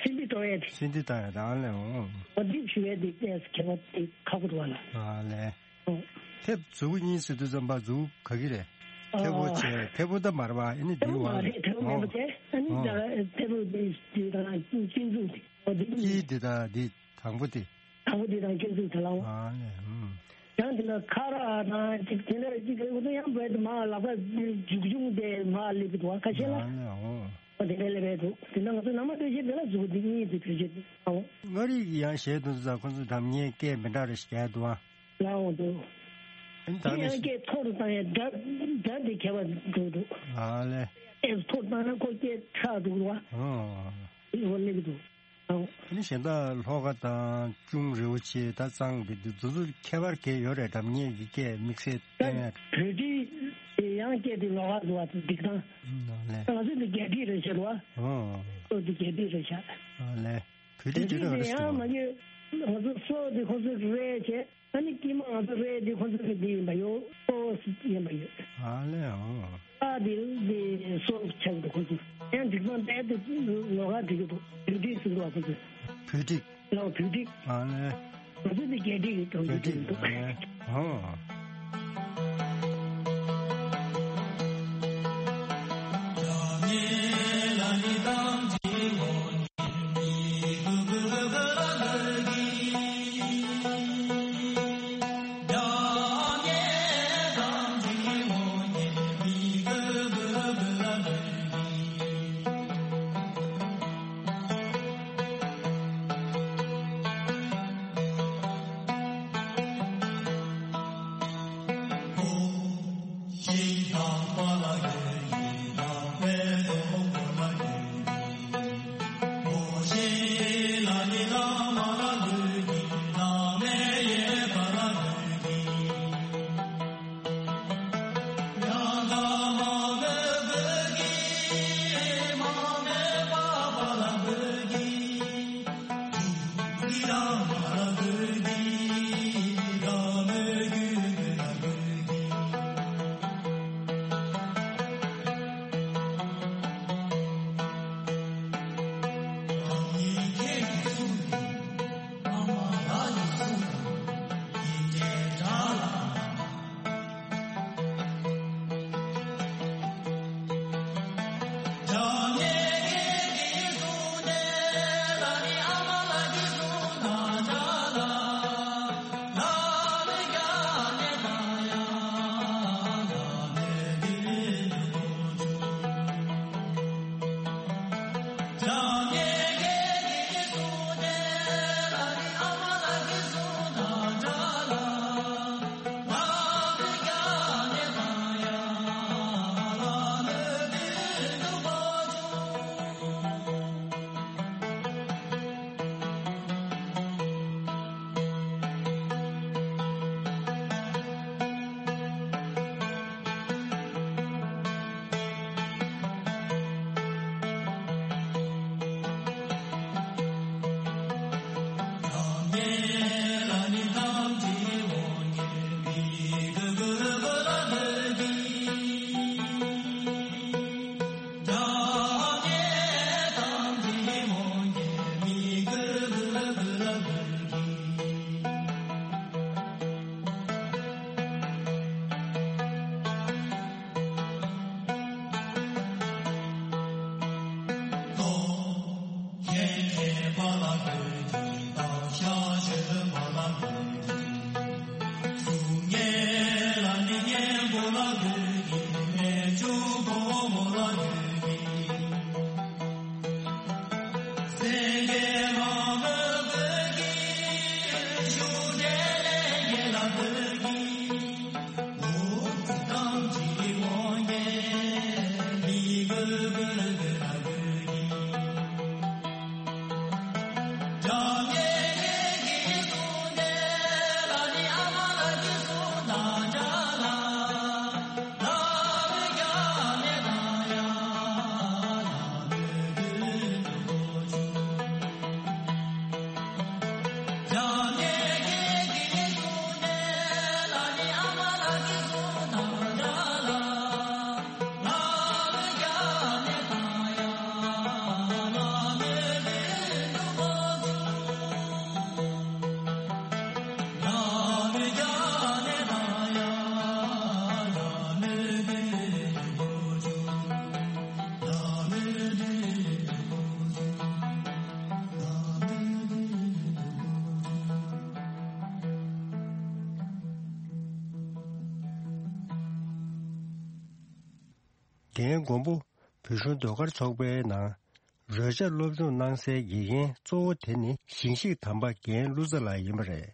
སིན་དི་གཏོང་ཡས་དེ། སིན་དི་གཏོང་ཡས་ད་ཨ་ལས་འོང་། འོ་འདི་ཞུ་ཡས་དེ་ཏོག་ཙམ་ཁྱད་པར་དེ་ཁག་པོ་འདུག་བ་ལ། ཨ་ལས། ཨོ། ཐེབས་མཛུབ་གུ་གཉིས་ཟེར་དུས་ཙམ་པ་མཛུབ་གུ་ག་གི་རེད། ཨ་མཐེ་བོ་བྱས་མཐེ་བོ་ད་མ་རེད་པ་ཨ་ནི་དེ་བ་རེད། མཐེ་བོ་མེད་པ་དེ་ཨ་ནི་ད་མཐེ་བོ་དེ་དེ་དང་སྐྱིན་མཛུབ་དེ་འོ་དེ་གཉིས། དཀྱིལ་དེ་དང་དེ་དང་པོ་དེ། དང་པོ་དེ་དང་སྐྱིན་མཛུབ་དེ་ལ་འོ། ཨ་ལས། ཨུམ། ཡང་དེ་ལ་ཁ་ར་དང་ཅིག་དེ་འདྲ་ཅིག་རེད་འོ་ད་ཡང་བས་དུ་མ་ལག་པ་མཇུག་ཆུང་དེ་མ་སླེབས་འདུག་ཁ་ཤས་ལ། ཨ་ལས་འོ། འོ་དེ་འདྲ་སླེབས་འདུག་དེ་འདྲ་ང་ཚོ་ནང་མ་སྟོད་གཞས་དེ་ལ་མཛུབ་གུ་དེ་གཉིས་དེ་བེད་སྤྱོད་འོ། མངའ་རིས་ཀྱི་ཡང་གཞས་དེ་ཚོ་ཁོ་ཚོ་སྒྲ་སྙན་སྐད་མི་འདྲ་རེ་ཞིག་རྒྱག་འདུག་ཨ། ལའོ་འདུག་ལའོ་འདུག་དེ་ཡང་སྐད་མཐོ་རུ་བཏང་ཡས་སྒྲ་སྒྲ་དེ་ཁྱད་པར་འགྲོ་འདུག་ཨ་ལས། སྐད་མཐོ་རུ་བཏང་ན་ཁོ་སྐད་ཕྲ་འདུག་ར། ཨོ། འོ་སླེབས་འདུག་ཨོ། ཨ་ནི་གཞན་དག་ལྷོ་ཁ་དང་ཅུང་རེའུ་ཆེ་ད་གཙང་གི་འདི་དེ་ཚོ་ཁྱད་པར་གས་ཡོད་རེད། སྒྲ་སྙན་གྱི་སྐད་དམིགས་བསལ་བསྟན་ཡ། བོད་ཁྲིད་དེ་ཡང་སྐད་དེ་ལོགས་ཀ་འདུག་བ་དེ་འགྲིག་སྟངས། ཨ་ལས། ང་ཚོ་འདི་རྒྱ་ཁྲིད་རེད་ཤག་བ། ཨོ། ཨོ་འདི་རྒྱ་ཁྲིད་རེད་ཤག་ཨ་ལས། བོད་ཁྲིད་དེ་ལ་རེད་ཡང་མ་གི་ང་ཚོ་སོ་དེ་ཁོ་ཚོས་རེད་བྱས། ཨ་ནི་དཀྱིལ་མ་ང་ཚོ་རེད་དེ་ཁོ་ཚོ་གི་འདི་ཡིན་པ་ཡོད། སོ་ཡིན་པ་ཡོད། ཨ་ལས་ཨོ། ཨ་དེ་དེ་སོ་ཆགས་འདུག་ཁོ་ཚོ་ཡང་འགྲིག་སྟངས་རྦད་དེ་ལོགས་ཀ་འགྲིག་གི་འདུག་བོད་ཁྲིད་ཟེར་འདུག་ཁོ་ཚོ། བོད་ཁྲིད། ལའོ་བོད་ཁྲིད། ཨ་ལས། ང་ཚོ་འདི་རྒྱ་ཁྲིད་ཀྱི་གྲོང་ཁྱེར་བོད་ཁྲིད་འདུག་ཨ་ལས་ཨོ། དེའི་མགོན་པོ་བོད་གཞུང་ཟློས་གར་ཚོགས་པའི་ནང་རོལ་ཆ་སློབ་སྦྱོང་གནང་སའི་དགེ་རྒན་གཙོ་བོ་དེ་ནི་ཞིང་གཤེགས་དམ་པ་རྒན་བློ་བཟང་ལགས་ཡིན་པ་རེད།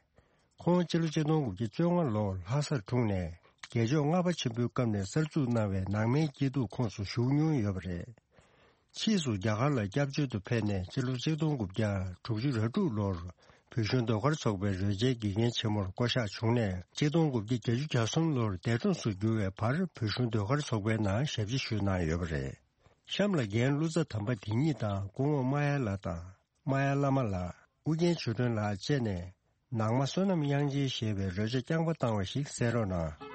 ཁོང་སྤྱི་ལོ་ཆིག་སྟོང་དགུ་བརྒྱ་བཅོ་ལྔ་ལོར་ལྷ་སར་འཁྲུངས་ནས་རྒྱལ་མཆོག་ལྔ་པ་ཆེན་པོའི་སྐབས་ནས་གསར་འཛུགས་གནང་བའི་ནང་མའི་སྐྱིད་སྡུག་ཁོངས་སུ་ཞུགས་མྱོང་ཡོད་པ་རེད། ཕྱིས་སུ་རྒྱ་གར་ལ་སྐྱབས་བཅོལ་དུ་ཕེབས་ནས་སྤྱི་ལོ་ཆིག་སྟོང་དགུ་བརྒྱ་དྲུག་ཅུ་རེ་དྲུག་ལོར་བོད་གཞུང་ཟློས་གར་ཚོགས་པའི་རོལ་ཆའི་དགེ་རྒན་ཆེན་མོར་བསྐོ་གཞག་བྱུང་ནས་ཆིག་སྟོང་དགུ་བརྒྱ་བརྒྱད་ཅུ་གྱ་གསུམ་ལོར་འདས་གྲོངས་སུ་གྱུར་བའི་བར་བོད་གཞུང་ཟློས་གར་ཚོགས་པའི་ནང་ཞབས་ཕྱི་ཞུས་གནང་ཡོད་པ་རེད། གཤམ་ལ་རྒན་བློ་བཟང་དམ་པ་དེ་ཉིད་དང་སྐུ་ངོ་མ་ཡ་ལགས་དང་། མ་ཡ་བླ་མ་ལགས། ཨུ་རྒྱན་ཆོས་སྒྲོན་ལགས་བཅས་ནས་ནང་མ་བསོད་ནམས་དབྱངས་ཅན་ཞེས་པའི་རོལ་ཆ་རྐྱང་པ་བཏང་བ་ཞིག་གསན་རོགས་གནང་།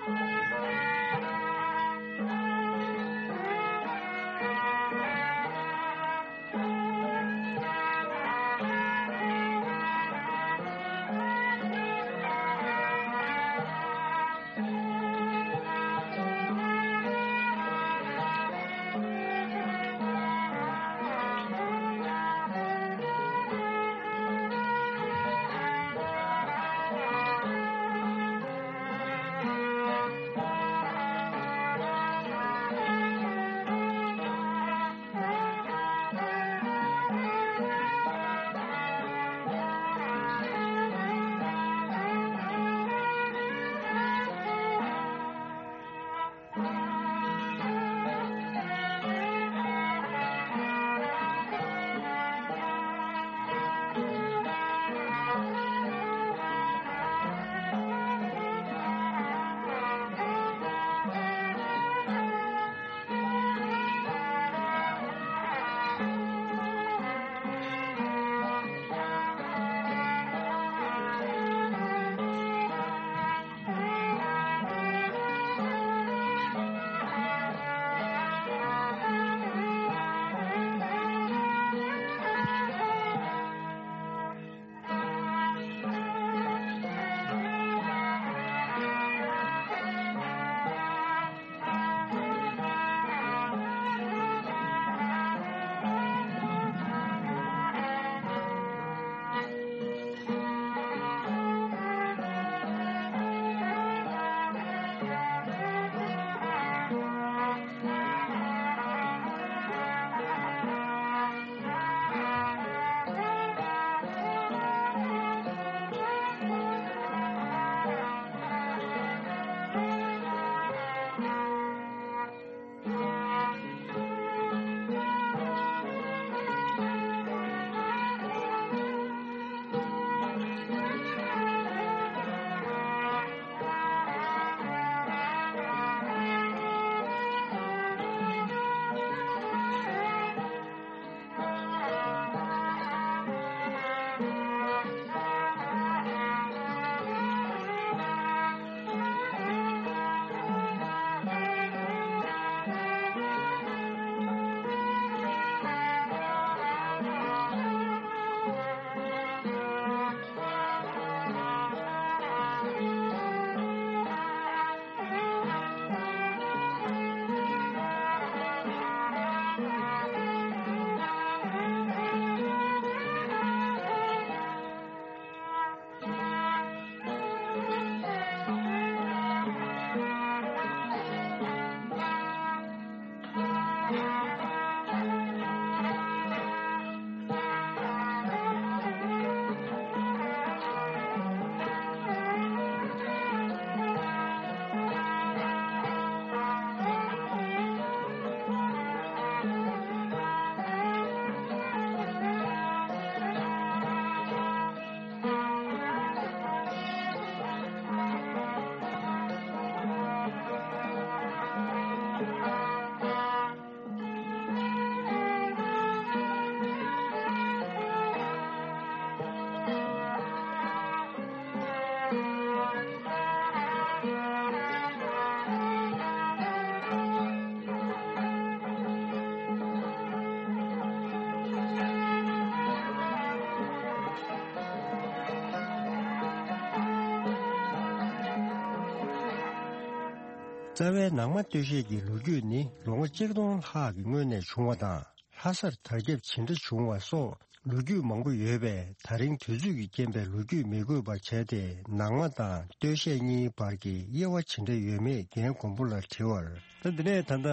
རྩ་བའི་ནང་མ་སྟོད་གཞས་ཀྱི་ལོ་རྒྱུས་ནི་ལོ་ངོ་གཅིག་སྟོང་ལྷག་གི་སྔོན་ནས་བྱུང་བ་དང་། ལྷ་སར་དར་ཁྱབ་ཇི་འདྲ་བྱུང་བ་སོགས་ལོ་རྒྱུས་མང་པོ་ཡོད་པས། ད་རིང་དུས་ཚོད་ཀྱི་རྐྱེན་པས་ལོ་རྒྱུས་མི་དགོས་པར་བྱས་ཏེ། ནང་མ་དང་སྟོད་གཞས་གཉིས་བར་གྱི་དབྱེ་བ་ཇི་འདྲ་ཡོད་མེད་རྒན་མགོན་པོ་ལ་དྲི་བར། ད་འདི་ནས་ད་ལྟ་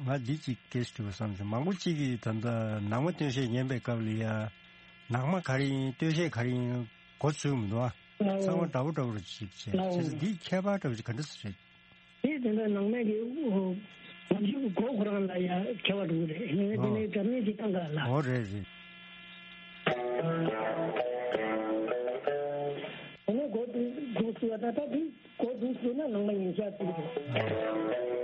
ང་འདི་གཅིག་སྐད་ཞིག་དྲི་བ་བསམ་བྱུང་། མང་པོ་གཅིག་གིས་ད་ལྟ་ནང་མ་སྟོད་གཞས་ཉན་པའི་སྐབས་ལ་ཡ། ནང་མ་ག་རེ་ཡིན་སྟོད་གཞས་ག་རེ་ཡིན་མགོ་ཚོས་མི་འདུག་ཨ། ཚང་མ་འདྲ་པོ་འདྲ་པོ་རེ་ཅིག་བྱས། བྱས་ཙང་འདིའི་ཁྱད་པར་འདྲ་པོ་ཅིག་ག་འདྲ་ཞིག་རེད། དེ་དེ་འདྲ་ནང་མའི་གི་ཨོ། ང་ཚོའི་གོ་ཁོ་རང་ལ་ཡ་ཁྱད་པར་འདུག་རེད། ངས་དེ་ནས་ཨོ། སྒྲ་སྙན་ཅིག་བཏང་ག་ལ། ཨོ་རེད་རེད། དེ་ནས་གོ་འདུག་ཟེར་བ་ད་ལྟ་དེ་གོ་འདུག་ཟེར་ན་ནང་མ་ཡིན་ཤག་ཟེར་གི་རེད།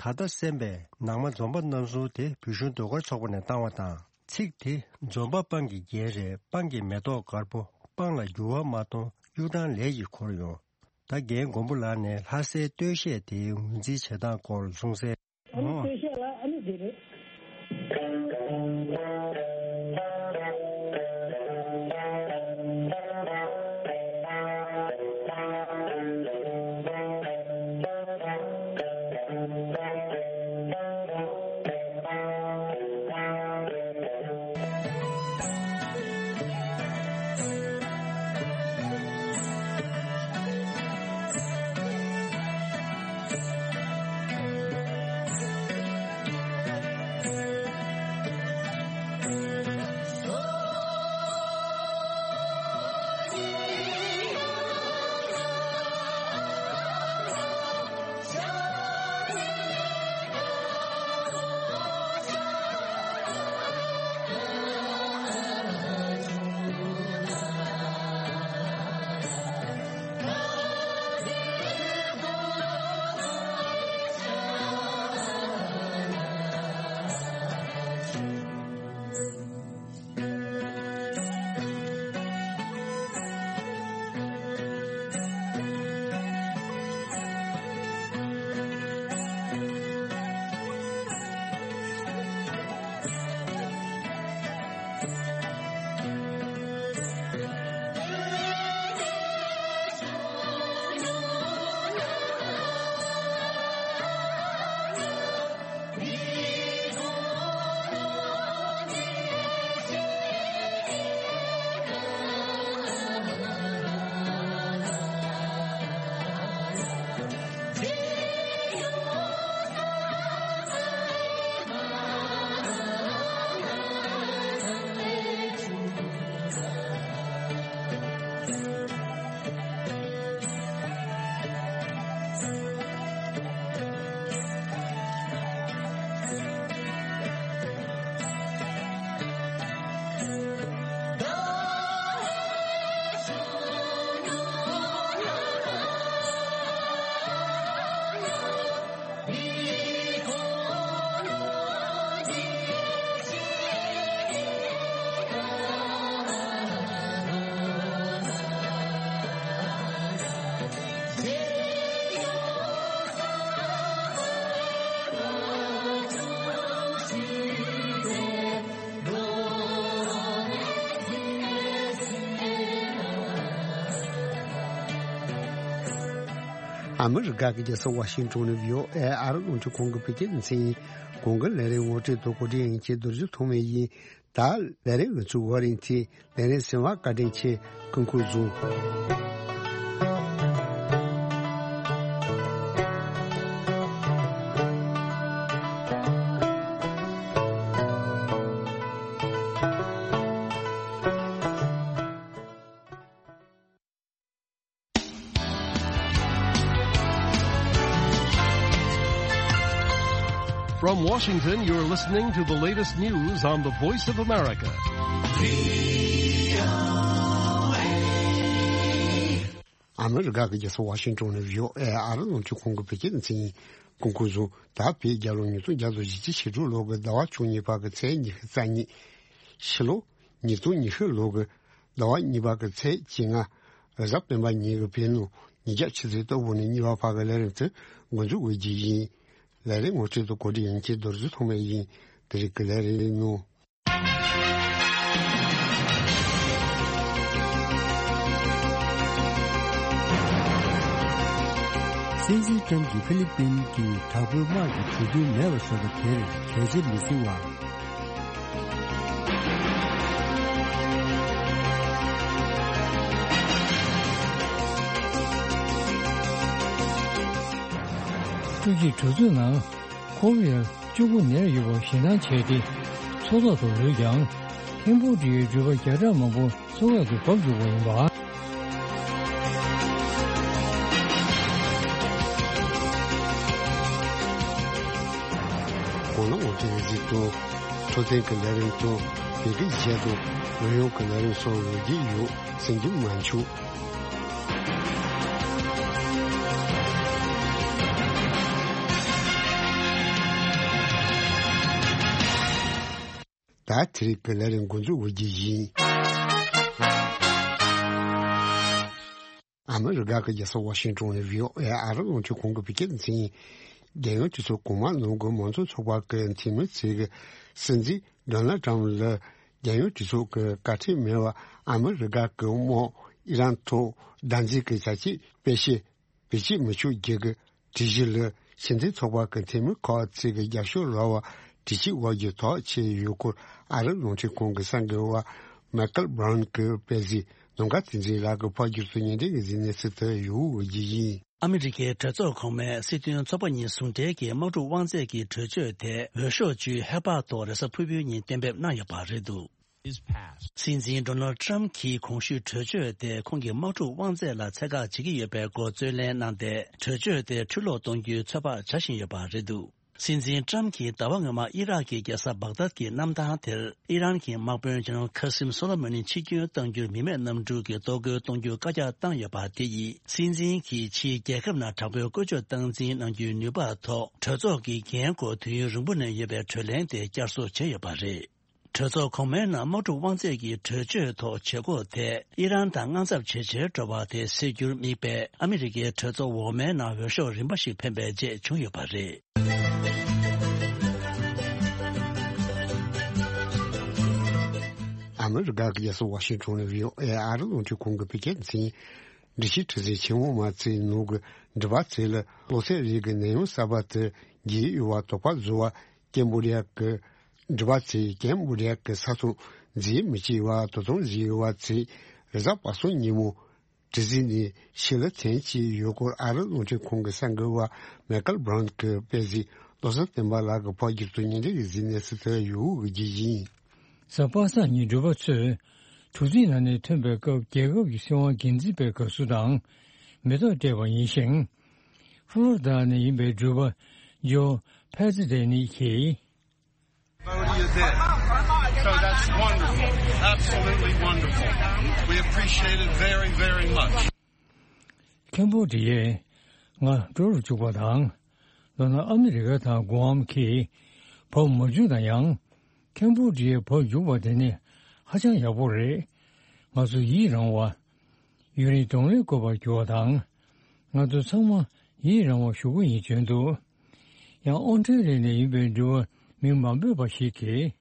ད་ལྟ་གསན་པའི་ནང་མ་འཛོམས་པ་རྣམ་གསུམ་དེ་བོད་གཞུང་ཟློས་གར་ཚོགས་པ་ནས་བཏང་བ་དང་། ཚིག་དེ་འཛོམས་པ་སྤང་གི་རྒྱན་རེད། སྤང་གི་མེ་ཏོག་དཀར་པོ། སྤང་ལ་འགྱུར་བ་མ་གཏོང་། གཡུ་སྦྲང་ལས་ཀྱིས་འཁོར་ཡོང་། ད་རྒན་མགོན་པོ་ལགས་ནས་ལྷ་སའི་སྟོད་གཞས་དེའི་ངོས་འཛིན་བྱེད་སྟངས་སྐོར་གསུངས་གསལ། ཨ་ནི་ཨོ། སྟོད་གཞས་ལ་ཨ་ནི་འདི་རེད། ཨ་མི་རི་ཀ་གི་རྒྱལ་ས་ཝ་ཤིང་ཊོན་ནས་བྷི་ཨོ་ཨེ་ཨ་རི་རླུང་འཕྲིན་ཁང་གི་བོད་སྐད་སྡེ་ཚན་ཡིན། གོང་གི་ལས་རིམ་ངོ་སྤྲོད་དང་གོ་སྒྲིག་ཡིན་གྱི་རྡོ་རྗེ་ཐོགས་མེད་ཡིན། ད་ལས་རིམ་ང་ཚོའི་འགོ་རིམ་དེ་ལས་རིམ་གསན་པར་བཀའ་དྲིན་ཆེ། སྐུ་ཁམས་བཟང་། From Washington, you're listening to the latest news on the Voice of America. ཨ་མི་རི་ཀ་གི་རྒྱལ་ས་ཝ་ཤིང་ཊོན་ནས་བྷི་ཨོ་ཨེ་ཨ་རི་རླུང་འཕྲིན་ཁང་གི་བོད་སྐད་སྡེ་ཚན་ཡིན། སྐུ་ཁམས་བཟང་། ད་བོད་རྒྱལ་ལོ་ཉིས་སྟོང་བརྒྱ་དང་ཞེ་གཅིག་ཕྱི་དྲོ་ལོ་གི་ཟླ་བ་བཅུ་གཉིས་པ་གི་ཚེས་ཉི་ཤུ་རྩ་གཉིས། ཕྱི་ལོ་ཉིས་སྟོང་ཉི་ཤུ་ལོ་གི་ཟླ་བ་གཉིས་པ་གི་ཚེས་བཅོ་ལྔ། རེས་གཟའ་སྤེན་པ་ཉིན་གྱི་བོད་ནང་ཉིན་རྒྱབ་ཆུ་ཚོད་ལྟ་བུ་ནས་གཉིས་པ་བར་གྱི་ལས་རིམ་དེ་འགོ་འཛུགས་འོས་རྒྱུ་ཡིན། ལས་རིམ་ངོ་སྤྲོད་དང་གོ་སྒྲིག་ཡིན་གྱི་རྡོ་རྗེ་ཐོགས་མེད་ཡིན། དེ་རིང་གི་ལས་རིམ་ནང་། སྲིད་འཛིན་ཀྲམ་གྱིས་ཧྥི་ལི་པིན་གྱི་དྲག་པོའི་དམག་གི་གྲོས་མཐུན་མེད་པ་བཟོས་པ་དེར་གལ་ཆེར་མི་གཟིགས་པ། ཀྲུའུ་ཞི་གྲོས་ཚོགས་ནང་ཁོ་རེ་ཡ་བཅུ་དགུ་ནས་ཡོད་པ་ཞེད་སྣང་བྱས་ཏེ། ཚོགས་ཐོག་ཏུ་ལུས་ཀྱང་། ཁེམ་བྷོ་ཌི་ཡའི་འགྲུལ་པ་བརྒྱ་ཕྲག་མང་པོ་ཚོགས་ཐོག་ཏུ་བབས་འཇུག་པ་ཡིན་པ། གོང་ལ་ངོ་སྤྲོད་གཟིགས་དང་། འཕྲོད་བསྟེན་གྱི་ལས་རིམ་དང་། བོད་སྐད་གཞས་དང་། རོལ་དབྱངས་ཀྱི་ལས་རིམ་སོགས་འོས་བསྡུ་ཡོད། གསན་རྒྱུ་མ་འཆུག་ད་དེ་རིང་གི་ལས་རིམ་འགོ་འཛུགས་འོས་རྒྱུ་ཡིན། ཨ་མི་རི་ཀ་གི་རྒྱལ་ས་ཝ་ཤིང་ཊོན་ནས་བྷི་ཨོ་ཨེ་ཨ་རི་རླུང་འཕྲིན་ཁང་གི་བོད་སྐད་སྡེ་ཚན་ཡིན། རྒྱལ་ཡོངས་གྲོས་ཚོགས་གོང་མ་ནང་གི་མང་གཙོ་ཚོགས་པ་གི་འཐུས་མི་ཚོས་ཀྱི་སྲིད་འཛིན་ཌོ་ནལ་ཊམ་ལ་རྒྱལ་ཡོངས་གྲོས་ཚོགས་ཀྱི་བཀའ་ཁྲིམས་མེད་པར་ཨ་མི་རི་ཀ་གི་དམག་ཨི་རན་ཐོག་བདག་འཛིན་གྱི་བྱ་སྤྱོད་སྤེལ་ཆེད་བེད་སྤྱོད་མི་ཆོག་རྒྱུ་གི་སྒྲིག་གཞི་ལ་ཕྱི་འབྲེལ་ཚོགས་པ་གི་འཐུས་མི་ཁག་ཅིག་གིས་རྒྱབ་སྐྱོར་རག་པར་དྲི་ཞིབ་འོག་གི་ཐག་བཅད་ཡོད་སྐོར་ཨ་རི་རླུང་འཕྲིན་ཁང་གི་གསར་འགོད་པ་མའི་ཀལ་བྷ་རའུན་གྱིས་སྤེལ་གཟིགས། ནམ་མཁའ་བསྟན་འཛིན་ལགས་ཀྱིས་ཕབ་སྒྱུར་དང་སྙན་སྒྲོན་གྱི་གཟིགས་གནས་ཚུལ་དེ་ཡོད་རྒྱུ་ཡིན། ཨ་མི་རི་ཀའི་གྲོས་ཚོགས་གོང་མས་སྲིད་དོན་ཚོགས་པ་གཉིས་ཟུང་འབྲེལ་གྱི་དམག་འཁྲུག་དབང་ཚད་ཀྱི་གྲོས་ཆོད་དེ་འོས་ཤོག་བཅུའི་ཧེ་བག་ཐོག་རེས་གཟའ་ཕུར་བུའི་ཉིན་གཏན་འབེབས་གནང་ཡོད་པ་རེད་འདུག། His past. སྲིད་འཛིན་ཌོ་ནལ་ཊམ་གྱིས་གོང་ཞུས་གྲོས་ཆོད་དེ་ཁོང་གི་དམག་འཁྲུག་དབང་ཚད་ལ་ཚད་བཀག་བྱེད་ཀྱི་ཡོད་པའི་སྐོར་རྩོད་ལེན་གནང་སྟེ། གྲོས་ཆོད་དེ་འཕྲུལ་སློག་གཏོང་རྒྱུའི་ཚོད་དཔག་བྱ་བཞིན་ཡོད་པ་རེད་འདུག། སྲིད་འཛིན་ཊམ་གྱིས་ཟླ་བ་སྔོན་མ་ཨི་རག་གི་རྒྱལ་ས་བག་དཱད་ཀྱི་གནམ་ཐང་དེར་ཨི་རན་གྱི་དམག་དཔོན་ཇེ་ནེ་རལ་ཁ་སིམ་སོ་ལེ་མ་ནི་འཆི་སྐྱོན་གཏང་རྒྱུར་མི་མེད་གནམ་གྲུ་གིས་གཏོར་རྒོལ་གཏོང་རྒྱུ་བཀའ་རྒྱ་བཏང་ཡོད་པ་དེ་ཡིས། སྲིད་འཛིན་གྱིས་ཕྱིའི་རྒྱལ་ཁབ་ནང་དྲག་པོའི་བཀོལ་སྤྱོད་སྟངས་འཛིན་གནང་རྒྱུའི་ནུས་པ་ཐོག་གྲོས་ཚོགས་ཀྱི་འགན་སྐོར་དུས་ཡུན་རིང་པོ་ནས་ཡོད་པའི་གྲོས་གླེང་དེ་བསྐྱར་གསོ་བྱས་ཡོད་པ་རེད། གྲོས་ཚོགས་གོང་མའི་ནང་དམག་འཁྲུག་དབང་ཚད་ཀྱི་གྲོས་ཆོད་ཐོག་བྱེད་སྒོ་དེ་ཨི་རན་དང་དངངས་འཚབ་ཇེ་ཆེར་འགྲོ་བ་དེ་སེལ་རྒྱུར་དམིགས་པའི་ཨ་མི་རི་ཀའི་གྲོས་ཚོགས་འོག་མའི་ནང་འོས་ཤོག་རིམ་པ་ཞིག་འཕེན་པའི་རྗེས་བྱུང་ཡོད་པ་རེད། ཨ་མི་རི་ཀ་གི་རྒྱལ་ས་ཝ་ཤིང་ཊོན་ནས་བྷི་ཨོ་ཨེ་ཨ་རི་རླུང་འཕྲིན་ཁང་གི་བོད་སྐད་སྡེ་ཚན་ཡིན། འགྲུལ་བཞུད་གྲུ་གཟིངས་ཆེན་མོ་མ་ཚིག་ནང་གི་འགྲུལ་པ་ཚོ་ལ་གློ་ཚད་རིགས་ཀྱི་ནད་ཡམས་གསར་པ་དེ་རྒྱས་ཡོད་པར་དོགས་པ་བཟོ་བར་ཀེམ་བྷོ་ཌི་ཡ་གི་འགྲུལ་པ་ཚོས་ཀེམ་བྷོ་ཌི་ཡ་གི་ས་མཚམས་འཛེག་མི་བྱེད་པར་དོ་དམ་བཟོས་ཡོད་པ་ཚོས་རེས་གཟའ་པ་སངས་ཉིན་མོ་གྲུ་གཟིངས་ནས་ཕྱི་ལ་ཐོན་གྱི་ཡོད་སྐོར་ཨ་རི་རླུང་འཕྲིན་ཁང་གི་གསར་འགོད་པ་མའི་ཀལ་བྷ་རའུན་གྱིས་སྤེལ་གཟིགས། བློ་བཟང་བསྟན་པ་ལགས་ཀྱིས་ཕབ་སྒྱུར་དང་སྙན་སྒྲོན་གྱི་གཟིགས་གནས་ཚུལ་དེ་ཡོད་རྒྱུ་ཡིན། གཟའ་པ་སངས་ཉིན་འགྲུལ་པ་ཚོས་གྲུ་གཟིངས་ནང་ནས་ཐོན་པའི་སྐབས་རྒྱལ་ཁབ་ཀྱི་སྲིད་དབང་འགན་འཛིན་པའི་དགའ་བསུ་དང་མེ་ཏོག་སྤྲད་པ་ཡིན་ཞིང་། ཕློ་རི་ཌ་ནས་ཡིན་པའི་འགྲུལ་པ་ཇོ་ཕེ་ཛི་ཌེ་ནི་གིས། Cambodia there. So that's wonderful. Absolutely wonderful. We appreciate it very, very much. ཁེམ་བྷོ་ཌི་ཡས་ང་འགྲོ་རུ་བཅུག་པ་དང་། མདོར་ན་ཨ་མི་རི་ཀ་དང་གུ་ཨམ་གྱིས་བབས་མ་བཅུག་ན་ཡང་། ཁེམ་བྷོ་ཌི་ཡས་བབས་བཅུག་པ་དེ་ནི་ཧ་ཅང་ཡག་པོ་རེད། ང་ཚོ་ཡིད་རང་བ། ཡུན་རིང་གདོང་ལེན་དགོས་པར་གྱུར་བ་དང་། ང་ཚོ་ཚང་མ་ཡིད་རང་བ་ཞུ་གི་ཡིན་བྱོན་འདུག། ཡང་ཨོ་སི་ཀྲི་ལི་ཡ་ནས་ཡིན་པའི་འགྲུལ་པ་མིང་མ་འབོད་པ་ཞིག་གིས།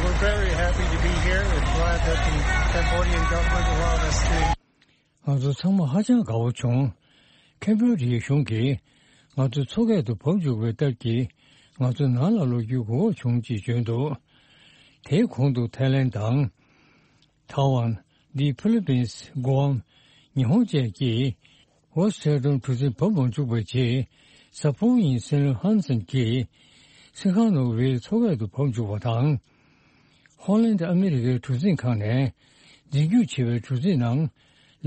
We're very happy to be here and glad that the Cambodian government allowed us to. ང་ཚོ་ཚང་མ་ཧ་ཅང་དགའ་བོ་བྱུང་། ཁེམ་བྷོ་ཌི་ཡའི་གཞུང་གིས་ང་ཚོ་མཚོ་ཁ་དུ་བབས་འཇུག་པའི་སྟབས་ཀྱིས་ང་ཚོ་ནང་ལ་ལོག་རྒྱུའི་གོ་སྐབས་བྱུང་ཅེས་བརྗོད་འདུག་དེའི་གོང་དུ་ཐའི་ལན་དང་། ཐའེ་ཝན། འདི་ཕི་ལི་པིན། གུའམ། ཉི་ཧོང་བཅས་ཀྱིས་ཝོ་སི་ཊེ་ཊོན་གྲུ་གཟིངས་བབས་མ་བཅུག་པའི་རྗེས། གཟའ་ཕུར་བུ་ཉིན་སྲིད་བློན་ཧན་སན་གྱིས་སི་ཁ་ནོ་ཝིལ་མཚོ་ཁ་དུ་བབས་འཇུག་པ་དང་། ཧོ་ལན་ཨ་མི་རི་ཀའི་གྲུ་གཟིངས་ཁང་ནས་འཛིན་སྐྱོང་བྱེད་པའི་གྲུ་གཟིངས་ནང་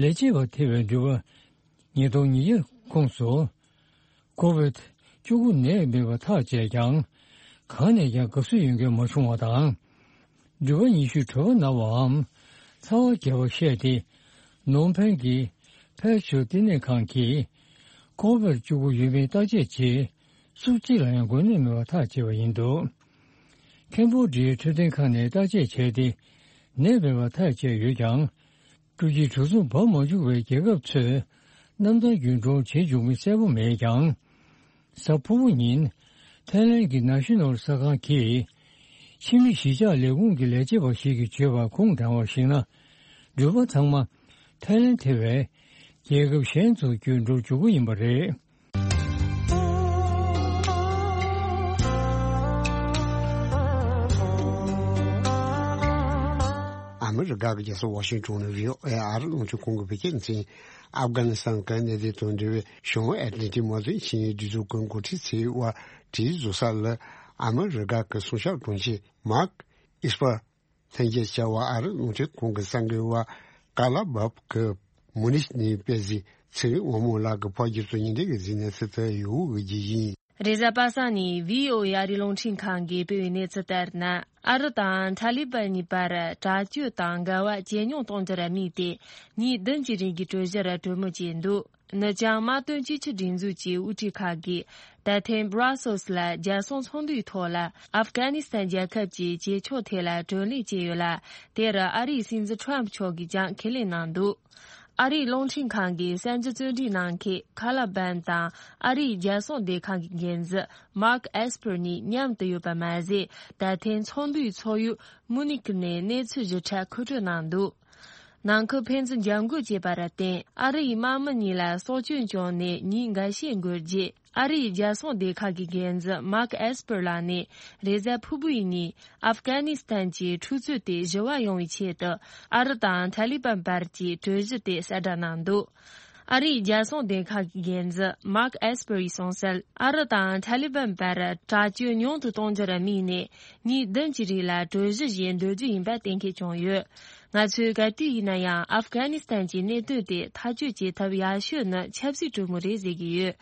ལས་བྱེད་པ་ཐེ་བའི་འགྲུལ་པ་ཉིས་སྟོང་ཉི་ཤུ་ཁོངས་སུ་ཀོ་ཝིད་བཅུ་དགུ་ནད་མེད་པ་ཐག་བཅད་ཀྱང་། གང་ནས་ཀྱང་དགའ་བསུ་ཡོད་མཁན་མ་བྱུང་བ་དང་། འགྲུལ་པ་ཉི་ཤུ་གྲོད་པ་ན་བའམ་ཚ་བ་རྒྱས་པ་བཤད་དེ། ནོམ་ཕན་གྱི་ཕལ་ཆེར་བསྟི་གནས་ཁང་གིས་ཀོ་ཝིད་བཅུ་དགུ་ཡོད་མེད་བརྟག་དཔྱད་བྱས། སུ་གཅིག་ལ་ཡང་འགོས་ནད་མེད་པ་ཐག་བཅད་པ་ཡིན་འདུག་ཁེམ་བྷོ་ཌི་ཡའི་འཕྲོད་བསྟེན་ཁང་ནས་བརྟག་དཔྱད་བྱས་ཏེ། ནད་མེད་པ་ཐག་བཅད་ཡོད་ཀྱང་། འགྲུལ་སྐྱེལ་གྲུ་གཟིངས་བབས་མ་བཅུག་པའི་རྒྱལ་ཁབ་ཚོས་གནམ་ཐང་རྒྱུན་གྲོན་བྱེད་འཇུག་མིན་གསལ་པོ་མེད་ཀྱང་། གཟའ་ཕུར་བུ་ཉིན། ཐའི་ལན་གྱི་ནཱ་ཤི་ནོལ་གསར་ཁང་གིས། ཕྱི་མི་གཞིས་ཆགས་ལས་ཁུངས་ཀྱི་ལས་བྱེད་པ་ཞིག་གིས་བརྗོད་པར་ཁུངས་དྲངས་པར་གཞིགས་ན། འགྲུལ་པ་ཚང་མ་ཐའི་ལན་ཐེ་བའི་རྒྱལ་ཁབ་གཞན་ཚོར་བསྐྱོད་འགྲོ་འཇུག་གི་ཡིན་པ་རེད། ཨ་མི་རི་ཀ་གི་རྒྱལ་ས་ཝ་ཤིང་ཏོན་ནས་བྷི་ཨོ་ཨེ་ཨ་རི་རླུང་འཕྲིན་ཁང་གི་བོད་སྐད་སྡེ་ཚན། ཨབ་གྷ་ནི་སི་ཐན་གྱི་གནད་དོན་དང་འབྲེལ་བའི་གཞུང་ཨེ་ཊ་ལན་ཊིག་དམག་དོན་ཆིངས་ཡིག་སྒྲིག་འཛུགས་ཀྱི་འགོ་ཁྲིད་ཚོའི་དབར་གྲོས་བཟོ་ས་ལ། ཨ་མི་རི་ཀ་གི་སྲུང་སྐྱོབ་དྲུང་ཆེ་མཱག་ཨིས་པར་ལྷན་རྒྱས་བཅར་བར་ཨ་རི་རླུང་འཕྲིན་ཁང་གི་གསར་འགོད་པ་ཀ་ལ་བབ་ཀྱིས་མུ་ནིག་ནས་སྤེལ་གཟིགས། ཚེ་རིང་དབང་མོ་ལགས་ཀྱིས་ཕབ་སྒྱུར་དང་སྙན་སྒྲོན་གྱིས་གཟིགས་ནས་ཚིག་ཐག་ཡོད་འོས་ཀྱི་ཡིན། རེས་གཟའ་པ་སངས་ཉིན་བྷི་ཨོ་ཨེ་ཨ་རིའི་རླུང་འཕྲིན་ཁང་གིས་སྤེལ་བའི་གནས་ཚུལ་ལྟར་ན། ཨ་རི་དང་ཐ་ལི་པན་གཉིས་བར་དྲག་སྤྱོད་དང་འགལ་བ་ཇེ་ཉུང་གཏོང་རྒྱུར་དམིགས་ཏེ། ཉིན་བདུན་གྱི་རིང་གི་གྲོས་གཞིར་གྲོས་མོལ་བྱས་འདུག་ནི་ཅང་དམག་དོན་གཅིག་གྱུར་སྒྲིག་འཛུགས་ཀྱི་དབུ་ཁྲིད་ཁག་གིས་ད་ཐེངས་Brussels་ལ་རྒྱལ་སྲུང་ཚོགས་འདུའི་ཐོག་ལ་ཨབ་གྷ་ནི་སི་ཐན་རྒྱལ་ཁབ་ཀྱི་བྱེད་ཕྱོགས་ཐད་ལ་གྲོས་གླེང་བྱས་ཡོད་ལ། དེར་ཨ་རིའི་སྲིད་འཛིན་ཁྲོམ་མཆོག་གིས་ཀྱང་ཁས་ལེན་གནང་འདུག་ཨ་རིའི་རླུང་འཕྲིན་ཁང་གི་གསར་འགྱུར་བརྩོན་འགྲུས་གནང་མཁན་ཁ་ལ་བན་དང་ཨ་རིའི་རྒྱལ་སྲུང་སྡེ་ཁག་གི་འགན་འཛིན་Mark Esper་གཉིས་མཉམ་དུ་ཡོད་པ་མ་ཟད། ད་ཐེངས་ཚོགས་འདུའི་ཚོགས་ཡུལ་མུ་ནིག་ནས་གནས་ཚུལ་ཞིབ་ཕྲ་མཁོ་སྤྲོད་གནང་འདུག་ནང་ཁུལ་ཕན་ཚུན་འཇབ་རྒོལ་བྱས་པར་བརྟེན། ཨ་རི་ཡི་དམག་མི་གཉིས་ལ་སྲོག་སྐྱོན་བྱུང་ནས་ཉིན་འགའ་ཤས་འགོར་རྗེས། ཨ་རིའི་རྒྱལ་སྲུང་སྡེ་ཁག་གི་འགན་འཛིན་Mark Esper་ལགས་ནས་རེས་གཟའ་ཕུར་བུའི་ཉིན་ཨབ་གྷ་ནི་སི་ཐན་གྱི་འཁྲུག་རྩོད་དེ་ཞི་བ་ཡོང་བའི་ཆེད་དུ། ཨ་རི་དང་ཐ་ལི་པན་བར་གྱི་གྲོས་གཞི་དེ་གསལ་བསྒྲགས་གནང་འདུག་ཨ་རིའི་རྒྱལ་སྲུང་སྡེ་ཁག་གི་འགན་འཛིན་Mark Esper་ཡིས་གསུངས་གསལ། ཨ་རི་དང་ཐ་ལི་པན་བར་དྲག་སྤྱོད་ཉུང་དུ་གཏོང་རྒྱུར་དམིགས་ནས། ཉིན་བདུན་གྱི་རིང་ལ་གྲོས་གཞི་བཞིན་སྡོད་རྒྱུ་ཡིན་པ་གཏན་འཁེལ་བྱུང་ཡོད། ང་ཚོས་ག་དུས་ཡིན་ན་ཡང་ཨབ་གྷ་ནི་སི་ཐན་གྱི་གནད་དོན་དེ་ཐག་གཅོད་བྱེད་ཐབས་ཡག་ཤོས་ནི་ཆབ་སྲིད་གྲོས་མོལ་རེད་ཟེར་གྱི་ཡོད།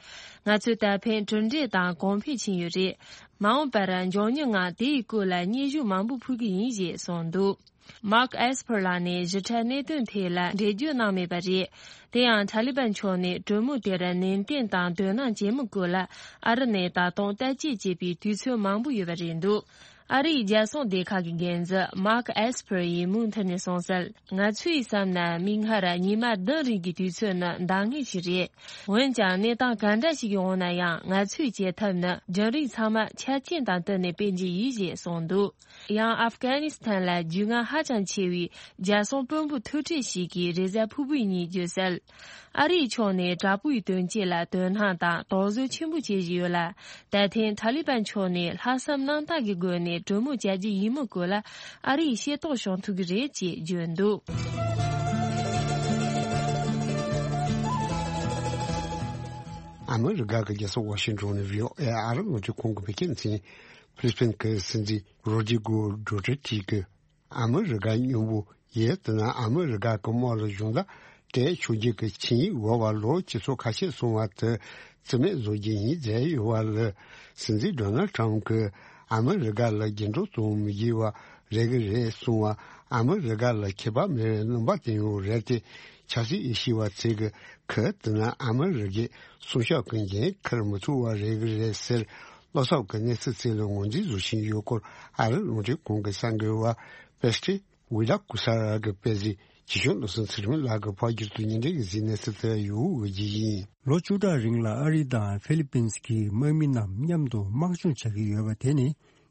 ང་ཚོས་ད་ཕན་གྲུབ་འབྲས་དང་གོང་འཕེལ་ཕྱིན་ཡོད་རེད། མ་འོངས་པར་མགྱོགས་མྱུར་ངང་དེ་ཡི་སྐོར་ལ་སྙན་ཞུ་མང་པོ་ཕུལ་གྱི་ཡིན་ཞེས་གསུངས་འདུག Mark Esper་ལགས་ནས་ཞིབ་ཕྲ་གནད་དོན་ཐད་ལ་འགྲེལ་བརྗོད་གནང་མེད་པ་རེད། དེ་ཡང་ཐ་ལི་པན་ཕྱོགས་ནས་གྲོས་མོལ་དེར་ནན་ཏན་དང་དོ་སྣང་བྱེད་མི་དགོས་ལ། ཨ་རི་ནས་ད་དུང་བརྟག་དཔྱད་བྱེད་པའི་དུས་ཚོད་མང་པོ་ཡོད་པ་རེད་འདུག་ཨ་རིའི་རྒྱལ་སྲུང་སྡེ་ཁག་གི་འགན་འཛིན་Mark Esper་ཡིས་མུ་མཐུད་ནས་གསུངས་གསལ། ང་ཚོས་བསམ་ན་མིག་སྔར་ཉི་མ་བདུན་རིང་གི་དུས་ཚོད་ནི་འདང་ངེས་ཤིག་རེད། འོན་ཀྱང་གནས་སྟངས་ག་འདྲ་ཞིག་ཡོང་ན་ཡང་ང་ཚོས་བྱེད་ཐབས་ནི་རྒྱུན་རིང་ཚང་མ་ཆ་རྐྱེན་དང་བསྟུན་ནས་སྤེལ་གྱི་ཡིན་ཞེས་གསུངས་འདུག་ཡང་ཨབ་གྷ་ནི་སི་ཐན་ལ་རྒྱུས་མངའ་ཧ་ཅང་ཆེ་བའི་རྒྱལ་སྲུང་དཔོན་པོ་ཐུག་འཕྲད་ཞིག་གིས་རེས་གཟའ་ཕུར་བུའི་ཉིན་བརྗོད་གསལ། ཨ་རིའི་ཕྱོགས་ནས་དྲག་པོའི་དོན་རྐྱེན་ལ་དོ་སྣང་དང་དོགས་ཟོན་ཆེན་པོ་བྱེད་བཞིན་ཡོད་ལ། ད་ཐེངས་ཐ་ལི་པན་ཕྱོགས་ནས་ལྷག་བསམ་རྣམ་དག་གི་སྒོ་ནས་གྲོས་མོལ་བྱ་རྒྱུ་ཡིན་མིན་སྐོར་ལ་ཨ་རིས་ཤེས་རྟོགས་བྱུང་ཐུབ་ཀྱི་རེད་ཅེས་བརྗོད་འདུག་ཨ་མི་རི་ཀ་གི་རྒྱལ་ས་ཝ་ཤིང་ཏོན་ནས་བྷི་ཨོ་ཨེ་ཨ་རི་རླུང་འཕྲིན་ཁང་གི་བོད་སྐད་སྡེ་ཚན། ཕི་ལི་པིན་གྱི་སྲིད་འཛིན་རོ་ཌི་གོ་ཌུ་ཏེར་ཏེ་གིས། ཨ་མི་རི་ཀ་མཉམ་པོ་ཡིན་ན་ཨ་མི་རི་ཀ་གི་དམག་ལ་གཞུང་བརྡ་སྤྲད་ཆོག་རྒྱུ་གི་ཆིངས་ཡིག་འོག་པར་ལོ་ཁྲི་ཚོ་ཁ་ཤས་སོང་བ་དེ་རྩིས་མེད་བཟོ་རྒྱུ་ཡིན་ཟེར་ཡོད་པ་ལ། སྲིད་འཛིན་ཌོ་ནལ་ཊམ་གྱིས་ཨ་མི་རི་ཀ་ལ་འགྱུར་ལྡོག་གཏོང་མི་དགོས་པ་རེད་གི་རེད་གསུངས་པ། ཨ་མི་རི་ཀ་ལ་ཁྱད་པར་མེད་པའི་རྣམ་པ་བསྟན་ཡོད་རེད་དེ། ཆབ་སྲིད་དབྱེ་ཞིབ་པ་ཚོས་གི་ག་དེ་ན་ཨ་མི་རི་ཀའི་སྲུང་སྐྱོབ་ཀྱི་འགན་འཁུར་མི་ཐུབ་པ་རེད་གི་རེད་ཟེར། བློ་འཚབ་ཀྱི་གནས་ཚུལ་ཚོ་ལ་ངོས་འཛིན་བཟོ་བཞིན་ཡོད་སྐོར་ཨ་རི་རླུང་འཕྲིན་ཁང་གི་གསར་འགོད་པ་པེ་སི་ཏི་ཝི་ལ་ཀུ་ས་ར་གིས་སྤེལ་གཟིགས། ཇི་བྱུང་བློ་བཟང་ཚེ་རིང་ལགས་ཀྱིས་ཕབ་སྒྱུར་དུ་སྙན་སྒྲོན་གྱིས་གཟིགས་ནས་གསལ་སྟོན་ཡོད་འོས་ཀྱི་ཡིན། ལོ་བཅུ་ཕྲག་རིང་ལ་ཨ་རི་དང་ཧྥི་ལི་པིན་གྱི་དམག་མི་རྣམས་མཉམ་དུ་དམག་སྦྱོང་བྱ་གི་ཡོད་པ་དེ་ནི་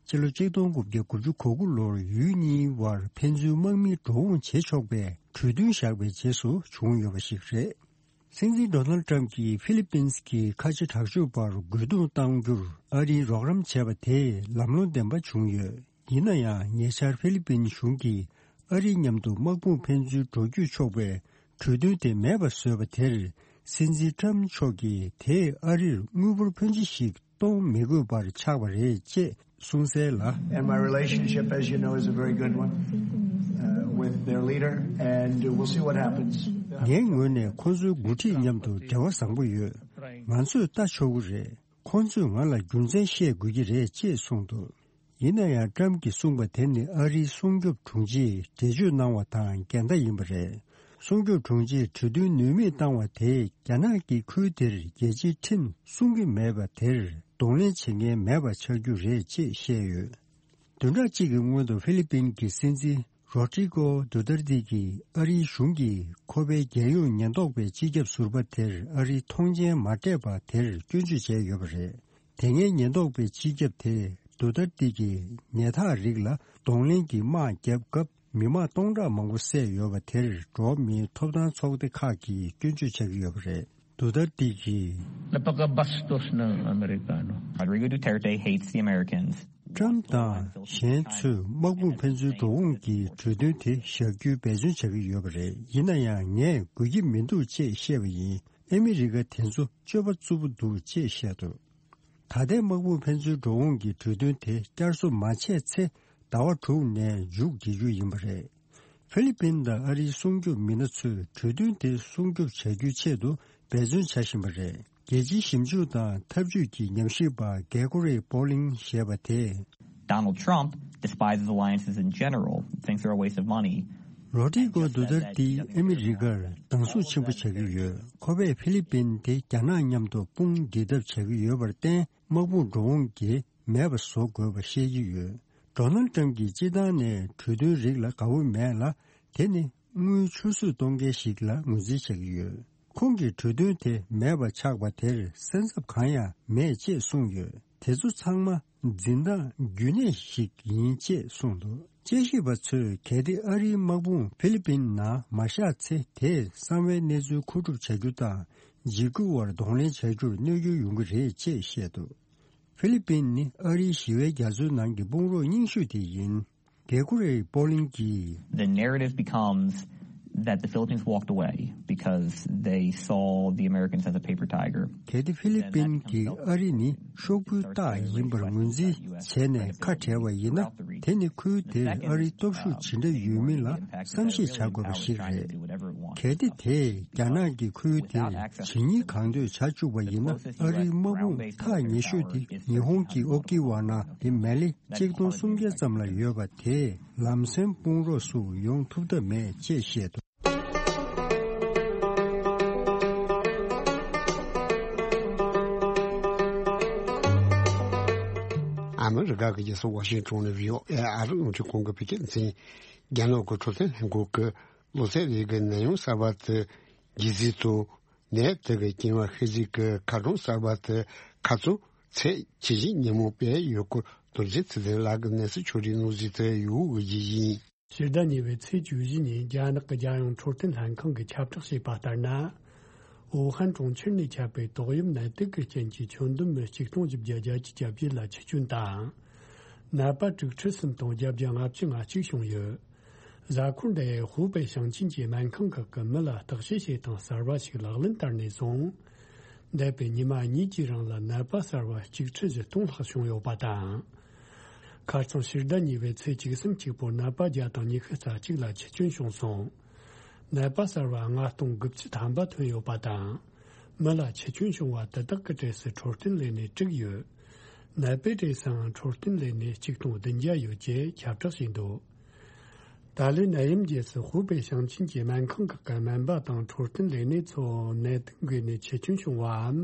ཕྱི་ལོ་ཆིག་སྟོང་དགུ་བརྒྱ་དགུ་བཅུ་གོ་དགུ་ལོར་ཡུལ་གཉིས་དབར་ཕན་ཚུན་དམག་མི་འགྲོ་འོང་བྱེད་ཆོག་པའི་གྲོས་མཐུན་བཞག་པའི་རྗེས་སུ་བྱུང་ཡོད་པ་ཞིག་རེད། སྲིད་འཛིན་ཌོ་ནལ་ཊམ་གྱིས་ཧྥི་ལི་པིན་གྱི་ཁ་ཆེ་དྲག་སྤྱོད་པར་རྒོལ་རྡུང་གཏང་རྒྱུར་ཨ་རིས་རོགས་རམ་བྱས་པ་དེས་ལམ་ལྷོང་ལྡན་པ་བྱུང་ཡོད། ཡིན་ན་ཡང་ཉེ་ཆར་ཧྥི་ལི་པིན་གཞུང་གིས་ཨ་རིའི་མཉམ་དུ་དམག་དཔུང་ཕན་ཚུན་འགྲོ་སྐྱོད་ཆོག་པའི་གྲོས་མཐུན་དེ་མེད་པར་བཟོས་པ་དེར། སྲིད་འཛིན་ཊམ་མཆོག་གིས་དེས་ཨ་རིར་དངུལ་འབོར་ཕོན་ཆེ་ཞིག་གཏོང་མི་དགོས་པར་ཆགས་པ་རེད་ཅེས་གསུངས་གསལ་ལ། And my relationship, as you know, is a very good one, uh, with their leader, and we'll see what happens. ངའི་ངོས་ནས་ཁོ་ཚོའི་འགོ་ཁྲིད་མཉམ་དུ་འབྲེལ་བ་བཟང་པོ་ཡོད། ང་ཚོས་ལྟ་ཆོག་གི་རེད། ཁོ་ཚོས་ང་ལ་རྒྱུ་མཚན་བཤད་དགོས་ཀྱི་རེད་ཅེས་གསུངས་འདུག། ཡིན་ན་ཡང་ཊམ་གྱིས་གསུངས་པ་དེ་ནི་ཨ་རིའི་སྲུང་སྐྱོབ་དྲུང་ཆེས་འགྲེལ་བརྗོད་གནང་བ་དང་འགལ་ཟླ་ཡིན་པ་རེད། སྲུང་སྐྱོབ་དྲུང་ཆེས་གྲོས་མཐུན་ནུས་མེད་བཏང་བ་དེས་རྒྱ་ནག་གིས་ཁུལ་དེར་རྒྱལ་སྤྱིའི་ཁྲིམས་སྲུང་གི་མེད་པ་དེར་གདོང་ལེན་བྱེད་མཁན་མེད་པ་ཆགས་རྒྱུ་རེད་ཅེས་བཤད་ཡོད། བདུན་ཕྲག་གཅིག་གི་སྔོན་དུ་ཧྥི་ལི་པིན་གྱི་སྲིད་འཛིན་རོ་ཏྲི་ཀོ་དུ་ཏར་ཏི་གིས་ཨ་རིའི་གཞུང་གིས་ཁོ་པའི་རྒྱལ་ཡོངས་ཉེན་རྟོག་པའི་སྤྱི་ཁྱབ་ཟུར་པ་དེར་ཨ་རིའི་མཐོང་མཆན་མ་སྤྲད་པ་དེར་སྐྱོན་བརྗོད་བྱས་ཡོད་པ་རེད། དེ་སྔའི་ཉེན་རྟོག་པའི་སྤྱི་ཁྱབ་དེས་དུ་ཏར་ཏི་གིས་ཉལ་ཐག་རིགས་ལ་གདོང་ལེན་གྱི་དམག་བརྒྱབ་སྐབས་མི་དམངས་སྟོང་ཕྲག་མང་པོ་བསད་ཡོད་པ་དེར་འགྲོ་བ་མིའི་ཐོབ་ཐང་ཚོགས་སྡེ་ཁག་གིས་སྐྱོན་བརྗོད་བྱ་གི་ཡོད་པ་རེད། དུ་ཏར་ཏི་གིས། La poca bastos ng Amerikano. Rodrigo Duterte hates the Americans. ཊམ་དང་གཞན་ཚོས་དམག་དཔུང་ཕན་ཚུན་འགྲོ་འོང་གི་གྲོས་མཐུན་དེ་བཞག་རྒྱུའི་འབད་བརྩོན་བྱ་གི་ཡོད་པ་རེད། ཡིན་ན་ཡང་ངས་དགོས་ཀྱི་མི་འདུག་ཅེས་བཤད་པ་ཡིན། ཨ་མི་རི་ཀ་དེ་ཚོ་སྤྱོད་པ་རྩུབ་པོ་འདུག་ཅེས་བཤད་འདུག། ད་ལྟའི་དམག་དཔུང་ཕན་ཚུན་འགྲོ་འོང་གི་གྲོས་མཐུན་དེ་བསྐྱར་གསོ་མ་བྱས་ཚེ་ཟླ་བ་དྲུག་ནས་མཇུག་སྒྲིལ་རྒྱུ་ཡིན་པ་རེད། ཧྥི་ལི་པིན་དང་ཨ་རིའི་སྲུང་སྐྱོབ་མི་སྣ་ཚོས་གྲོས་མཐུན་དེ་སྲུང་སྐྱོབ་བྱ་རྒྱུའི་ཆེད་དུ་འབད་བརྩོན་བྱ་བཞིན་པ་རེད། རྒྱལ་སྤྱིའི་ཞིབ་འཇུག་དང་འཐབ་ཇུས་ཀྱི་ཉམས་ཞིབ་པ་གེ་གོ་རི་པོ་ལིང་ཞེས་པ་དེས། Donald Trump despises alliances in general, thinks they're a waste of money. རོ་ཏྲི་ཀོ་དུ་ཏར་ཏི་ཨ་མི་རི་ཀར་སྡང་ཟུག་ཆེན་པོ་བྱ་གི་ཡོད། ཁོ་པས་ཧྥི་ལི་པིན་དེ་རྒྱ་ནག་མཉམ་དུ་དཔུང་སྒྲིག་ཐབས་བྱ་གི་ཡོད་པར་བརྟེན། དམག་དཔུང་འགྲོ་འོང་གི་མེད་པ་བཟོ་དགོས་པ་བཤད་ཀྱི་ཡོད། ཌོ་ནལ་ཊམ་གྱིས་སྤྱིར་བཏང་ནས་གྲོས་མཐུན་རིགས་ལ་དགའ་བོ་མེད་ལ། དེ་ནི་དངུལ་ཆུད་ཟོས་གཏོང་མཁན་ཞིག་ལ་ངོས་འཛིན་བྱེད་ཀྱི་ཡོད། ཁོང་གིས་གྲོས་མཐུན་དེ་མེད་པ་ཆགས་པ་དེར་སེམས་འཚབ་གང་ཡང་མེད་ཅེས་གསུངས་ཡོད། དེ་ཚོ་ཚང་མ་འཛིན་སྟངས་རྒྱུན་གནས་ཤིག་ཡིན་ཅེས་གསུངས་འདུག། དཔྱད་ཞིབ་པ་ཚོས་གལ་ཏེ་ཨ་རིའི་དམག་དཔུང་ཧྥི་ལི་པིན་ནང་མ་བཞག་ཚེ། དེས་གསང་བའི་གནས་ཚུལ་མཁོ་སྒྲུབ་བྱ་རྒྱུ་དང་། འཇིགས་སྐུལ་བར་གདོང་ལེན་བྱ་རྒྱུར་གནོད་སྐྱོན་ཡོང་གི་རེད་ཅེས་བཤད་འདུག། ཧྥི་ལི་པིན་ནི་ཨ་རིའི་ཞི་བའི་རྒྱ་མཚོའི་ནང་གི་དཔུང་རོགས་རྙིང་ཤོས་དེ་ཡིན། གེ་གོ་རེ་པོ་ལིང་གིས། The narrative becomes that the Philippines walked away because they saw the Americans as a paper tiger. གལ་ཏེ་ཧྥི་ལི་པིན་གྱིས་ཨ་རི་ནི་ཤོག་བུའི་རྟགས་ཡིན་པར་ངོས་འཛིན་བྱས་ནས་ཁ་བྲལ་བ་ཡིན་ན། དེ་ནི་ཁུལ་དེར་ཨ་རིའི་སྟོབས་ཤུགས་ཇི་འདྲ་ཡོད་མིན་ལ་བསམ་ཤེས་བྱ་དགོས་པ་ཞིག་རེད། གལ་ཏེ་དེས་རྒྱ་ནག་གིས་ཁུལ་དེར་ཇི་སྙེད་གང་འདོད་བྱ་བཅུག་པ་ཡིན་ན། ཨ་རིའི་དམག་དཔུང་ཐག་ཉེ་ཤོས་དེ་ཉི་ཧོང་གི་ཨོ་ཀི་ཝ་ན་དེ་མེ་ལེ་གཅིག་སྟོང་སུམ་བརྒྱ་ཙམ་ལ་ཡོད་པ་དེས་ལམ་སེང་དཔུང་རོགས་སུ་ཡོང་ཐུབ་ཐབས་མེད་ཅེས་བཤད་འདུག། ཨ་མི་རི་ཀ་གི་རྒྱལ་ས་ཝ་ཤིང་ཊོན་ནས་བྷི་ཨོ་ཨེ་ཨ་རི་རླུང་འཕྲིན་ཁང་གི་བོད་སྐད་སྡེ་ཚན། རྒྱ་ནག་གི་འཕྲོད་བསྟེན་ལྷན་ཁང་གིས་ལོ་ཚད་རེ་གི་ནད་ཡམས་གསར་པ་དེ་རྒྱས་འཛིན་དང་། ནད་དེ་གི་རྐྱེན་པས་ཤི་རྒྱུ་གི་ཁ་གྲངས་གསར་པ་དེ་ཁ་ཚོན་ཚད་ཇེ་ཞན་ཉིན་མོ་སྤེལ་ཡོད་སྐོར། རྡོ་རྗེ་ཚེ་བརྟན་ལགས་ཀྱིས་གནས་ཚུལ་ཕྱོགས་སྒྲིག་གནང་ཟིན་དེ་ཡུལ་དབུས་ཀྱི་ཡིན། ཕྱི་ཟླ་གཉིས་པའི་ཚེས་བཅུ་བཞི་ཉིན་རྒྱ་ནག་གི་རྒྱལ་ཡོངས་འཕྲོད་བསྟེན་ལྷན་ཁང་གིས་ཁྱབ་བསྒྲགས་བྱས་པ་ལྟར་ན། ཝུ་ཧན་གྲོང་ཁྱེར་ནས་ཁྱབ་པའི་ཏོག་དབྱིབས་ནད་དུག་གི་རྐྱེན་གྱིས་ཁྱོན་བསྡོམས་མི་ཆིག་སྟོང་བཞི་བརྒྱ་བརྒྱད་ཅུ་གྱ་བརྒྱད་ལ་འཆི་སྐྱོན་དང་། ནད་པ་དྲུག་ཁྲི་གསུམ་སྟོང་བརྒྱད་བརྒྱ་ལྔ་བཅུ་ང་གཅིག་བྱུང་ཡོད། གཟའ་འཁོར་འདིའི་ཧུའུ་པེ་ཞིང་ཆེན་གྱི་སྨན་ཁང་ཁག་གི་མི་ལ་བརྟག་དཔྱད་བྱེད་སྟངས་གསར་བ་ཞིག་ལག་ལེན་བསྟར་ནས་བཟུང་། འདས་པའི་ཉི་མ་གཉིས་ཀྱི་རིང་ལ་ནད་པ་གསར་བ་གཅིག་ཁྲི་བཞི་སྟོང་ལྷག་བྱུང་ཡོད་པ་དང་། ཁ་རྩང་ཕྱི་ཟླ་གཉིས་པའི་ཚེས་བཅུ་གསུམ་གཅིག་པོར་ནད་པ་བརྒྱ་དང་ཉི་ཤུ་རྩ་གཅིག་ལ་འཆི་སྐྱོན་བྱུང་སོང་། ནད་པ་གསར་བ་ལྔ་སྟོང་དགུ་བཅུ་ཐམ་པ་ཐོན་ཡོད་པ་དང་། མི་ལ་འཆི་སྐྱོན་བྱུང་བ་དེ་དག་གི་གྲས་སུ་འཕྲོད་བསྟེན་ལས་སྣེ་དྲུག་ཡོད། ནད་པའི་གྲས་སུའང་འཕྲོད་བསྟེན་ལས་སྣེ་གཅིག་སྟོང་བདུན་བརྒྱ་ཡོད་ཅེས་ཁྱབ་བསྒྲགས་བྱས་འདུག། ད་ལོའི་ནད་ཡམས་རྗེས་སུ་ཧུའུ་པེ་ཞིང་ཆེན་གྱི་སྨན་ཁང་ཁག་གི་སྨན་པ་དང་འཕྲོད་བསྟེན་ལས་སྣེ་ཚོ་ནད་དུག་འགོས་ནས་འཆི་སྐྱོན་བྱུང་བའམ།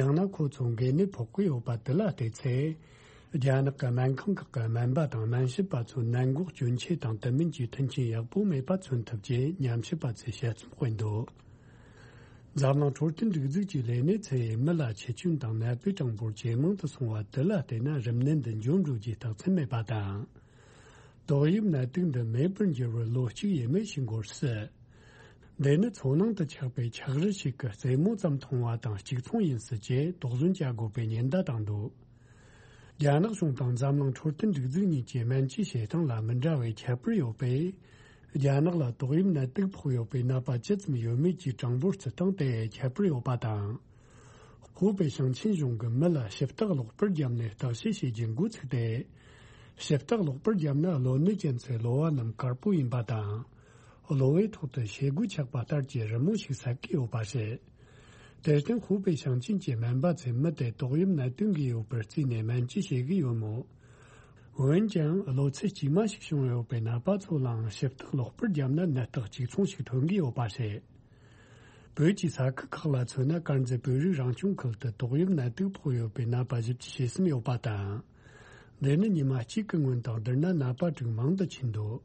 ཡང་ན་ཁོ་ཚོ་འགོས་ནད་ཕོག་གི་ཡོད་པ་དེ་ལ་བལྟས་ཚེ། རྒྱ་ནག་གི་སྨན་ཁང་ཁག་གི་སྨན་པ་དང་སྨན་ཞབས་པ་ཚོའི་ནད་འགོག་གྱོན་ཆས་དང་དུ་མིན་གྱི་མཐུན་རྐྱེན་ཡག་པོ་མེད་པ་མཚོན་ཐུབ་ཅེས་ཉམས་ཞིབ་པ་ཚོས་དཔྱད་རྩོམ་སྤེལ་འདུག། འཛམ་གླིང་འཕྲོད་བསྟེན་སྒྲིག་འཛུགས་ཀྱི་ལས་སྣེ་ཚོས་མི་ལ་འཆི་སྐྱོན་དང་ནད་པའི་གྲངས་འབོར་ཇེ་མང་དུ་སོང་བ་དེ་ལ་བལྟས་ན། རིམས་ནད་འདི་འབྱུང་འགྲོ་རྒྱུའི་རྟགས་མཚན་མེད་པ་དང་། ཏོག་དབྱིབས་ནད་དུག་འདི་མེད་པར་འགྱུར་བར་ལོ་གཅིག་ཡས་མས་ཤིག་འགོར་སྲིད། འདི་ནི་མཚོ་ནང་དུ་ཆགས་པའི་ཆག་རི་ཞིག་གི་རྩེ་མོ་ཙམ་མཐོང་བ་དང་གཅིག་མཚུངས་ཡིན་སྲིད་ཅེས་དོགས་ཟོན་བྱ་དགོས་པའི་ཉེན་བརྡ་བཏང་འདུག་རྒྱ་ནག་གཞུང་དང་འཛམ་གླིང་འཕྲོད་བསྟེན་སྒྲིག་འཛུགས་གཉིས་ཀྱི་སྨན་བཅོས་བྱེད་སྟངས་ལ་མི་འདྲ་བའི་ཁྱད་པར་ཡོད་པས། རྒྱ་ནག་ལ་ཏོག་དབྱིབས་ནད་དུག་ཕོག་ཡོད་པའི་ནད་པ་ཇི་ཙམ་ཡོད་མེད་ཀྱི་གྲངས་འབོར་བརྩི་སྟངས་དེ་ཁྱད་པར་ཡོད་པ་དང་། ཧུའུ་པེ་ཞིང་ཆེན་གཞུང་གིས་མི་ལ་ཞིབ་བརྟག་ལོག་པར་བརྒྱབ་ནས་བརྟག་དཔྱད་བྱེད་རྒྱུ་འགོ་ཚུགས་ཏེ། ཞིབ་བརྟག་ལོག་པར་བརྒྱབ་ན་གློ་ནད་ཅན་ཚོའི་གློ་བ་རྣམས་དཀར་པོ་ཡིན་པ་དང་། གློ་བའི་ཐོག་ཏུ་ཤེལ་སྒོ་ཆགས་པ་ལྟར་གྱི་རི་མོ་ཞིག་གསལ་གྱི་ཡོད་པ་རེད། དེར་བརྟེན་ཧུའུ་པེ་ཞིང་ཆེན་གྱི་སྨན་པ་ཚོས་མི་དེ་ཏོག་དབྱིབས་ནད་དུག་འགོས་ཡོད་པར་བརྩིས་ནས་སྨན་བཅོས་བྱེད་ཀྱི་ཡོད་མོད། འོན་ཀྱང་གློ་ཚད་དཀྱུས་མ་ཞིག་བྱུང་ཡོད་པའི་ནད་པ་ཚོ་ལའང་ཞིབ་བརྟག་ལོག་པར་བརྒྱབ་ན་ནད་རྟགས་གཅིག་མཚུངས་ཤིག་ཐོན་གྱི་ཡོད་པ་རེད། བོད་ཀྱི་ས་ཁུལ་ཁག་ལ་མཚོན་ན། དཀར་མཛེས་བོད་རིགས་རང་སྐྱོང་ཁུལ་དུ་ཏོག་དབྱིབས་ནད་དུག་ཕོག་ཡོད་པའི་ནད་པ་བཞི་བཅུ་ཞེ་གསུམ་ཡོད་པ་དང་། འདི་ནི་ཉི་མ་གཅིག་གི་སྔོན་དང་བསྡུར་ན་ནད་པ་དྲུག་མང་དུ་ཕྱིན་འདུག་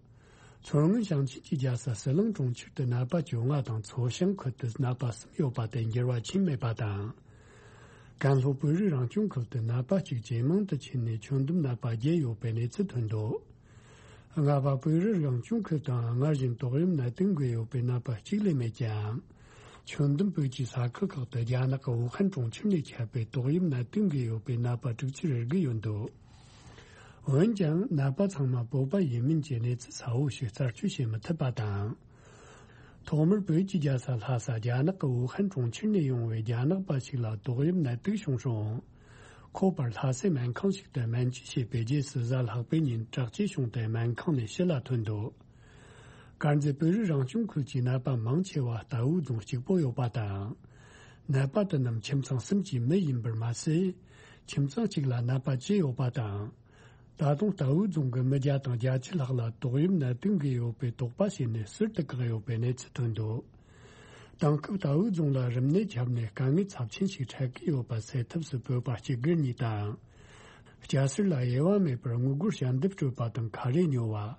མཚོ་སྔོན་ཞིང་ཆེན་གྱི་རྒྱལ་ས་ཟི་ལིང་གྲོང་ཁྱེར་དུ་ནད་པ་བཅོ་ལྔ་དང་། མཚོ་བྱང་ཁུལ་དུ་ནད་པ་གསུམ་ཡོད་པ་དེ་འགྱུར་བ་ཕྱིན་མེད་པ་དང་། ཀན་ལྷོ་བོད་རིགས་རང་སྐྱོང་ཁུལ་དུ་ནད་པ་གཅིག་ཇེ་མང་དུ་ཕྱིན་ནས་ཁྱོན་བསྡོམས་ནད་པ་བརྒྱད་ཡོད་པའི་གནས་ཚུལ་ཐོན་འདུག་རྔ་པ་བོད་རིགས་རང་སྐྱོང་ཁུལ་དུའང་སྔར་བཞིན་ཏོག་དབྱིབས་ནད་དུག་འགོས་ཡོད་པའི་ནད་པ་གཅིག་ལས་མེད་ཀྱང་། ཁྱོན་བསྡོམས་བོད་ཀྱི་ས་ཁུལ་ཁག་ཏུ་རྒྱ་ནག་གི་ཝུ་ཧན་གྲོང་ཁྱེར་ནས་ཁྱབ་པའི་ཏོག་དབྱིབས་ནད་དུག་འགོས་ཡོད་པའི་ནད་པ་དྲུག་ཅུ་རེ་དགུ་ཡོད་འདུག་འོན་ཀྱང་ནད་པ་ཚང་མ་བོད་པ་ཡིན་མིན་གྱི་གནས་ཚུལ་གསལ་བོ་ཞིག་རྩད་གཅོད་བྱེད་མི་ཐུབ་པ་དང་། ཐོག་མར་བོད་ཀྱི་རྒྱལ་ས་ལྷ་ས་རྒྱ་ནག་གི་ཝུ་ཧན་གྲོང་ཁྱེར་ནས་ཡོང་བའི་རྒྱ་ནག་པ་ཞིག་ལ་ཏོག་དབྱིབས་ནད་དུག་བྱུང་རུང་། ཁོ་པར་ལྷ་སའི་སྨན་ཁང་ཞིག་ཏུ་སྨན་བཅོས་བྱས་པའི་རྗེས་སུ་གཟའ་ལྷག་པའི་ཉིན་དྲག་སྐྱེད་བྱུང་སྟེ་སྨན་ཁང་ནས་ཕྱི་ལ་ཐོན་འདུག་དཀར་མཛེས་བོད་རིགས་རང་སྐྱོང་ཁུལ་གྱི་ནད་པ་མང་ཆེ་བ་རྟའུ་རྫོང་གཅིག་པོ་ཡོད་པ་དང་། ནད་པ་དེ་རྣམས་ཁྱིམ་ཚང་གསུམ་གྱི་མི་ཡིན་པར་མ་ཟད། ཁྱིམ་ཚང་གཅིག་ལ་ནད་པ་བཅུ་ཡོད་པ་དང་། ད་དུང་རྟའུ་རྫོང་གི་མི་བརྒྱ་དང་བརྒྱད་ཅུ་ལྷག་ལ་ཏོག་དབྱིབས་ནད་དུག་འགོས་ཡོད་པའི་དོགས་པ་བྱས་ནས་ཟུར་དུ་བཀག་ཡོད་པའི་གནས་ཚུལ་ཐོན་འདུག་དེང་སྐབས་རྟའུ་རྫོང་ལ་རིམས་ནད་ཁྱབ་ནས་དཀའ་ངལ་ཚབས་ཆེན་ཞིག་འཕྲད་ཀྱི་ཡོད་པ་སེལ་ཐབས་སུ་བོད་པ་སྐྱེ་རྒུ་གཉིས་དང་། སྐྱ་སེར་ལ་དབྱེ་བ་མེད་པར་དངུལ་སྒོར་ཞལ་འདེབས་སྤྲོད་པ་དང་ཁ་རས་ཉོ་བ།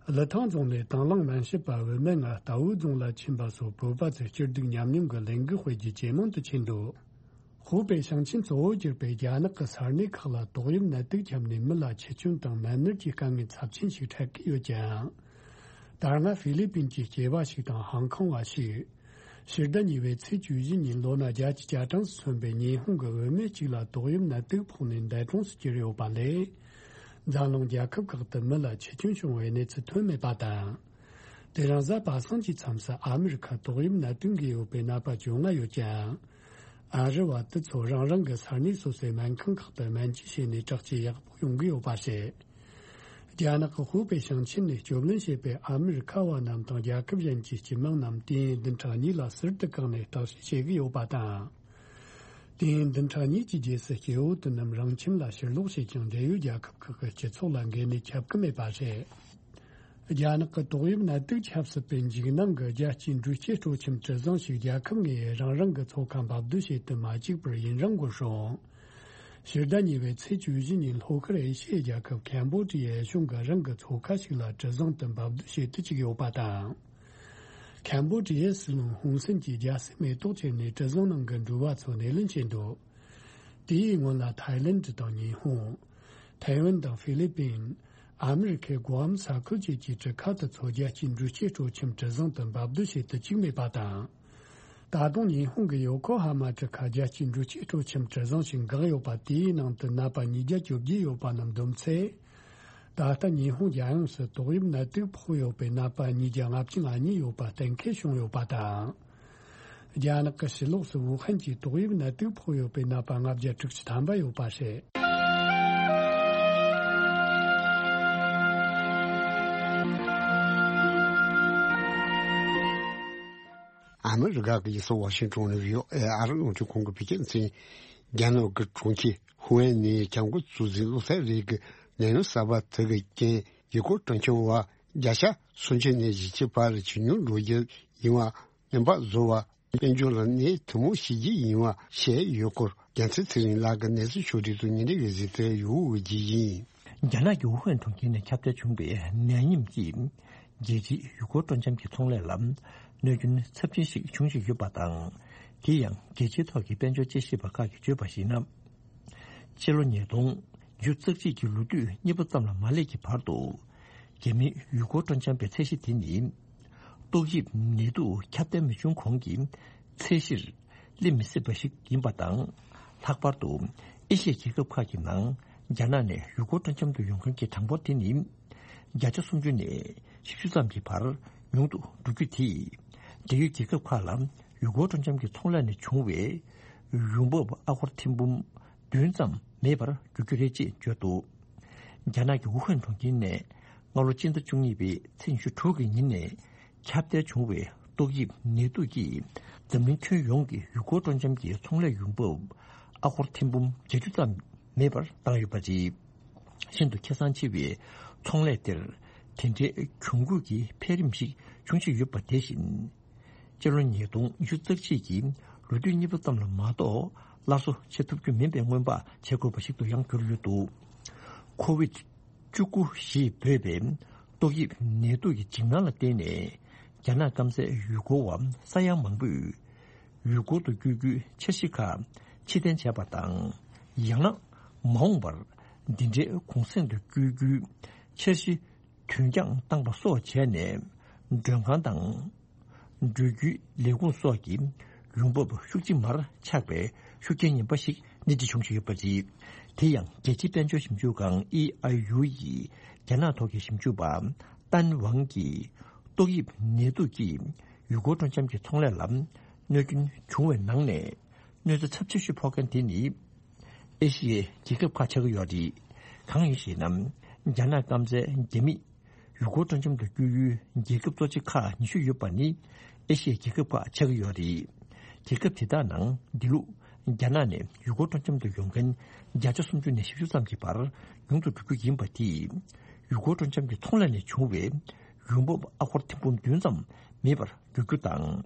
ཀླུ་ཐང་རྫོང་ནས་དང་བླངས་སྨན་ཞབས་པ་བུད་མེད་ལྔ་རྟའུ་རྫོང་ལ་ཕྱིན་པ་སོགས་བོད་པ་ཚོས་སྐྱིད་སྡུག་མཉམ་མྱོང་གི་ལས་འགུལ་སྤེལ་རྒྱུ་ཇེ་མང་དུ་ཕྱིན་འདུག་ཧུའུ་པེ་ཞིང་ཆེན་གཙོ་བོར་གྱུར་པའི་རྒྱ་ནག་གི་ས་གནས་ཁག་ལ་ཏོག་དབྱིབས་ནད་དུག་ཁྱབ་ནས་མི་ལ་འཆི་སྐྱོན་དང་ནད་མནར་གྱི་དཀའ་ངལ་ཚབས་ཆེན་ཞིག་འཕྲད་ཀྱི་ཡོད་ཀྱང་། ད་སྔ་ཧྥི་ལི་པིན་གྱི་སྐྱེས་པ་ཞིག་དང་ཧང་ཀོང་བ་ཞིག་ཕྱི་ཟླ་གཉིས་པའི་ཚེས་བཅུ་བཞི་ཉིན་ལོ་ན་བརྒྱད་ཅུ་གྱ་གྲངས་སུ་སོན་པའི་ཉི་ཧོང་གི་བུད་མེད་ཅིག་ལ་ཏོག་དབྱིབས་ནད་དུག་ཕོག་ནས་འདས་གྲོངས་སུ་གྱུར་ཡོད་པ་ལས། འཛམ་གླིང་རྒྱལ་ཁབ་ཁག་ཏུ་མི་ལ་འཆི་སྐྱོན་བྱུང་བའི་གནས་ཚུལ་ཐོན་མེད་པ་དང་། དེ་རིང་གཟའ་པ་སངས་ཀྱི་མཚམས་སུ་ཨ་མི་རི་ཁར་ཏོག་དབྱིབས་ནད་དུག་འགོས་ཡོད་པའི་ནད་པ་བཅོ་ལྔ་ཡོད་ཀྱང་། ཨ་རི་བ་དེ་ཚོ་རང་རང་གི་ས་གནས་སོ་སོའི་སྨན་ཁང་ཁག་ཏུ་སྨན་བཅོས་བྱས་ནས་དྲག་སྐྱེད་ཡག་པོ་ཡོང་གི་ཡོད་པ་རེད། རྒྱ་ནག་གི་ཧུའུ་པེ་ཞིང་ཆེན་ནས་སྐྱོབ་ལེན་བྱས་པའི་ཨ་མི་རི་ཁ་བ་རྣམས་དང་རྒྱལ་ཁབ་གཞན་གྱི་སྤྱི་དམངས་རྣམས་དུས་ཡུན་བདུན་ཕྲག་གཉིས་ལ་ཟུར་དུ་བཀག་ནས་བརྟག་དཔྱད་བྱེད་ཀྱི་ཡོད་པ་དང་། དུས་ཡུན་བདུན་ཕྲག་གཉིས་ཀྱི་རྗེས་སུ་སྐྱེ་བོ་དེ་རྣམས་རང་ཁྱིམ་ལ་ཕྱིར་ལོག་བྱེད་ཀྱང་འབྲེལ་ཡོད་རྒྱལ་ཁབ་ཁག་གི་སྤྱི་ཚོགས་ལ་འགོས་ནད་ཁྱབ་ཀྱི་མེད་པ་རེད། རྒྱ་ནག་གི་ཏོག་དབྱིབས་ནད་དུག་ཁྱབ་སྲིད་པའི་འཇིགས་སྣང་གིས་རྒྱལ་སྤྱིའི་འགྲུལ་སྐྱེལ་སྤྲོ་འཆམ་གྲུ་གཟིངས་ཤིག་རྒྱལ་ཁབ་ལྔའི་རང་རང་གི་ཚོགས་ཁང་འབབ་སྡོད་བྱེད་དུ་མ་བཅུག་པར་ཡུན་རིང་འགོར་སོང་། ཕྱི་ཟླ་གཉིས་པའི་ཚེས་བཅུ་བཞི་ཉིན་ལྷོ་ཤར་ཨེ་ཤི་ཡའི་རྒྱལ་ཁབ་ཁན་བོ་ཌི་ཡའི་གཞུང་གིས་རང་གི་ཚོགས་ཁང་ཞིག་ལ་གྲུ་གཟིངས་དུ་འབབ་སྡོད་བྱེད་དུ་བཅུག་ཡོད་པ་དང་། ཁན་བོ་ཌི་ཡའི་སྲིད་བློན་ཧུན་སེན་གྱིས་རྒྱལ་སའི་མེ་ཏོག་ཅན་ནས་གྲུ་གཟིངས་ནང་གི་འགྲུལ་བ་ཚོ་སྣེ་ལེན་བྱས་འདུག་དེའི་སྔོན་ལ་ཐའི་ལེན་ཌི་དང་ཉི་ཧོང་། ཐའེ་ཝན་དང་ཧྥི་ལི་པིན། ཨ་མི་རི་ཁའི་གོ་ཨམ་ས་ཁུལ་བཅས་ཀྱི་གྲུ་ཁ་དེ་ཚོ་རྒྱལ་སྤྱིའི་འགྲུལ་སྐྱེལ་སྤྲོ་འཆམ་གྲུ་གཟིངས་དུ་འབབ་སྡོད་བྱེད་དུ་བཅུག་མེད་པ་དང་། ད་དུང་ཉི་ཧོང་གི་ཡོ་ཀོ་ཧ་མ་གྲུ་ཁ་རྒྱལ་སྤྱིའི་འགྲུལ་སྐྱེལ་སྤྲོ་འཆམ་གྲུ་གཟིངས་ཤིག་འགག་ཡོད་པ་དེའི་ནང་དུ་ནད་པ་ཉིས་བརྒྱ་བཅོ་བརྒྱད་ཡོད་པ་རྣམས་བསྡོམས་ཚེ། ད་ལྟ་ཉི་ཧོང་རྒྱལ་ཡོངས་སུ་ཏོག་དབྱིབས་ནད་དུག་ཕོག་ཡོད་པའི་ནད་པ་ཉིས་བརྒྱ་ལྔ་བཅུ་ང་གཉིས་ཡོད་པ་གཏན་འཁེལ་བྱུང་ཡོད་པ་དང་། རྒྱ་ནག་གི་ཕྱི་ལོགས་སུ་ཝུ་ཧན་གྱི་ཏོག་དབྱིབས་ནད་དུག་ཕོག་ཡོད་པའི་ནད་པ་ལྔ་བརྒྱ་དྲུག་ཅུ་ཐམ་པ་ཡོད་པ་རེད། ཨ་མི་རི་ཀ་གི་རྒྱལ་ས་ཝ་ཤིང་ཊོན་ནས་བྷི་ཨོ་ཨེ་ཨ་རི་རླུང་འཕྲིན་ཁང་གི་བོད་སྐད་སྡེ་ཚན། རྒྱ་ནག་གི་གྲོང་ཁྱེར་ཧུའུ་ཨན་ནས་ཁྱབ་མགོན་ཚོགས་གཙོས་བློ་བཟང་རིགས་ཀྱི་ལས་སྣེ་གསར་པ་དེ་གི་རྐྱེན་ཡུལ་སྐོར་སྤྲོ་འཆམ་བ་བརྒྱ་ཆ་སུམ་ཅུ་ནས་བཞི་བཅུ་བར་ཇེ་ཉུང་འགྲོ་རྒྱུ་ཡིན་པ་སྨན་པ་བཟོ་བ་དཔལ་འབྱོར་ལ་ནད་ཐུན་མོང་ཞི་རྒྱུ་ཡིན་པ་བཤད་ཡོད་སྐོར་རྒྱལ་མཚན་ཚེ་རིང་ལགས་ཀྱིས་གནས་ཚུལ་ཕྱོགས་སྒྲིག་ཏུ་ཉིན་རེ་བའི་གཟིགས་ཚད་ཡོད་འོས་ཀྱི་ཡིན། རྒྱ་ནག་གི་ཝུ་ཧན་གྲོང་ཁྱེར་ནས་ཁྱབ་གདལ་བྱུང་བའི་ནད་ཡམས་ཀྱིས་རྒྱལ་སྤྱིའི་ཡུལ་སྐོར་སྤྲོ་འཆམ་གྱི་ཚོང་ལས་ལ་གནོད་སྐྱོན་ཚབས་ཆེན་ཞིག་བྱུང་བཞིན་ཡོད་པ་དང་། དེ་ཡང་རྒྱལ་སྤྱིའི་ཐོག་གི་དཔལ་འབྱོར་དཔྱད་ཞིབ་པ་ཁག་གིས་བརྗོད་པར་གཞིགས་ན། ཕྱི་ལོ་ཉིས་སྟོང་ཉེར་གཅིག་གི་ལོ་དུས་གཉིས་པ་ཙམ་ལ་མ་སླེབས་ཀྱི་བར་དུ། རྒྱ་མིའི་ཡུལ་སྐོར་སྤྲོ་འཆམ་པའི་ཚད་གཞི་དེ་ནི། ཏོག་དབྱིབས་ནད་དུག་ཁྱབ་གདལ་མི་བྱུང་གོང་གི་ཚད་གཞིར་སླེབས་མི་སྲིད་པ་ཞིག་ཡིན་པ་དང་། ལྷག་པར་དུ་ཨེ་ཤི་ཡའི་རྒྱལ་ཁབ་ཁག་གི་ནང་རྒྱ་ནག་ནས་ཡུལ་སྐོར་སྤྲོ་འཆམ་དུ་ཡོང་མཁན་གྱི་གྲངས་འབོར་དེ་ནི་བརྒྱ་ཆ་སུམ་ཅུ་ནས་བཞི་བཅུ་ཙམ་གྱི་བར་ཉུང་དུ་འགྲོ་རྒྱུ་དེས། འབྲེལ་ཡོད་རྒྱལ་ཁབ་ཁག་ལ་ཡུལ་སྐོར་སྤྲོ་འཆམ་གྱི་ཚོང་ལས་ནས་བྱུང་བའི་ཡོང་འབབ་ཨ་སྒོར་ཐེར་འབུམ་བདུན་ཙམ་མེད་པར་འགྱུར་རྒྱུ་རེད་ཅེས་བརྗོད་འདུག་རྒྱ་ནག་གི་ཝུ་ཧན་གྲོང་ཁྱེར་ནས་སྔ་ལོ་སྤྱི་ཟླ་བཅུ་གཉིས་པའི་ཚེས་ཉི་ཤུ་དྲུག་གི་ཉིན་ནས་ཁྱབ་གདལ་བྱུང་བའི་ཏོག་དབྱིབས་ནད་དུག་གིས་འཛམ་གླིང་ཁྱོན་ཡོངས་ཀྱི་ཡུལ་སྐོར་སྤྲོ་འཆམ་གྱི་ཚོང་ལས་ཡོང་འབབ་ཨ་སྒོར་ཐེར་འབུམ་བརྒྱད་ཅུ་ཙམ་མེད་པར་བཏང་ཡོད་པ་རེད། ཤིན་ཏུ་ཁེ་བཟང་ཆེ་བའི་ཚོང་ལས་དེར་དེ་འདྲའི་གྱོང་གུད་ཀྱི་འཕེལ་རིམ་ཞིག་འབྱུང་བཞིན་ཡོད་པ་དེ་བཞིན། སྤྱི་ལོ་ཉིས་སྟོང་ཉི་ཤུ་རྩ་གཅིག་གི་ལོ་དུས་གཉིས་པ་ཙམ་ལ་མ་གཏོགས་སླར་གསོ་བྱེད་ཐུབ་རྒྱུ་མིན་པའི་སྔོན་དཔག་བྱེད་དགོས་པ་ཞིག་ཏུ་ཡང་གྱུར་ཡོད་འདུག་ཁོ་བིད་བཅུ་དགུ་ཞེས་འབོད་པའི་ཏོག་དབྱིབས་ནད་དུག་གི་འཇིགས་སྣང་ལ་བརྟེན་ནས་རྒྱ་ནག་སྐམ་སའི་ཡུལ་སྐོར་བ་ས་ཡ་མང་པོས་ཡུལ་སྐོར་དུ་བསྐྱོད་རྒྱུའི་འཆར་གཞི་ཁག་ཕྱིར་འཐེན་བྱས་པ་དང་། ཡང་ན་མ་འོངས་པར་འདི་འདྲའི་གུང་གསེང་དུ་བསྐྱོད་རྒྱུའི་འཆར་གཞི་དུས་འགྱངས་བཏང་པ་སོགས་བྱས་ནས། མགྲོན་ཁང་དང་འགྲུལ་སྐྱོད་ལས་ཁུངས་སོགས་ཀྱི་ཡོང་འབབ་ཤུགས་ཆེ་མར་ཆག་པའི་ཤུགས་རྐྱེན་ངན་པ་ཞིག་སྣེ་ཁྲིད་བྱུང་བཞིན་ཡོད་པ་རེད། དེ་ཡང་རྒྱལ་སྤྱིའི་དཔལ་འབྱོར་ཞིབ་འཇུག་ཁང་ཨི་ཨའི་ཡུ་ཡི་རྒྱ་ནག་ཐོག་གི་ཞིབ་འཇུག་པ་ཏན་ཝང་གིས་ཏོག་དབྱིབས་ནད་དུག་གིས་ཡུལ་སྐོར་སྤྲོ་འཆམ་གྱི་ཚོང་ལས་ལ་གནོད་སྐྱོན་བྱུང་བའི་ནང་ནས། གནོད་འཚེ་ཚབས་ཆེ་ཤོས་ཕོག་མཁན་དེ་ནི་ཨེ་ཤི་ཡའི་རྒྱལ་ཁབ་ཁག་ཆགས་ཀྱི་ཡོད་རེད། གང་ཡིན་ཞེ་ན། རྒྱ་ནག་སྐམ་སའི་རྒྱ་མིས་ཡུལ་སྐོར་སྤྲོ་འཆམ་དུ་བསྐྱོད་ཡུལ་རྒྱལ་ཁབ་གཙོ་ཆེ་ཁག་ཉི་ཤུ་ཡོད་པ་ནི་ཨེ་ཤི་ཡའི་རྒྱལ་ཁབ་ཁག་ཆགས་ཀྱི་ཡོད་རེད། རྒྱལ་ཁབ་དེ་དག་ནང་འདི་ལོ་རྒྱ་ནག་ནས་ཡུལ་སྐོར་སྤྲོ་འཆམ་དུ་ཡོང་མཁན་བརྒྱ་ཆ་སུམ་ཅུ་ནས་བཞི་བཅུ་ཙམ་གྱི་བར་ཉུང་དུ་འགྲོ་རྒྱུ་ཡིན་པ་དེས། ཡུལ་སྐོར་སྤྲོ་འཆམ་གྱི་ཚོང་ལས་ནས་བྱུང་བའི་ཡོང་འབབ་ཨ་སྒོར་ཐེར་འབུམ་བདུན་ཙམ་མེད་པར་འགྱུར་རྒྱུ་དང་།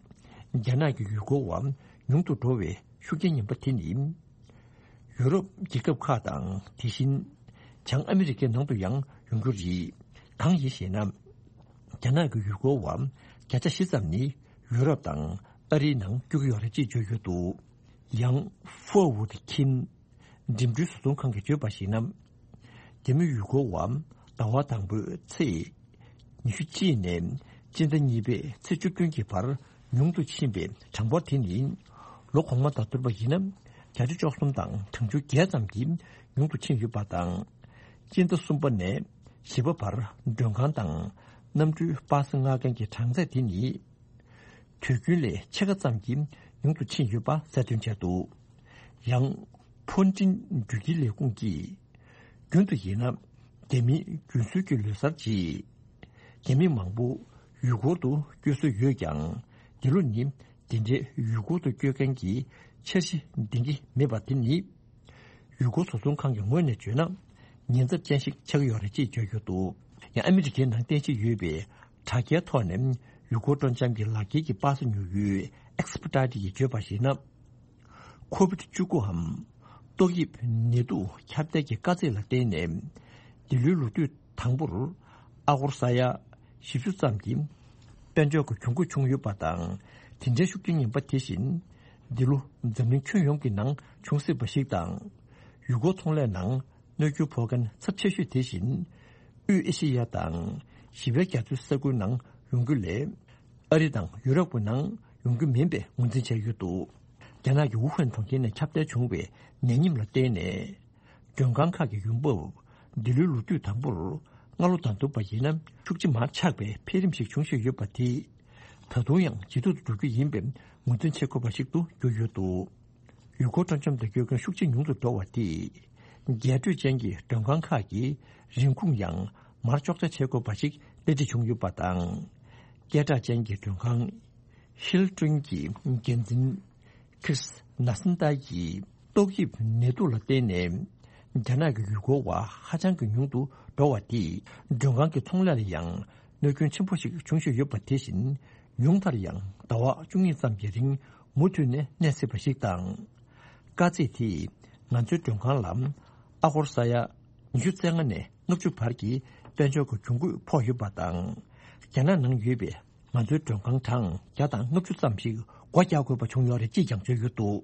རྒྱ་ནག་གི་ཡུལ་སྐོར་བ་ཉུང་དུ་འགྲོ་བའི་ཤུགས་རྐྱེན་ངན་པ་དེ་ནི། ཡུ་རོབ་རྒྱལ་ཁབ་ཁག་དང་། དེ་བཞིན་བྱང་ཨ་མི་རི་ཀའི་ནང་དུ་ཡང་ཡོང་རྒྱུ་རེད། གང་ཡིན་ཞེ་ན། རྒྱ་ནག་གི་ཡུལ་སྐོར་བ་བརྒྱ་ཆ་བཞི་ཙམ་ནི་ཡུ་རོབ་དང་ཨ་རིའི་ནང་བསྐྱོད་ཀྱི་ཡོད་རེད་ཅེས་བརྗོད་ཡོད་འདུག་ཡང་ཧྥོར་ཝུད་ཁིན་འགྲིམ་འགྲུལ་བཟོ་ཚོང་ཁང་གིས་བརྗོད་པར་གཞིགས་ན། རྒྱ་མི་ཡུལ་སྐོར་བ་ཟླ་བ་དང་པོའི་ཚེས་ཉི་ཤུ་གཅིག་ནས་སྤྱི་ཟླ་གཉིས་པའི་ཚེས་བཅུ་བདུན་གྱི་བར་ཉུང་དུ་ཕྱིན་པའི་གྲངས་འབོར་དེ་ནི། ལོ་གོང་མ་དང་བསྡུར་བ་ཡིན་ན་བརྒྱ་ཆ་བཅུ་གསུམ་དང་གྲངས་ཆུང་བརྒྱད་ཙམ་གྱིས་ཉུང་དུ་ཕྱིན་ཡོད་པ་དང་། སྤྱི་ཟླ་གསུམ་པ་ནས་བཞི་པ་བར་མགྲོན་ཁང་དང་གནམ་གྲུའི་པ་སེ་མངགས་མཁན་གྱི་གྲངས་ཚད་དེ་ནི། དུས་རྒྱུན་ལས་ཕྱེད་ཀ་ཙམ་གྱིས་ཉུང་དུ་ཕྱིན་ཡོད་པ་གསལ་སྟོན་བྱས་འདུག་ཡང་། ཕོན་ཀྲིན་འགྲུལ་སྐྱེལ་ལས་ཁུངས་ཀྱིས། རྒྱུན་དུ་ཡིན་ན། རྒྱ་མིའི་རྒྱུན་སྲོལ་གྱི་ལོ་གསར་རྗེས། རྒྱ་མི་མང་པོ་ཡུལ་སྐོར་དུ་བསྐྱོད་སྲོལ་ཡོད་ཀྱང་། འདི་ལོ་ནི་འདི་འདྲའི་ཡུལ་སྐོར་དུ་བསྐྱོད་མཁན་གྱི་འཆར་གཞི་འདིང་གི་མེད་པ་དེ་ནི། ཡུལ་སྐོར་བཟོ་ཚོང་ཁང་གི་ངོས་ནས་བརྗོད་ན། ཉེན་ཚབས་ཅན་ཞིག་ཆགས་ཀྱི་ཡོད་རེད་ཅེས་བརྗོད་ཡོད་འདུག་ཡང་ཨ་མི་རི་ཀའི་ནང་རྟེན་གཞི་ཡོད་པའི་དྲ་རྒྱའི་ཐོག་ནས་ཡུལ་སྐོར་སྤྲོ་འཆམ་གྱི་ལག་འཁྱེར་གྱི་པ་སེ་ཉོ་ཡུལ་ཨེག་སི་པི་ཏ་ཏི་ཡིས་བརྗོད་པར་གཞིགས་ན། ཁོ་བིད་བཅུ་དགུའམ་ཏོག་དབྱིབས་ནད་དུག་ཁྱབ་གདལ་གྱི་དཀའ་ཚེགས་ལ་བརྟེན་ནས། འདི་ལོའི་ལོ་དུས་དང་པོར་ཨ་སྒོར་ས་ཡ་བཞི་བཅུ་ཙམ་གྱི་དཔལ་འབྱོར་གྱི་གྱོང་གུད་བྱུང་ཡོད་པ་དང་། དེ་འདྲའི་ཤུགས་རྐྱེན་ངན་པ་དེ་བཞིན་འདི་ལོ་འཛམ་གླིང་ཁྱོན་ཡོངས་ཀྱི་ནང་འབྱུང་སྲིད་པ་ཞིག་དང་། ཡུལ་སྐོར་ཚོང་ལས་ནང་གནོད་སྐྱོན་ཕོག་མཁན་ཚབས་ཆེ་ཤོས་དེ་བཞིན་དབུས་ཨེ་ཤེ་ཡ་དང་ཞི་བའི་རྒྱ་མཚོའི་ས་ཁུལ་ནང་ཡོང་རྒྱུ་ལས། ཨ་རི་དང་ཡུ་རོབ་ཀྱི་ནང་ཡོང་རྒྱུ་མིན་པའི་ངོས་འཛིན་བྱས་ཡོད་འདུག་རྒྱ་ནག་གི་ཝུ་ཧན་གྲོང་ཁྱེར་ནས་ཁྱབ་གདལ་བྱུང་བའི་ནད་ཉིམ་ལ་བརྟེན་ནས། མགྲོན་ཁང་ཁག་གི་ཡོང་འབབ་འདི་ལོའི་ལོ་དུས་དང་པོར་སྔ་ལོ་དང་བསྡུར་བ་ཡིན་ན་ཤུགས་ཆེ་མར་ཆག་པའི་འཕེལ་རིམ་ཞིག་བྱུང་བཞིན་ཡོད་པ་དེས། ད་དུང་ཡང་ཇེ་སྡུག་ཏུ་འགྲོ་རྒྱུ་ཡིན་པའི་ངོས་འཛིན་བྱེད་དགོས་པ་ཞིག་ཏུ་གྱུར་ཡོད་འདུག་ཡུལ་སྐོར་སྤྲོ་འཆམ་དུ་བསྐྱོད་མཁན་ཤུགས་ཆེ་ཉུང་དུ་འགྲོ་བ་དེས། རྒྱས་སྤྲོས་ཅན་གྱི་མགྲོན་ཁང་ཁག་གི་རིན་གོང་ཡང་མར་གཅོག་ཆ་བྱེད་དགོས་པ་ཞིག་གཏན་འཁྲི་བྱུང་ཡོད་པ་དང་། སྐད་གྲགས་ཅན་གྱི་མགྲོན་ཁང་ཧིལ་ཏོན་གྱི་འགན་འཛིན་ཁྲིས་ན་སན་ཏཱ་ཡིས་ཏོག་དབྱིབས་ནད་དུག་ལ་བརྟེན་ནས་རྒྱ་ནག་གི་ཡུལ་སྐོར་བ་ཧ་ཅང་གི་ཉུང་དུ་འགྲོ་བ་དེས་མགྲོན་ཁང་གི་ཚོང་ལས་ལ་ཡང་གནོད་སྐྱོན་ཆེན་པོ་ཞིག་འབྱུང་བཞིན་ཡོད་པ་དེ་བཞིན་ཉུང་མཐར་ཡང་ཟླ་བ་བཅུ་གཉིས་ཙམ་གྱི་རིང་མུ་མཐུད་ནས་གནས་སྲིད་པ་ཞིག་དང་། དཀའ་ཚེགས་དེས་ང་ཚོའི་མགྲོན་ཁང་ལ་ཨ་སྒོར་ས་ཡ་ཉི་ཤུ་རྩ་ལྔ་ནས་ལྔ་བཅུ་བར་གྱི་དཔལ་འབྱོར་གྱི་གྱོང་གུད་ཕོག་ཡོད་པ་དང་། རྒྱ་ནག་ནང་ཡོད་པའི་ང་ཚོའི་མགྲོན་ཁང་གྲངས་བརྒྱ་དང་ལྔ་བཅུ་ཙམ་ཞིག་སྒོ་རྒྱག་དགོས་པ་བྱུང་ཡོད་རེད་ཅེས་ཀྱང་བརྗོད་ཡོད་འདུག་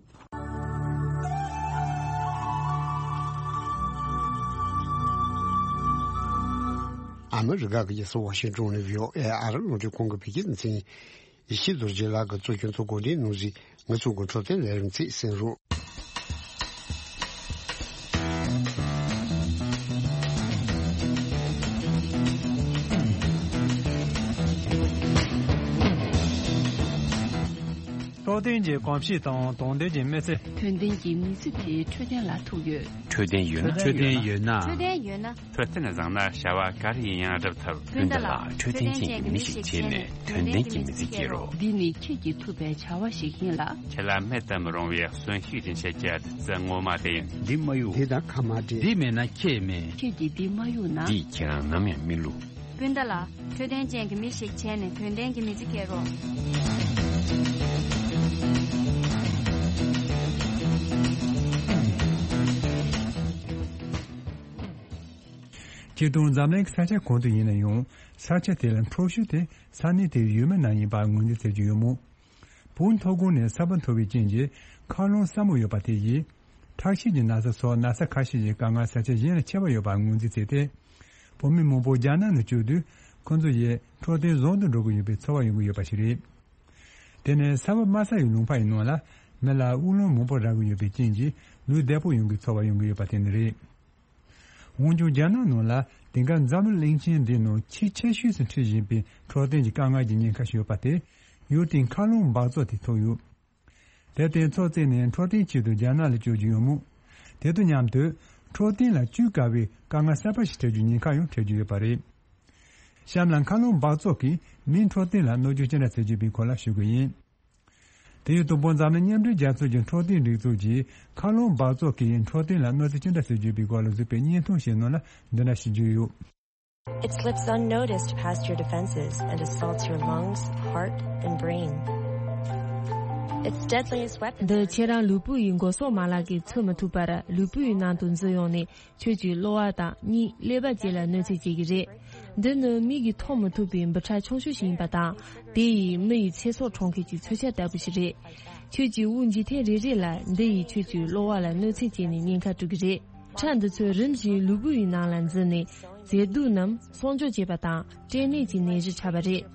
ཨ་མི་རི་ཀ་གི་རྒྱལ་ས་ཝ་ཤིང་ཏོན་ནས་བྷི་ཨོ་ཨེ་ཨ་རི་རླུང་འཕྲིན་ཁང་གི་བོད་སྐད་སྡེ་ཚན། ཡེ་ཤེས་རྡོ་རྗེ་ལགས་ཀྱིས་གཙོ་སྐྱོང་གཙོ་བཀོད་འདིའི་གནང་གཟིགས། ང་ཚོ་གི་འཕྲོད་བསྟེན་ལས་རིམ་ཚིག་གསན་རོགས། རྟོགས་ལྡན་གྱི་གོམས་གཤིས་དང་དོགས་ལྡན་གྱི་མི་ཚེ། དོན་ལྡན་གྱི་མི་ཚེ་དེ་འཕྲོད་བསྟེན་ལ་ཐུག་ཡོད། འཕྲོད་བསྟེན་ཡོད་ན། འཕྲོད་བསྟེན་ཡོད་ན། འཕྲོད་བསྟེན་ཡོད་ན། འཕྲོད་བསྟེན་བཟང་ན་བྱ་བ་ག་རེ་ཡིན་ཡང་འགྲུབ་ཐུབ། སྤུན་ཟླ་ལགས། འཕྲོད་བསྟེན་ཅན་གྱི་མི་ཞིག་བྱས་ནས་དོན་ལྡན་གྱི་མི་ཚེ་སྐྱེལ་རོགས། འདི་ནི་ཁྱེད་ཀྱིས་ཐུབ་པའི་བྱ་བ་ཞིག་ཡིན་ལ། ཁྱེད་ལ་མེད་དུ་མི་རུང་བའི་གསོན་ཤུགས་ཀྱི་འཆར་གཞི་བདུད་རྩི་ངོ་མ་དེ་ཡིན། འདི་མ་གཡུག་འདི་དང་ཁ་མ་འདྲེས། འདི་མེད་ན་ཁྱེད་མེད། ཁྱེད་ཀྱིས་འདི་མ་གཡུག་ན། འདིས་ཁྱེད་རང་ནམ་ཡང་མི་བསླུ། སྤུན་ཟླ་ལགས། འཕྲོད་བསྟེན་ཅན་གྱི་མི་ཞིག་བྱས་ནས་དོན་ལྡན་གྱི་མི་ཚེ་སྐྱེལ་རོགས། སྤྱིར་བཏང་འཛམ་གླིང་གི་ས་ཆ་གང་དུ་ཡིན་ན་ཡང་། ས་ཆ་དེ་ལ་འཕྲོད་ཤུགས་དེ་ས་གནས་དེའི་ཡུལ་མི་ནང་ཡིན་པ་ངོས་འཛིན་བྱེད་ཀྱི་ཡོད་མོད། བོད་མཐོ་སྒང་ནས་ས་བབ་མཐོ་བའི་རྐྱེན་གྱིས་མཁའ་རླུང་སྲབ་མོ་ཡོད་པ་དེ་ཡིས། ཁྲག་ཤེད་ཀྱི་ན་ཚ་སོགས་ན་ཚ་ཁ་ཤས་ཀྱི་དཀའ་ངལ་ས་ཆ་གཞན་ལས་ཆེ་བ་ཡོད་པ་ངོས་འཛིན་བྱས་ཏེ། བོད་མི་མང་པོ་རྒྱ་ནག་ནང་བསྐྱོད་དུས་ཁོང་ཚོ་ཡིས་འཕྲོད་བསྟེན་བཟང་དུ་འགྲོ་གི་ཡོད་པའི་ཚོར་བ་ཡོང་གི་ཡོད་པ་ཞིག་རེད། དེ་ནས་ས་བབ་དམའ་ས་ཡི་ལུང་པ་ཡི་ནང་ལ་མི་ལ་དབུགས་རླུང་མང་པོ་རག་གི་ཡོད་པའི་རྐྱེན་གྱིས་ལུས་བདེ་པོ་ཡོང་གི་ཚོར་བ་ཡོང་གི་ཡོད་པ་དེ་ནི་རེད། འོན་ཀྱང་རྒྱ་ནག་ནང་ལ་དེང་སྐབས་འཛམ་གླིང་གླིང་ཆེན་འདིའི་ནང་ཆེས་ཆེ་ཤོས་སུ་འཁྲི་བཞིན་པའི་འཕྲོད་བསྟེན་གྱི་དཀའ་ངལ་གྱི་ཉེན་ཁ་ཞིག་ཡོད་པ་དེ་ཡུལ་དེའི་མཁའ་རླུང་འབག་བཙོག་དེས་ཐོབ་ཡོད། དེར་བརྟེན་ཚོགས་བཙལ་ནས་འཕྲོད་བསྟེན་ཆེད་དུ་རྒྱ་ནག་ལ་བསྐྱོད་ཀྱི་ཡོད་མོད། དེ་དང་མཉམ་དུ་འཕྲོད་བསྟེན་ལ་བཅོས་དཀའ་བའི་དཀའ་ངལ་གསར་པ་ཞིག་འཕྲད་རྒྱུའི་ཉེན་ཁ་ཡང་འཕྲད་ཀྱི་ཡོད་པ་རེད། གཤམ་ལ་མཁའ་རླུང་འབག་བཙོག་གིས་མིའི་འཕྲོད་བསྟེན་ལ་གནོད་སྐྱོན་ཅི་འདྲ་བྱེད་ཀྱི་ཡོད་པའི་སྐོར་ལ་ཞུ་གི་ཡིན། དེ་ཡང་དང་པོ་འཛམ་གླིང་མཉམ་འབྲེལ་རྒྱལ་ཚོགས་ཀྱི་འཕྲོད་བསྟེན་སྒྲིག་འཛུགས་ཀྱིས་མཁའ་རླུང་འབག་བཙོག་གིས་འཕྲོད་བསྟེན་ལ་གནོད་འཚེ་ཅི་འདྲ་བྱེད་ཀྱི་ཡོད་པའི་སྐོར་ལ་གཟིགས་པའི་བརྙན་ཐུང་ཞིག་ནང་ལ་འདི་འདྲ་ཞིག་བརྗོད་ཡོད། It slips unnoticed past your defenses and assaults your lungs, heart, and brain. Its deadliest weapon. འདི་ཁྱེད་རང་ལུས་པོ་ཡི་མགོ་སོག་མ་ལག་གིས་ཚུད་མི་ཐུབ་པར་ལུས་པོ་ཡི་ནང་དུ་འཛུལ་ཡོང་ནས་ཁྱོད་ཀྱི་གློ་བ་དང་གཉིད་ཀླད་པ་བཅས་ལ་གནོད་འཚེ་བྱེད་ཀྱི་རེད། འདི་ནི་མིག་གིས་མཐོང་མི་ཐུབ་པའི་འབུ་ཕྲ་ཆུང་ཤོས་ཤིག་ཡིན་པ་དང་། དེ་ཡིས་མི་ཡི་ཚེ་སྲོག་འཕྲོག་མཁན་གྱི་མཚོན་ཆ་ལྟ་བུ་ཞིག་རེད། ཁྱོད་ཀྱི་དབུགས་འབྱིན་ཐེངས་རེ་རེ་ལ་འདི་ཡིས་ཁྱོད་ཀྱི་གློ་བ་ལ་གནོད་འཚེ་བྱས་ནས་ཉེན་ཁ་སྤྲོད་ཀྱི་རེད། འབུ་ཕྲ་འདི་ཚོས་རིམ་བཞིན་ལུས་པོ་ཡི་ནང་ལ་འཛུལ་ནས་མཛེས་སྡུག་རྣམས་གསོག་འཇོག་བྱེད་པ་དང་སྐྲན་ནད་ཀྱི་ནད་གཞི་ཆགས་པ་རེད།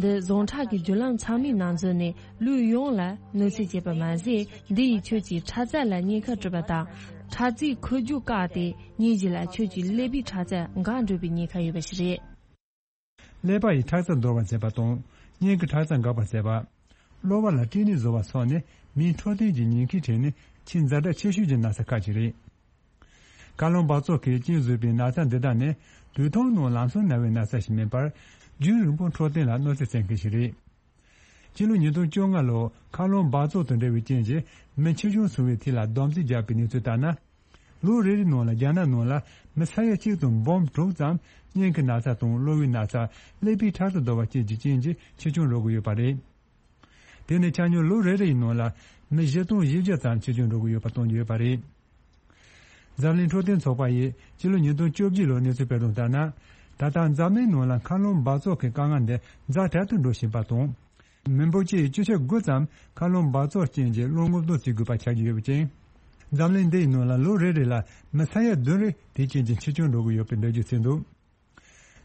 འདི་ཟུངས་ཁྲག་གི་རྒྱུ་ལམ་ཚང་མའི་ནང་འཛུལ་ནས་ལུས་ཡོངས་ལ་གནོད་འཚེ་བྱེད་པ་མ་ཟད། འདི་ཡིས་ཁྱོད་ཀྱི་ཁྲག་རྩ་ལ་ཉེན་ཁ་སྤྲོད་པ་དང་། ཁྲག་རྩའི་འཁོར་རྒྱུག་བཀག་སྟེ་ཉིན་གཅིག་ལ་ཁྱོད་ཀྱི་ཀླད་པའི་ཁྲག་རྩ་འགག་འགྲོ་བའི་ཉེན་ཁ་ཡོད་པ་ཞིག་རེད། ཀླད་པ་ཡི་ཁྲག་རྩ་འདོར་བར་བྱེད་པ་དང་། སྙིང་གི་ཁྲག་རྩ་འགག་པར་བྱེད་པ། གློ་བ་ལ་སྐྲན་ནད་བཟོ་བ་སོགས་ནི་མིའི་འཕྲོད་བསྟེན་གྱི་ཉེན་ཁའི་གྲས་ནས་ཆེས་ཛ་དྲག་ཆེ་ཤོས་ཀྱི་ན་ཚ་ཁག་ཅིག་རེད། མཁའ་རླུང་འབག་བཙོག་གིས་རྐྱེན་བཟོས་པའི་ན་ཚ་འདི་དག་ནི་དུས་ཐུང་ནང་ལམ་སང་ན་བའི་ན་ཚ་ཞིག་མིན་པར། རྒྱུན་རིང་པོ་འཕྲོད་བསྟེན་ལ་གནོད་འཚེ་བྱེད་མཁན་ཞིག་རེད། སྤྱི་ལོ་ཉིས་སྟོང་བཅོ་ལྔ་ལོར་མཁའ་རླུང་འབག་བཙོག་དང་འབྲེལ་བའི་རྐྱེན་གྱིས་མི་འཆི་སྐྱོན་སོང་བའི་ཐད་ལ་བསྡོམས་རྩིས་བརྒྱབ་པའི་གནས་ཚུལ་ལྟར་ན། ལོ་རེ་རེའི་ནང་ལ་རྒྱ་ནག་ནང་ལ་མི་ས་ཡ་གཅིག་དང་འབུམ་དྲུག་ཙམ་སྙིང་གི་ན་ཚ་དང་གློ་བའི་ན་ཚ། ཀླད་པའི་ཁྲག་རྩ་འདོར་བ་བཅས་ཀྱི་རྐྱེན་གྱིས་འཆི་སྐྱོན་འགྲོ་གི་ཡོད་པ་རེད། དེ་ནི་ཆ་སྙོམས་ལོ་རེ་རེ་ཡི་ནང་ལ་མི་བཞི་སྟོང་བཞི་བརྒྱ་ཙམ་འཆི་སྐྱོན་འགྲོ་གི་ཡོད་པ་སྟོན་གྱི་ཡོད་པ་རེད། འཛམ་གླིང་འཕྲོད་བསྟེན་ཚོགས་པ་ཡིས་སྤྱི་ལོ་ཉིས་སྟོང་བཅོ་བརྒྱད་ལོར་གནས་ཚུལ་སྤེལ་དོན་ལྟར་ན། ད་ལྟ་འཛམ་གླིང་ནང་ལ་མཁའ་རླུང་འབག་བཙོག་གི་དཀའ་ངལ་འདི་ཛ་དྲག་ཏུ་འགྲོ་བཞིན་པ་དང་། མི་འབོར་སྤྱི་ཡི་བཅུ་ཆ་དགུ་ཙམ་མཁའ་རླུང་འབག་བཙོག་རྐྱེན་གྱིས་བློ་ངོ་གདོང་བྱེད་དགོས་པ་ཆགས་ཀྱི་ཡོད་པ་ཅིང་། འཛམ་གླིང་འདི་ཡི་ནང་ལ་ལོ་རེ་རེ་ལ་མི་ས་ཡ་བདུན་རེ་དེའི་རྐྱེན་གྱིས་འཆི་སྐྱོན་འགྲོ་གི་ཡོད་པའི་འགྲེལ་བརྗོད་བྱས་འདུག་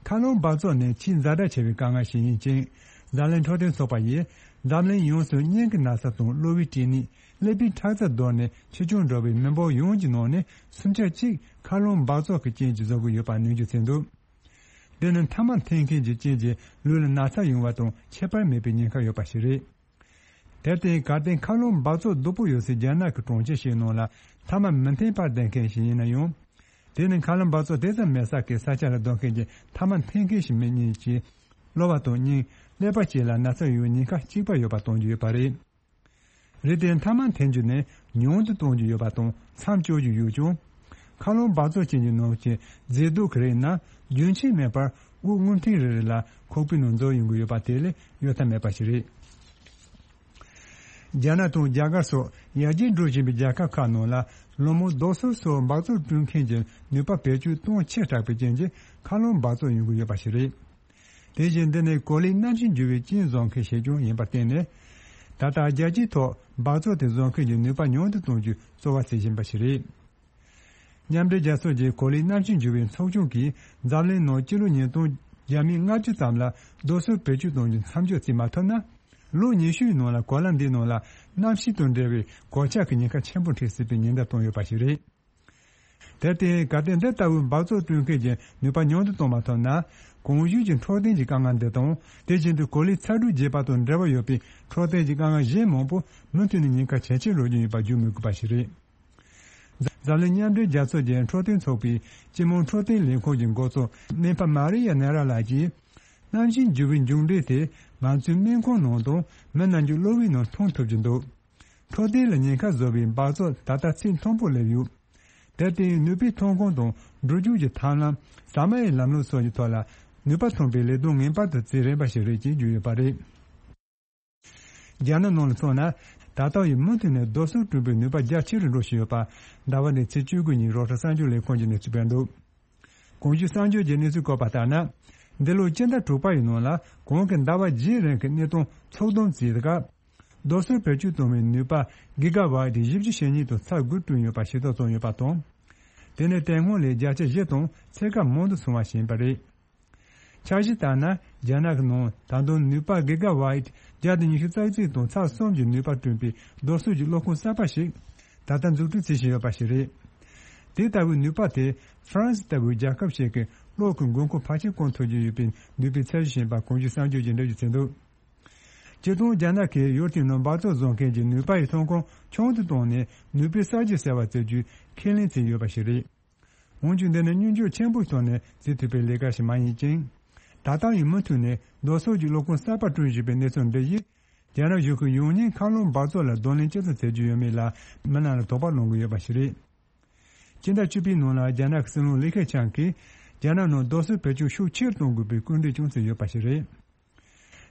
མཁའ་རླུང་འབག་བཙོག་ནི་ཆེས་ཛ་དྲག་ཆེ་བའི་དཀའ་ངལ་ཞིག་ཡིན་ཅིང་། འཛམ་གླིང་འཕྲོད་བསྟེན་ཚོགས་པ་ཡིས་འཛམ་གླིང་ཡོངས་སུ་སྙིང་གི་ན་ཚ་དང་གློ་བའི་སྐྲན་ནད། ཀླད་པའི་ཁྲག་རྩ་འདོར་ནས་འཆི་སྐྱོན་འགྲོ་བའི་མི་འབོར་ཡོངས་ཀྱི་ནང་ནས་སུམ་ཆ་གཅིག་མཁའ་རླུང་འབག་བཙོག་གི་རྐྱེན་གྱིས་བཟོ་གི་ཡོད་པ་ནན་བརྗོད་བྱས་འདུག་འདི་ནི་མཐའ་མ་འཐེན་མཁན་གྱི་རྐྱེན་གྱིས་ལུས་ལ་ན་ཚ་ཡོང་བ་དང་ཁྱད་པར་མེད་པའི་ཉེན་ཁ་ཡོད་པ་ཞིག་རེད། དེར་བརྟེན་གལ་ཏེ་མཁའ་རླུང་འབག་བཙོག་སྡུག་པོ་ཡོད་སའི་རྒྱ་ནག་གི་གྲོང་ཁྱེར་ཞིག་ནང་ལ་མཐའ་མ་མི་འཐེན་པར་བསྡད་མཁན་ཞིག་ཡིན་ན་ཡང་། དེ་ནི་མཁའ་རླུང་འབག་བཙོག་དེ་ཙམ་མེད་ས་ཀྱི་ས་ཆ་ལ་སྡོད་མཁན་གྱི་མཐའ་མ་འཐེན་མཁན་ཞིག་མིན་ཉིད་ཀྱིས། གློ་བ་དང་སྙིང་། ཀླད་པ་བཅས་ལ་ན་ཚ་ཡོང་བའི་ཉེན་ཁ་གཅིག་པ་ཡོད་པ་སྟོན་རྒྱུ་ཡོད་པ་རེད། རེད་དེ་མཐའ་མ་འཐེན་རྒྱུ་ནི་ཉུང་དུ་གཏོང་རྒྱུ་ཡོད་པ་དང་མཚམས་གཅོད་རྒྱུ་ཡོད་ཀྱང་། མཁའ་རླུང་འབག་བཙོག་ཅན་གྱི་ནང་གི་མཛེས་སྡུག་གི་རིགས་ནི་རྒྱུན་ཆད་མེད་པར་དབུགས་རྔུབ་ཐེངས་རེ་རེ་ལ་ཁོག་པའི་ནང་འཛུལ་ཡོང་གི་ཡོད་པ་དེ་ལས་གཡོལ་ཐབས་མེད་པ་ཞིག་རེད། རྒྱ་ནག་དང་རྒྱ་གར་སོགས་ཡར་རྒྱས་འགྲོ་བཞིན་པའི་རྒྱལ་ཁབ་ཁག་ནང་ལ་ལོ་མང་རྡོ་སོལ་སོགས་འབག་བཙོག་བསྐྲུན་མཁན་གྱི་ནུས་པ་བེད་སྤྱོད་གཏོང་ཆེ་དྲགས་པའི་རྐྱེན་གྱིས་མཁའ་རླུང་འབག་བཙོག་ཡོང་གི་ཡོད་པ་ཞིག་རེད། དེ་བཞིན་འདི་ནི་གོ་ལའི་གནམ་གཤིས་འགྱུར་བའི་རྐྱེན་བཟོ་མཁན་ཞིག་ཀྱང་ཡིན་པར་བརྟེན་ནས། ད་ལྟ་རྒྱལ་སྤྱིའི་ཐོག་འབག་བཙོག་དེ་བཟོ་མཁན་གྱི་ནུས་པ་ཉུང་དུ་གཏོང་རྒྱུའི་རྩོལ་བ་བྱེད་བཞིན་པ་ཞིག་རེད། མཉམ་འབྲེལ་རྒྱལ་ཚོགས་ཀྱི་གོ་ལའི་གནམ་གཤིས་འགྱུར་བའི་ཚོགས་ཆུང་གིས་འཛམ་གླིང་ནང་སྤྱི་ལོ་ཉིས་སྟོང་བརྒྱ་མེད་ལྔ་བཅུ་ཙམ་ལ་རྡོ་སོལ་བེད་སྤྱོད་གཏོང་རྒྱུ་མཚམས་འཇོག་བྱེད་མ་ཐུབ་ན། ལོ་ཉི་ཤུའི་ནང་ལ་གོ་ལ་འདིའི་ནང་ལ་གནམ་གཤིས་དང་འབྲེལ་བའི་གོད་ཆག་གི་ཉེན་ཁ་ཆེན་པོ་འཕྲད་སྲིད་པའི་ཉེན་བརྡ་བཏང་ཡོད་པ་ཞིག་རེད། དེར་བརྟེན་གལ་ཏེ་འདི་ལྟ་བུའི་འབག་བཙོག་བསྐྲུན་མཁན་གྱི་ནུས་པ་ཉུང་དུ་གཏོང་མ་ཐུབ་ན། གོང་ཞུས་ཀྱི་འཕྲོད་བསྟེན་གྱི་དཀའ་ངལ་འདི་དང་། དེ་བཞིན་དུ་གོ་ལའི་ཚ་དྲོད་རྒྱས་པ་དང་འབྲེལ་བ་ཡོད་པའི་འཕྲོད་བསྟེན་གྱི་དཀའ་ངལ་གཞན་མང་པོ་མུ་མཐུད་ནས་ཉེན་ཁ་ཇེ་ཆེར་འགྲོ་རྒྱུ་ཡིན་པ་བརྗོད་མི་དགོས་པ་ཞིག་རེད། འཛམ་གླིང་མཉམ་འབྲེལ་རྒྱལ་ཚོགས་ཀྱི་འཕྲོད་བསྟེན་ཚོགས་པའི་སྤྱི་དམངས་འཕྲོད་བསྟེན་ལས་ཁུངས་ཀྱི་འགོ་གཙོ་ནེམ་ཕ་མ་རི་ཡ་ནེ་ར་ལགས་ཀྱིས། གནམ་གཤིས་འགྱུར་བའི་མཇུག་འབྲས་དེ་ང་ཚོའི་སྨན་ཁང་ནང་དང་མི་རྣམས་ཀྱི་གློ་བའི་ནང་མཐོང་ཐུབ་ཀྱི་འདུག་འཕྲོད་བསྟེན་ལ་ཉེན་ཁ་བཟོ་བའི་འབག་བཙོག་ད་ལྟ་ཚད་མཐོན་པོར་སླེབས་ཡོད། དེར་བརྟེན་ནུས་པའི་ཐོན་ཁུངས་དང་འགྲོ་རྒྱུག་གི་ཐབས་ལམ། ཟ་མ་ཡི་ལམ་ལུགས་སོགས་ཀྱི་ཐོག་ལ་ནུས་པ་ཐོན་པའི་ལས་དོན་ངེས་པར་དུ་བྱེད་རན་པ་ཞིག་རེད་ཅེས་བརྗོད་ཡོད་པ་རེད། རྒྱ་ནག་ནང་ལ་མཚོན་ན། ད་ལྟ་ཡང་མུ་མཐུད་ནས་རྡོ་སོལ་བསྐྲུན་པའི་ནུས་པ་རྒྱ་ཆེ་རུ་འགྲོ་བཞིན་ཡོད་པ། ཟླ་བ་འདིའི་ཚེས་བཅུ་དགུ་ཉིན་རོའི་ཊར་གསར་འགྱུར་ལས་ཁང་གིས་གནས་ཚུལ་སྤེལ་འདུག་གོང་ཞུས་གསར་འགྱུར་གྱི་གནས་ཚུལ་བཀོད་པ་ལྟར་ན། འདི་ལོའི་སྤྱི་ཟླ་དྲུག་པ་ཡི་ནང་ལ་གོང་གི་ཟླ་བ་བརྒྱད་རིང་གི་གནས་སྟངས་ཚགས་དམ་བྱས་སྐབས། རྡོ་སོལ་བེད་སྤྱོད་གཏོང་བའི་ནུས་པ་གི་ག་ཝཊ་བཞི་བཅུ་ཞེ་གཉིས་དང་ཚེག་དགུ་བསྐྲུན་ཡོད་པ་ཞིབ་ཕྲ་བྱུང་ཡོད་པ་དང་། དེ་ནི་དེ་སྔོན་ལས་བརྒྱ་ཆ་བཞི་དང་ཚད་བཀག་མང་དུ་སོང་བ་ཞིག་ཡིན་པ་རེད། འཆར་གཞི་ལྟར་ན། རྒྱ་ནག་གི་ནང་ད་དུང་ནུས་པ་གི་ག་ཝཊ་བརྒྱ་དང་ཉི་ཤུ་རྩ་གཅིག་དང་ཚེག་གསུམ་གྱི་ནུས་པ་བསྐྲུན་པའི་རྡོ་སོལ་གྱི་གློག་ཁང་གསར་པ་ཞིག་ད་ལྟ་འཛུགས་སྐྲུན་བྱེད་བཞིན་ཡོད་པ་ཞིག་རེད། དེ་ལྟ་བུའི་ནུས་པ་དེ་ཧྥ་རན་སི་ལྟ་བུའི་རྒྱལ་ཁབ་ཞིག་གི་གློག་གི་མགོ་འཁོར་ཕལ་ཆེར་སྐོང་ཐུབ་རྒྱུ་ཡོད་པའི་ནུས་པའི་ཚད་གཞི་ཞིག་ཡིན་པ་གོང་ཞུས་གསར་འགྱུར་གྱིས་འགྲེལ་བརྗོད་བྱས་འདུག་སྤྱིར་བཏང་རྒྱ་ནག་གིས་ཡུལ་དེའི་ནང་འབག་བཙོག་བཟོ་མཁན་གྱི་ནུས་པ་ཡི་ཐོན་ཁུངས་ཆུང་དུ་བཏང་ནས་ནུས་པའི་གསར་བརྗེ་ཟེར་བ་བྱེད་རྒྱུའི་ཁས་ལེན་བྱས་ཡོད་པ་ཞིག་རེད། འོན་ཀྱང་འདི་ནི་སྙོམས་འཇུག་ཆེན་པོའི་ཐོག་ནས་བྱེད་ཐུབ་པའི་ལས་ཀ་ཞིག་མ་ཡིན་ཅིང་། ད་ལྟ་ཡང་མུ་མཐུད་ནས་རྡོ་སོལ་གྱི་གློག་ཁང་གསར་པ་བསྐྲུན་བཞིན་པའི་གནས་ཚུལ་འདི་ཡིས། རྒྱ་ནག་གཞུང་གིས་ཡང་སྙིང་མཁའ་རླུང་འབག་བཙོག་ལ་གདོང་ལེན་ཇི་ཙམ་བྱེད་རྒྱུ་ཡོད་མེད་ལ་མི་རྣམས་ལ་དོགས་པ་སློང་གི་ཡོད་པ་ཞིག་རེད། སྤྱི་ཟླ་བཅུ་པའི་ནང་ལ་རྒྱ་ནག་གི་སྲིད་བློན་ལི་ཁེ་ཆང་གིས་རྒྱ་ནག་ནང་རྡོ་སོལ་བེད་སྤྱོད་ཤུགས་ཆེར་གཏོང་དགོས་པའི་སྐུལ་འདེད་ཀྱང་བྱས་ཡོད་པ་ཞིག་རེད།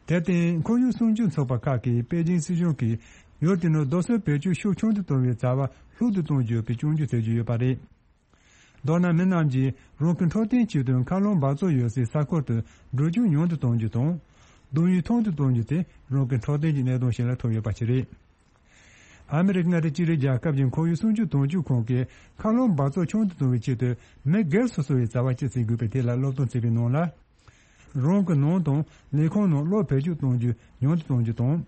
དེར་བརྟེན་ཁོར་ཡུག་སྲུང་སྐྱོབ་ཚོགས་པ་ཁག་གིས་པེ་ཅིང་སྲིད་གཞུང་གིས་ཡུལ་དེ་ནང་རྡོ་སོལ་བེད་སྤྱོད་ཤུགས་ཆུང་དུ་གཏོང་བའི་བྱ་བ་ལྷུག་ཏུ་གཏོང་རྒྱུ་ཡོད་པའི་སྐྱོན་བརྗོད་བྱེད་ཀྱི་ཡོད་པ་རེད། མདོར་ན་མི་རྣམས་ཀྱིས་རང་གི་འཕྲོད་བསྟེན་ཆེད་དུ་མཁའ་རླུང་འབག་བཙོག་ཡོད་སའི་ས་ཁུལ་དུ་འགྲོ་རྒྱུག་ཉུང་དུ་གཏོང་རྒྱུ་དང་། གདོང་ཡུ་ཐུང་དུ་གཏོང་རྒྱུ་དེ་རང་གི་འཕྲོད་བསྟེན་གྱི་གནད་དོན་ཞིག་ལ་ཐུག་ཡོད་པ་ཞིག་རེད། ཨ་མི་རི་ཀ་མངའ་སྡེ་གཅིག་སྒྲིལ་རྒྱལ་ཁབ་ཀྱི་ཁོར་ཡུག་སྲུང་སྐྱོབ་དོན་གཅོད་ཁང་གིས་མཁའ་རླུང་འབག་བཙོག་ཆུང་དུ་གཏོང་བའི་ཆེད་དུ་མི་སྒེར་སོ་སོ་བའི་བྱ་བ་ཅི་བྱེད་དགོས་པའི་ཐད་ལ་སློབ་སྟོན་བྱས་པའི་ནང་ལ། རང་གི་ནང་དང་ལས་ཁུངས་ནང་གློག་བེད་སྤྱོད་གཏོང་རྒྱུ་ཉུང་དུ་གཏོང་རྒྱུ་དང་།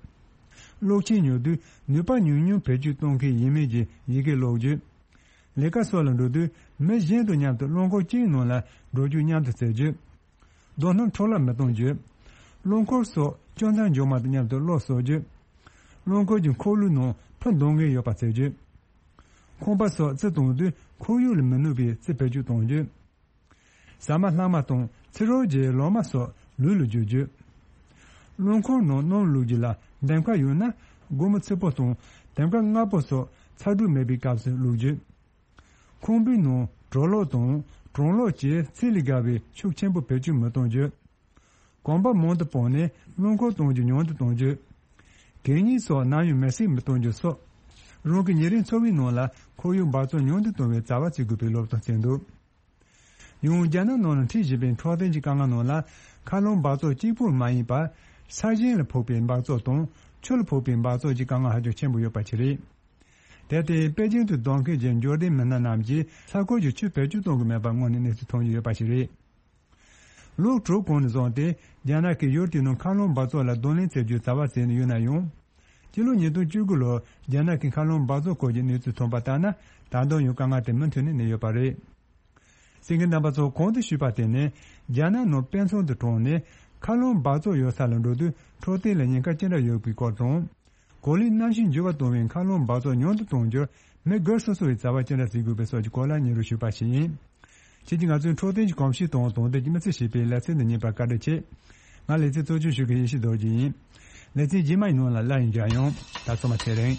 གློག་ཆས་ཉོ་དུས་ནུས་པ་ཉུང་ཉུང་བེད་སྤྱོད་གཏོང་མཁན་ཡིན་མིན་གྱི་ཡི་གེ་ཀློག་རྒྱུ། ལས་ཀ་སོགས་ལ་འགྲོ་དུས་མི་གཞན་དང་མཉམ་དུ་རླངས་འཁོར་གཅིག་ནང་ལ་འགྲོ་རྒྱུག་མཉམ་དུ་བྱེད་རྒྱུ། རྡོ་སྣུམ་འཕྲོ་བརླག་མི་གཏོང་རྒྱུ། རླངས་འཁོར་སོགས་སྐྱོ་མཚར་འཇོག་མ་དང་མཉམ་དུ་གློག་གསོག་རྒྱུ། རླངས་འཁོར་གྱི་འཁོར་ལོའི་ནང་ཕུ་འདོན་མཁན་ཡོད་པ་བྱེད་རྒྱུ། ཁང་པ་སོགས་རྩི་གཏོང་དུས་ཁོར་ཡུག་ལ་མི་གནོད་པའི་རྩི་བེད་སྤྱོད་གཏོང་རྒྱུ། ཟ་མ་ལྷག་མ་དང་ཚིག་རོ་བརྒྱའི་ལོ་མ་སོགས་ལུད་ལ་བརྗོད་རྒྱུ། རླངས་འཁོར་ནང་སྣུམ་བླུགས་རྒྱུ་ལ་འདེམས་ཀ་ཡོད་ན་སྒོར་མོ་ཚིག་པོ་དང་འདེམས་ཀ་ལྔ་པོ་སོགས་ཚ་དྲོད་མེད་པའི་སྐབས་སུ་བླུགས་རྒྱུ། ཁང་པའི་ནང་གྲོ་ལོག་དང་གྲང་ལོག་བཅས་ཚད་ལས་བརྒལ་བའི་ཤུགས་ཆེན་པོ་བེད་སྤྱོད་མི་གཏོང་རྒྱུ། གོམ་པ་མང་དུ་སྤོས་ནས་རླངས་འཁོར་གཏོང་རྒྱུ་ཉུང་དུ་གཏོང་རྒྱུ། གད་སྙིགས་སོགས་ནམ་ཡང་མེར་སྲེག་མི་གཏོང་རྒྱུ་སོགས། རང་གི་ཉིན་རེའི་འཚོ་བའི་ནང་ལ་ཁོར་ཡུག་འབག་བཙོག་ཉུང་དུ་གཏོང་བའི་བྱ་བ་བྱེད་དགོས་པའི་སློབ་སྟོན་བྱས་འདུག་ཡང་རྒྱ་ནག་ནང་ལ་འཕྲད་བཞིན་པའི་འཕྲོད་བསྟེན་གྱི་དཀའ་ངལ་ནང་ལ་མཁའ་རླུང་འབག་བཙོག་གཅིག་པུ་མ་ཡིན་པར་ས་ཞིང་ལ་ཕོག་པའི་འབག་བཙོག་དང་ཆུ་ལ་ཕོག་པའི་འབག་བཙོག་གྱི་དཀའ་ངལ་ཧ་ཅང་ཆེན་པོ་ཡོད་པ་ཞིག་རེད། དེར་བརྟེན་པེ་ཅིང་དུ་སྡོད་མཁན་གྱི་འབྱོར་ལྡན་མི་སྣ་རྣམས་ཀྱིས་ས་ཁུལ་གྱི་ཆུ་བེད་སྤྱོད་གཏོང་གི་མེད་པ་སྔོན་ནས་གནས་ཚུལ་ཐོན་གྱི་ཡོད་པ་ཞིག་རེད། ལོ་དྲུག་གོང་ནས་བཟུང་སྟེ་རྒྱ་ནག་གིས་ཡུལ་དེའི་ནང་མཁའ་རླུང་འབག་བཙོག་ལ་གདོང་ལེན་བྱེད་རྒྱུའི་བྱ་བ་བྱས་ནས་ཡོད་ན་ཡང་། སྤྱི་ལོ་ཉིས་སྟོང་བཅུ་དགུ་ལོར་རྒྱ་ནག་གི་མཁའ་རླུང་འབག་བཙོག་སྐོར་གྱི་གནས་ཚུལ་ཐོན་པ་ལྟར་ན། ད་དུང་ཡང་དཀའ་ངལ་དེ་མུ་མཐུད་ནས་གནས་ཡོད་པ་རེད། གསན་མཁན་རྣམ་པ་ཚོ། གོང་དུ་ཞུས་པ་དེ་ནི་རྒྱ་ནག་ནང་དཔེ་མཚོན་དུ་དྲངས་ནས་མཁའ་རླུང་འབག་བཙོག་ཡོད་ས་ལ་འགྲོ་དུས་འཕྲོད་བསྟེན་ལ་ཉེན་ཁ་ཅི་འདྲ་ཡོད་པའི་སྐོར་དང་། གོ་ལའི་གནམ་གཤིས་འགྱུར་བ་གཏོང་བའི་མཁའ་རླུང་འབག་བཙོག་ཉུང་དུ་གཏོང་རྒྱུར་མི་སྒེར་སོ་སོ་བའི་བྱ་བ་ཅི་འདྲ་བྱེད་དགོས་པའི་སོགས་ཀྱི་སྐོར་ལ་སྙན་སྒྲོན་ཞུས་པ་ཞིག་ཡིན། ཁྱེད་ཀྱིས་ང་ཚོའི་འཕྲོད་བསྟེན་གྱི་གོམས་གཤིས་དང་དོན་དེ་གྱི་མི་ཚེ་ཞེས་པའི་ལེ་ཚན་འདི་གཉིས་པར་བཀའ་འདྲི་ཆེ། ང་ལེ་ཚན་གཙོ་སྐྱོང་ཞུ་མཁན་ཡེ་ཤེས་རྡོ་རྗེ་ཡིན། ལེ་ཚན་རྗེས་མ་ཡི་ནང་ལ་སླར་ཡང་མཇལ་ཡོང་། ད་ཚང་མ་ཚེ་རིང་།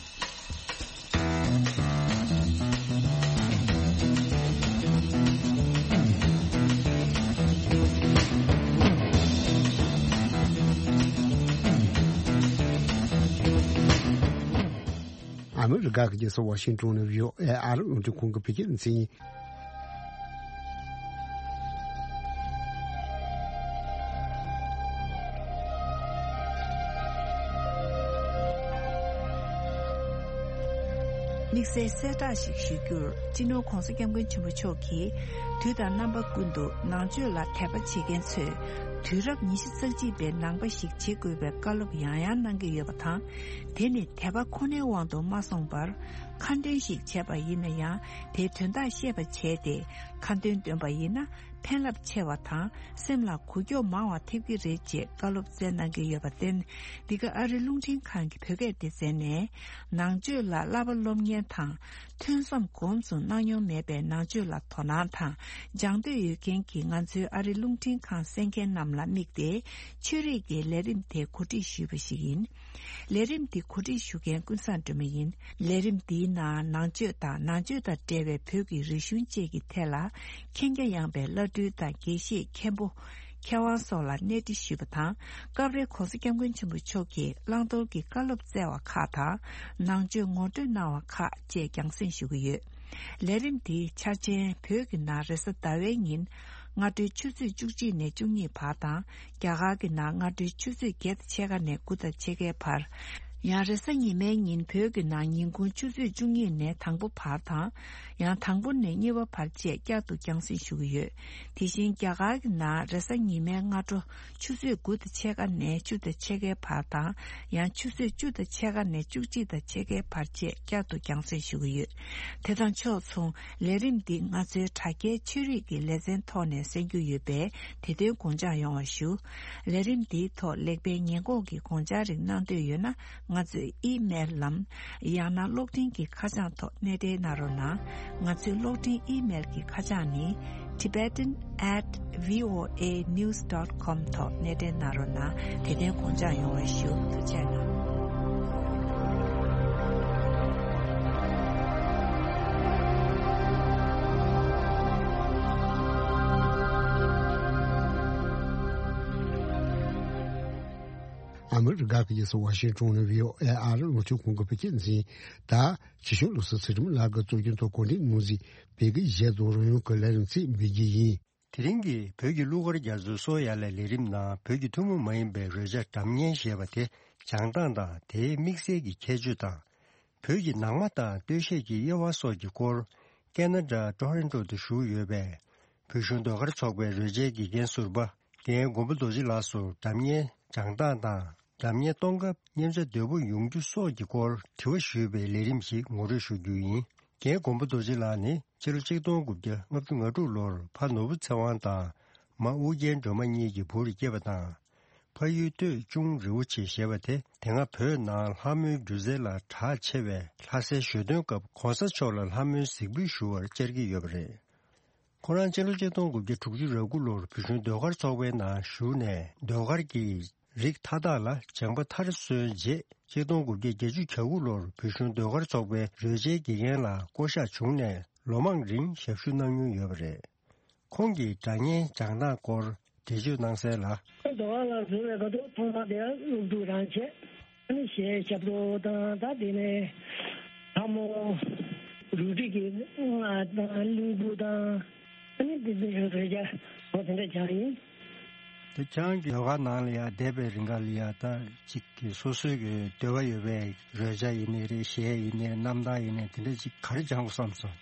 ཨ་མི་རི་ཀ་གི་རྒྱལ་ས་ཝ་ཤིང་ཏོན་ནས་བྷི་ཨོ་ཨེ་ཨ་རིའི་རླུང་འཕྲིན་ཁང་གི་བོད་སྐད་སྡེ་ཚན་ཡིན། དམིགས་བསལ་གསལ་བསྒྲགས་ཤིག་ཞུ་རྒྱུར། སྤྱི་ནོར་༧གོང་ས་༧སྐྱབས་མགོན་ཆེན་པོ་མཆོག་གིས་དུས་དང་རྣམ་པ་ཀུན་ཏུ་ནང་ཆོས་ལ་དད་པ་བྱེད་མཁན་ཚོས་དུས་རབས་ཉི་ཤུ་རྩ་གཅིག་པའི་ནང་པ་ཞིག་བྱེད་དགོས་པའི་བཀའ་སློབ་ཡང་ཡང་གནང་གི་ཡོད་པ་དང་། དེ་ནི་དད་པ་ཁོ་ནའི་དབང་དུ་མ་སོང་བར། ཁ་འདོན་ཞིག་བྱས་པ་ཡིན་ན་ཡང་། དེའི་དོན་དག་ཤེས་པ་བྱས་ཏེ་ཁ་འདོན་འདོན་པ་ཡིན་ན། ཕན་རླབས་ཆེ་བ་དང་སེམས་ལ་འགུལ་སྐྱོད་མང་བ་ཐེབས་ཀྱི་རེད་ཅེས་བཀའ་སློབ་སྩལ་གནང་གི་ཡོད་པར་བརྟེན། འདི་ག་ཨ་རི་རླུང་འཕྲིན་ཁང་གི་བོད་སྐད་སྡེ་ཚན་ནས་ནང་ཆོས་ལ་བསླབ་པ་སློབ་གཉེར་དང་ཐོས་བསམ་གོམས་སུ་གནང་མྱོང་མེད་པའི་ནང་ཆོས་ལ་དོ་སྣང་དང་སྦྱང་འདོད་ཡོད་མཁན་གྱི་ང་ཚོའི་ཨ་རི་རླུང་འཕྲིན་ཁང་གསན་མཁན་རྣམས་ལ་དམིགས་ཏེ་ཆོས་རིག་གི་ལས་རིམ་དེ་གོ་སྒྲིག་ཞུས་པ་ཞིག་ཡིན། ལས་རིམ་འདི་གོ་སྒྲིག་ཞུ་མཁན་ཀུན་བཟང་སྒྲོལ་མ་ཡིན། ལས་རིམ་འདིའི་ནང་ནང་ཆོས་དང་ནང་ཆོས་དང་འབྲེལ་བའི་བོད་ཀྱི་རིག་གཞུང་བཅས་ཀྱི་ཐད་ལ་མཁྱེན་རྒྱ་ཡངས་པའི་བླ་སྤྲུལ་དང་དགེ་བཤེས་མཁན་པོ། མཁས་དབང་སོགས་ལ་གནས་འདྲི་ཞུས་པ་དང་། སྐབས་རེ་༧གོང་ས་༧སྐྱབས་མགོན་ཆེན་པོ་མཆོག་གིས་བླང་དོར་གྱི་བཀའ་སློབ་སྩལ་བ་ཁག་དང་། ནང་ཆོས་ངོ་སྤྲོད་གནང་བ་ཁག་བཅས་རྒྱང་སྲིང་ཞུ་གི་ཡོད། ལས་རིམ་འདིའི་འཆར་ཅན་བོད་ཀྱི་ནང་རེས་གཟའ་ཟླ་བའི་ཉིན་སྔ་དྲོའི་ཆུ་ཚོད་བཅུ་གཅིག་ནས་བཅུ་གཉིས་བར་དང་། རྒྱ་གར་གྱི་ནང་སྔ་དྲོའི་ཆུ་ཚོད་བརྒྱད་དང་ཕྱེད་ཀ་ནས་དགུ་དང་ཕྱེད་ཀའི་བར། ཡང་རེས་གཟའ་ཉི་མའི་ཉིན་བོད་ཀྱི་ནང་ཉིན་གུང་ཆུ་ཚོད་བཅུ་གཉིས་ནས་དང་པོ་བར་དང་། ཡང་དང་པོ་ནས་གཉིས་པ་བར་བཅས་བསྐྱར་དུ་རྒྱང་སྲིང་ཞུ་གི་ཡོད། དེ་བཞིན་རྒྱ་གར་གྱི་ནང་རེས་གཟའ་ཉི་མའི་སྔ་དྲོ་ཆུ་ཚོད་དགུ་དང་ཕྱེད་ཀ་ནས་བཅུ་དང་ཕྱེད་ཀའི་བར་དང་། ཡང་ཆུ་ཚོད་བཅུ་དང་ཕྱེད་ཀ་ནས་བཅུ་གཅིག་དང་ཕྱེད་ཀའི་བར་བཅས་བསྐྱར་དུ་རྒྱང་སྲིང་ཞུ་གི་ཡོད། དེ་དང་ཕྱོགས་མཚུངས། ལས་རིམ་འདི་ང་ཚོའི་དྲ་རྒྱའི་ཆོས་རིག་གི་ལེ་ཚན་ཐོག་ནས་གསན་རྒྱུ་ཡོད་པས། དེ་དོན་དགོངས་འཇགས་ཡོང་བ་ཞུ། ལས་རིམ་འདིའི་ཐོག་ལེགས་སྤེལ་ཉེས་འགོག་གི་དགོངས་འཆར་རིགས་གནང་འདོད་ཡོད་ན། ང་ཚོའི་ཨི་མེལ་ལམ། ཡང་ན་གློག་འཕྲིན་གྱི་ཁ་བྱང་ཐོག་གནས་འབྲེལ་གནང་རོགས་གནང་། ང་ཚོའི་གློག་འཕྲིན་ཨི་མེལ་གྱི་ཁ་བྱང་ནི། tibetan at voanews dot com ཐོག་གནས་འབྲེལ་གནང་རོགས་གནང་། དེ་དོན་དགོངས་འཇགས་ཡོང་བ་ཞུ། ཐུགས་རྗེ་གནང་། ཨ་མི་རི་ཀ་གི་རྒྱལ་ས་ཝ་ཤིང་ཊོན་ནས་བྷི་ཨོ་ཨེ་ཨ་རི་རླུང་འཕྲིན་ཁང་གི་བོད་སྐད་སྡེ་ཚན། ད་ཇི་ཤུ་ལོ་སི་ཚེ་རིང་ལགས་ཀྱིས་གཙོ་སྐྱོང་ཐོག་གོ་སྒྲིག་གནང་མཛད་པའི་གི་གཞས་དང་རོལ་དབྱངས་ཀྱི་ལས་རིམ་ཚིག་འབུལ་རྒྱུ་ཡིན། དེ་རིང་གི་བོད་ཀྱི་གླུ་གར་རྒྱ་མཚོའི་སོ་ཡ་ལས་ལས་རིམ་ནང་བོད་ཀྱི་ཐུན་མོང་མ་ཡིན་པའི་རོལ་ཆ་སྒྲ་སྙན་ཞེས་པ་དེ་སྦྱང་སྟངས་དང་དེའི་དམིགས་བསལ་གྱི་ཁྱད་ཆོས་དང་། བོད་ཀྱི་ནང་མ་དང་སྟོད་གཞས་ཀྱི་དབྱེ་བ་སོགས་ཀྱི་སྐོར་ཁེ་ན་ཌ་ཊོ་རོན་ཊོ་དུ་བཞུགས་ཡོད་པའི་བོད་གཞུང་ཟློས་གར་ཚོགས་པའི་རོལ་ཆའི་དགེ་རྒན་ཟུར་པ་རྒན་མགོན་པོ་རྡོ་རྗེ་ལགས་སུ་སྒྲ་སྙན་སྦྱང་སྟངས་དང་། སྒྲ་སྙན་གཏོང་སྐབས་མཉེན་ཆ་དོད་པོ་ཡོང་རྒྱུ་སོགས་ཀྱི་སྐོར་དྲི་བ་ཞུས་པའི་ལས་རིམ་ཞིག་ངོ་སྤྲོད་ཞུ་རྒྱུ་ཡིན། རྒན་མགོན་པོ་རྡོ་རྗེ་ལགས་ནི་ཕྱི་ལོ་ཆིག་སྟོང་དགུ་བརྒྱ་ལྔ་བཅུ་ང་དྲུག་ལོར་ཕ་ནོར་བུ་ཚེ་དབང་དང་མ་ཨུ་རྒྱན་སྒྲོལ་མ་གཉིས་ཀྱི་བུར་སྐྱེས་པ་དང་། ཕ་ཡུལ་སྟོད་ཅུང་རི་བོ་ཆེ་ཞེས་པ་དེ་དེ་སྔ་བོད་ནང་ལྷ་མོའི་སྒྱུ་རྩལ་ལ་གྲགས་ཆེ་བའི་ལྷ་སའི་ཞོ་སྟོན་སྐབས་གོང་ས་མཆོག་ལ་ལྷ་མོའི་གཟིགས་འབུལ་ཞུ་བར་བཅར་གྱི་ཡོད་པ་རེད། ཁོ་རང་སྤྱི་ལོ་ཆིག་སྟོང་དགུ་བརྒྱ་དྲུག་ཅུ་རེ་དགུ་ལོར་བོད་གཞུང་ཟློས་གར་ཚོགས་པའི་ནང་ཞུགས་ནས་ཟློས་གར་གྱི་རིགས་མཐའ་དག་ལ་སྦྱངས་པ་མཐར་སོན་རྗེས་ཆིག་སྟོང་དགུ་བརྒྱ་བརྒྱད་ཅུ་གྱ་དགུ་ལོར་བོད་གཞུང་ཟློས་གར་ཚོགས་པའི་རོལ་ཆའི་དགེ་རྒན་ལ་བསྐོ་གཞག་བྱུང་ནས་ལོ་མང་རིང་ཞབས་ཞུ་གནང་མྱོང་ཡོད་པ་རེད། ཁོང་གིས་སྒྲ་སྙན་སྦྱང་སྟངས་སྐོར་འགྲེལ་བརྗོད་གནང་གསལ་ལ། ཟློས་གར་ལ་འཛུལ་བའི་སྐབས་སུ་ཐོག་མ་དེ་སློབ་ཕྲུག་རང་བྱས། ཨ་ནི་གཞས་རྒྱབ་རོགས་དང་ད་དེ་ནས་ལྷ་མོ་རུ་སྒྲིག་གི་རྔ་དང་གླིང་བུ་དང་ཨ་ནི་དེ་འདྲའི་རོལ་ཆ་འོ་དེ་འདྲ་སྦྱངས་ཡིན། དེ་ཁྱེད་རང་གི་ཟློས་གར་ནང་ལ་ཡ་བསྡད་པའི་རིང་ག་ལ་ཡ་ད་ཅིག་གི་སོ་སོའི་གི་འདོད་པ་ཡོད་པའི་རོལ་ཆ་ཡིན་ནའི་རེད། གཞས་ཡིན་ནའི་རྣམ་ཐར་ཡིན་ནའི་དེ་འདྲ་ཅིག་ག་རེ་སྦྱང་དགོས་བསམ་སོང་།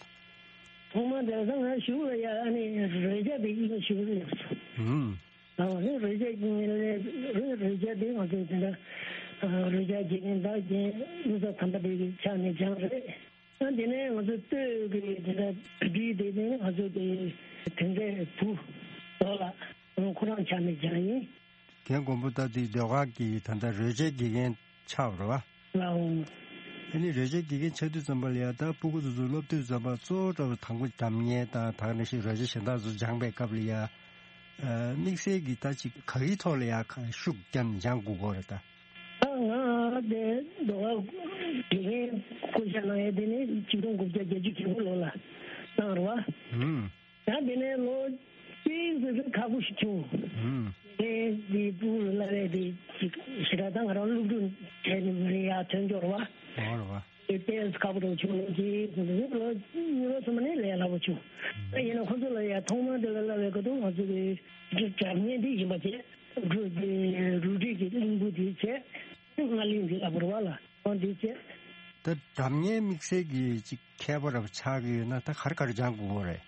ཐོག་མ་དེང་སང་ང་གཞུག་ལ་ཡ་ཨ་ནི་རོལ་ཆ་དེ་ཡིན་ཞུ་གི་ཡོད། ཧུམ། ཨ་ནི་རོལ་ཆ་ཡིན་ལས་རོལ་ཆ་དེ་ང་ཚོ་དེ་འདྲ་རོལ་ཆ་དགེ་རྒན་བདག་རྒན་གླུ་གར་དམ་པ་དེ་གི་ཕྱག་ནས་སྦྱངས་རེད། ཨ་དེ་ནས་ང་ཚོ་སྟོད་ཀྱི་དེ་འདྲ་བྲིས་དེ་ནས་ང་ཚོ་དེ་དེ་འདྲའི་བུ་ལོ་ལ་ཁོ་རང་ཕྱག་ནས་སྦྱངས་ཡིན། རྒན་མགོན་པོ་ད་དེ་ཟློས་གར་གྱི་ད་ལྟ་རོལ་ཆའི་དགེ་རྒན་ཆགས་པ་རེད་བ། ལའོ། ཨ་ནི་རོལ་ཆའི་དགེ་རྒན་ཆགས་དུས་ཙམ་པ་ལ་ཡ་ད་སྤུ་གུ་དེ་ཚོ་སློབ་དུས་ཙམ་པ་གཙོ་བོ་འདྲ་བོ་དང་པོ་སྒྲ་སྙན་དང་དེ་ནང་བཞིན་རོལ་ཆ་གཞན་དག་ཚོ་སྦྱངས་པའི་སྐབས་ལ་ཡ། ཨ་དམིགས་བསལ་གྱི་ད་ཅིག་ག་གི་ཐོག་ལ་ཡ་ཁ་ཤུགས་བརྒྱབ་ནས་སྦྱང་དགོས་ཀྱི་རེད་ད། ད་ང་དེ་ཟློས་གར་དགེ་རྒན་བསྐོ་བཞག་གནང་ཡ་དེ་ནི་ཆིག་སྟོང་དགུ་བརྒྱ་བརྒྱད་ཅུ་གྱ་དགུ་ལོ་ལ་གནང་རེད་བ། ཧུམ། ད་དེ་ནས་ལོ་གཅིག་ཙམ་ཁག་པོ་ཞིག་བྱུང་། ཧུམ། དེ་འདི་སྤུ་གུ་ལ་བས་དེ་ཅིག་ཞེ་དྲག་ད་ང་རང་སློབ་ཕྲུག་བྱས་ནས་མི་རིགས་ཡར་ཐོན་འགྱུར་བ། འོ་རེད་བ། དེ་ཏོག་ཙམ་ཁག་པོ་འདྲ་བྱུང་ལོ་གཅིག་ཙམ་དེ་ལོ་གཉིས་ལོ་གསུམ་ནས་ལས་སླ་པོ་བྱུང་། ད་ཡིན་ན་ཁོ་ཚོ་ལ་ཡ་ཐོག་མ་དེ་ལ་བསླབ་པའི་སྐབས་དུ་ང་ཚོ་གི་སྒྲ་སྙན་འདི་ཡིན་པ་བྱས། རུ་དེ་རུ་སྒྲིག་གི་གླིང་བུ་དེ་བྱས། རྔ་གླིང་འདི་ལ་བོར་བ་ལ་འོ་འདི་བྱས། ད་སྒྲ་སྙན་དམིགས་བསལ་གྱི་ཅིག་མཁས་པ་རབ་ཆགས་ཀྱི་ཡོད་ན་ད་ག་རེ་ག་རེ་སྦྱང་དགོས་རེད།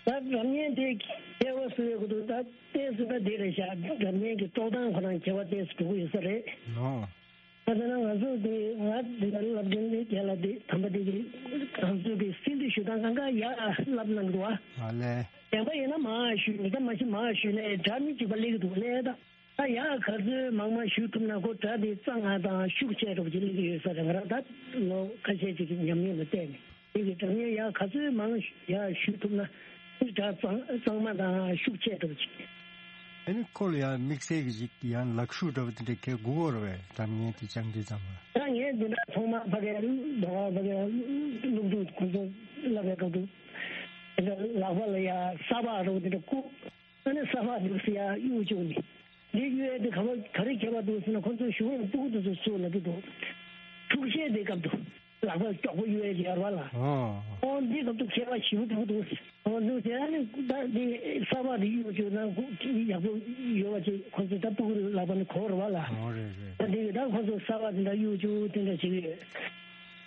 ད་སྒྲ་སྙན་དེ་མཁས་པ་སུ་ཡོད་གི་འདུག་ད་ལྟས་སུ་ད་འདི་རེད་ཤག་སྒྲ་སྙན་གྱི་དཀྲོག་སྟངས་ཁོ་རང་མཁས་པ་ལྟས་སུ་འགྲོ་གི་ཡོད་ས་རེད། ཨོ། ད་དེ་ན་ང་ཚོ་དེ་ང་འདི་ལ་བསླབ་མཁན་དེ་རྒན་ལགས་དེ་དམ་པ་དེ་གི་ང་ཚོ་གི་སྲིད་འདི་ཞུ་སྟངས་གང་ག་ཡག་བསླབ་གནང་འདུག་ཨ། ཨ་ལས། བདེན་པ་ཡིན་ན་མ་ཞུ་མི་ད་མ་ཞུ་མ་ཞུ་ནས་སྒྲ་མི་གཅིག་པ་སླེབས་འདུག་ལས་ད། ད་ཡག་ག་ཚོད་མང་མང་ཞུ་ཐུབ་ན་ཁོ་སྒྲ་དེ་གཙང་ང་དང་ཤུགས་ཆེ་འགྲོ་གི་སླེབས་ཀྱི་ཡོད་ས་རེད། ང་རང་ད་ལོ་ཁ་ཤས་ཅིག་གི་ཉམས་མྱོང་ལ་བལྟས་ནས་དེ་གི་སྒྲ་སྙན་ཡག་ག་ཚོད་མང་ཡག་ཞུ་ཐུབ་ན་སྒྲ་གཙང་གཙང་མ་དང་ཤུགས་ཆེ་འགྲོ་གི། ཨ་ནི་ཁོ་ལ་ཡང་དམིགས་བསལ་གྱི་ཅིག་ཡང་ལག་ཤུབས་འདྲ་བོ་དེ་འདྲ་གས་དགོས་ཀྱི་རེད་པས། སྒྲ་སྙན་དེ་སྦྱང་དུས་ཙམ་པ། ད་ངས་འདི་འདྲ་ཐོག་མར་ཕ་གིར་འགྲོ་བ་ཕ་གིར་སློབ་ཕྲུག་ཁོ་ཚོ་བསླབ་པའི་སྐབས་དུ་དེ་འདྲ་ལག་པ་ལ་ཡ་ས་ཕག་འདྲ་བོ་དེ་འདྲ་བཀུག་ཨ་ནི་ས་ཕག་འདུག་སེ་ཡ་གཡུག་བཅུག་ནས་འདི་གཡུག་ཡ་དེ་ག་བ་ག་རེ་ཁྱད་པར་འདུག་ཟེར་ན་ཁོ་ཚོས་ཞུ་བ་ཡང་སྤུ་གུ་དེ་ཚོ་སུ་ལབ་ཀྱི་འདུག་འཁྲུག་ཆས་དེ་སྐབས་དུ། ལག་པ་མགྱོགས་པོ་གཡུག་ཡས་ཡོད་རེད་པ་ལ། ཨོ། ཨོ་འདི་སྐབས་དུ་ཁྱད་པར་ཞེ་པོ་འདུག་འདུག་ཨོ་འདུག་ཟེར་ཨ་ནི་ད་འདི་ས་ཕག་འདི་གཡུག་བཅུག་ན་ཁོ་ཡག་པོ་ཡོད་པ་ཅིག་ཁོ་ཚོ་ད་སྤུ་གུ་ལག་པ་ནི་གོ་རེད་པ་ལ། ཨོ་རེད་རེད། ད་འདི་གི་ད་ཁོ་ཚོ་ས་ཕག་འདི་འདྲ་གཡུག་བཅུག་དེ་འདྲ་བྱེད་ཀྱི་ཡོད།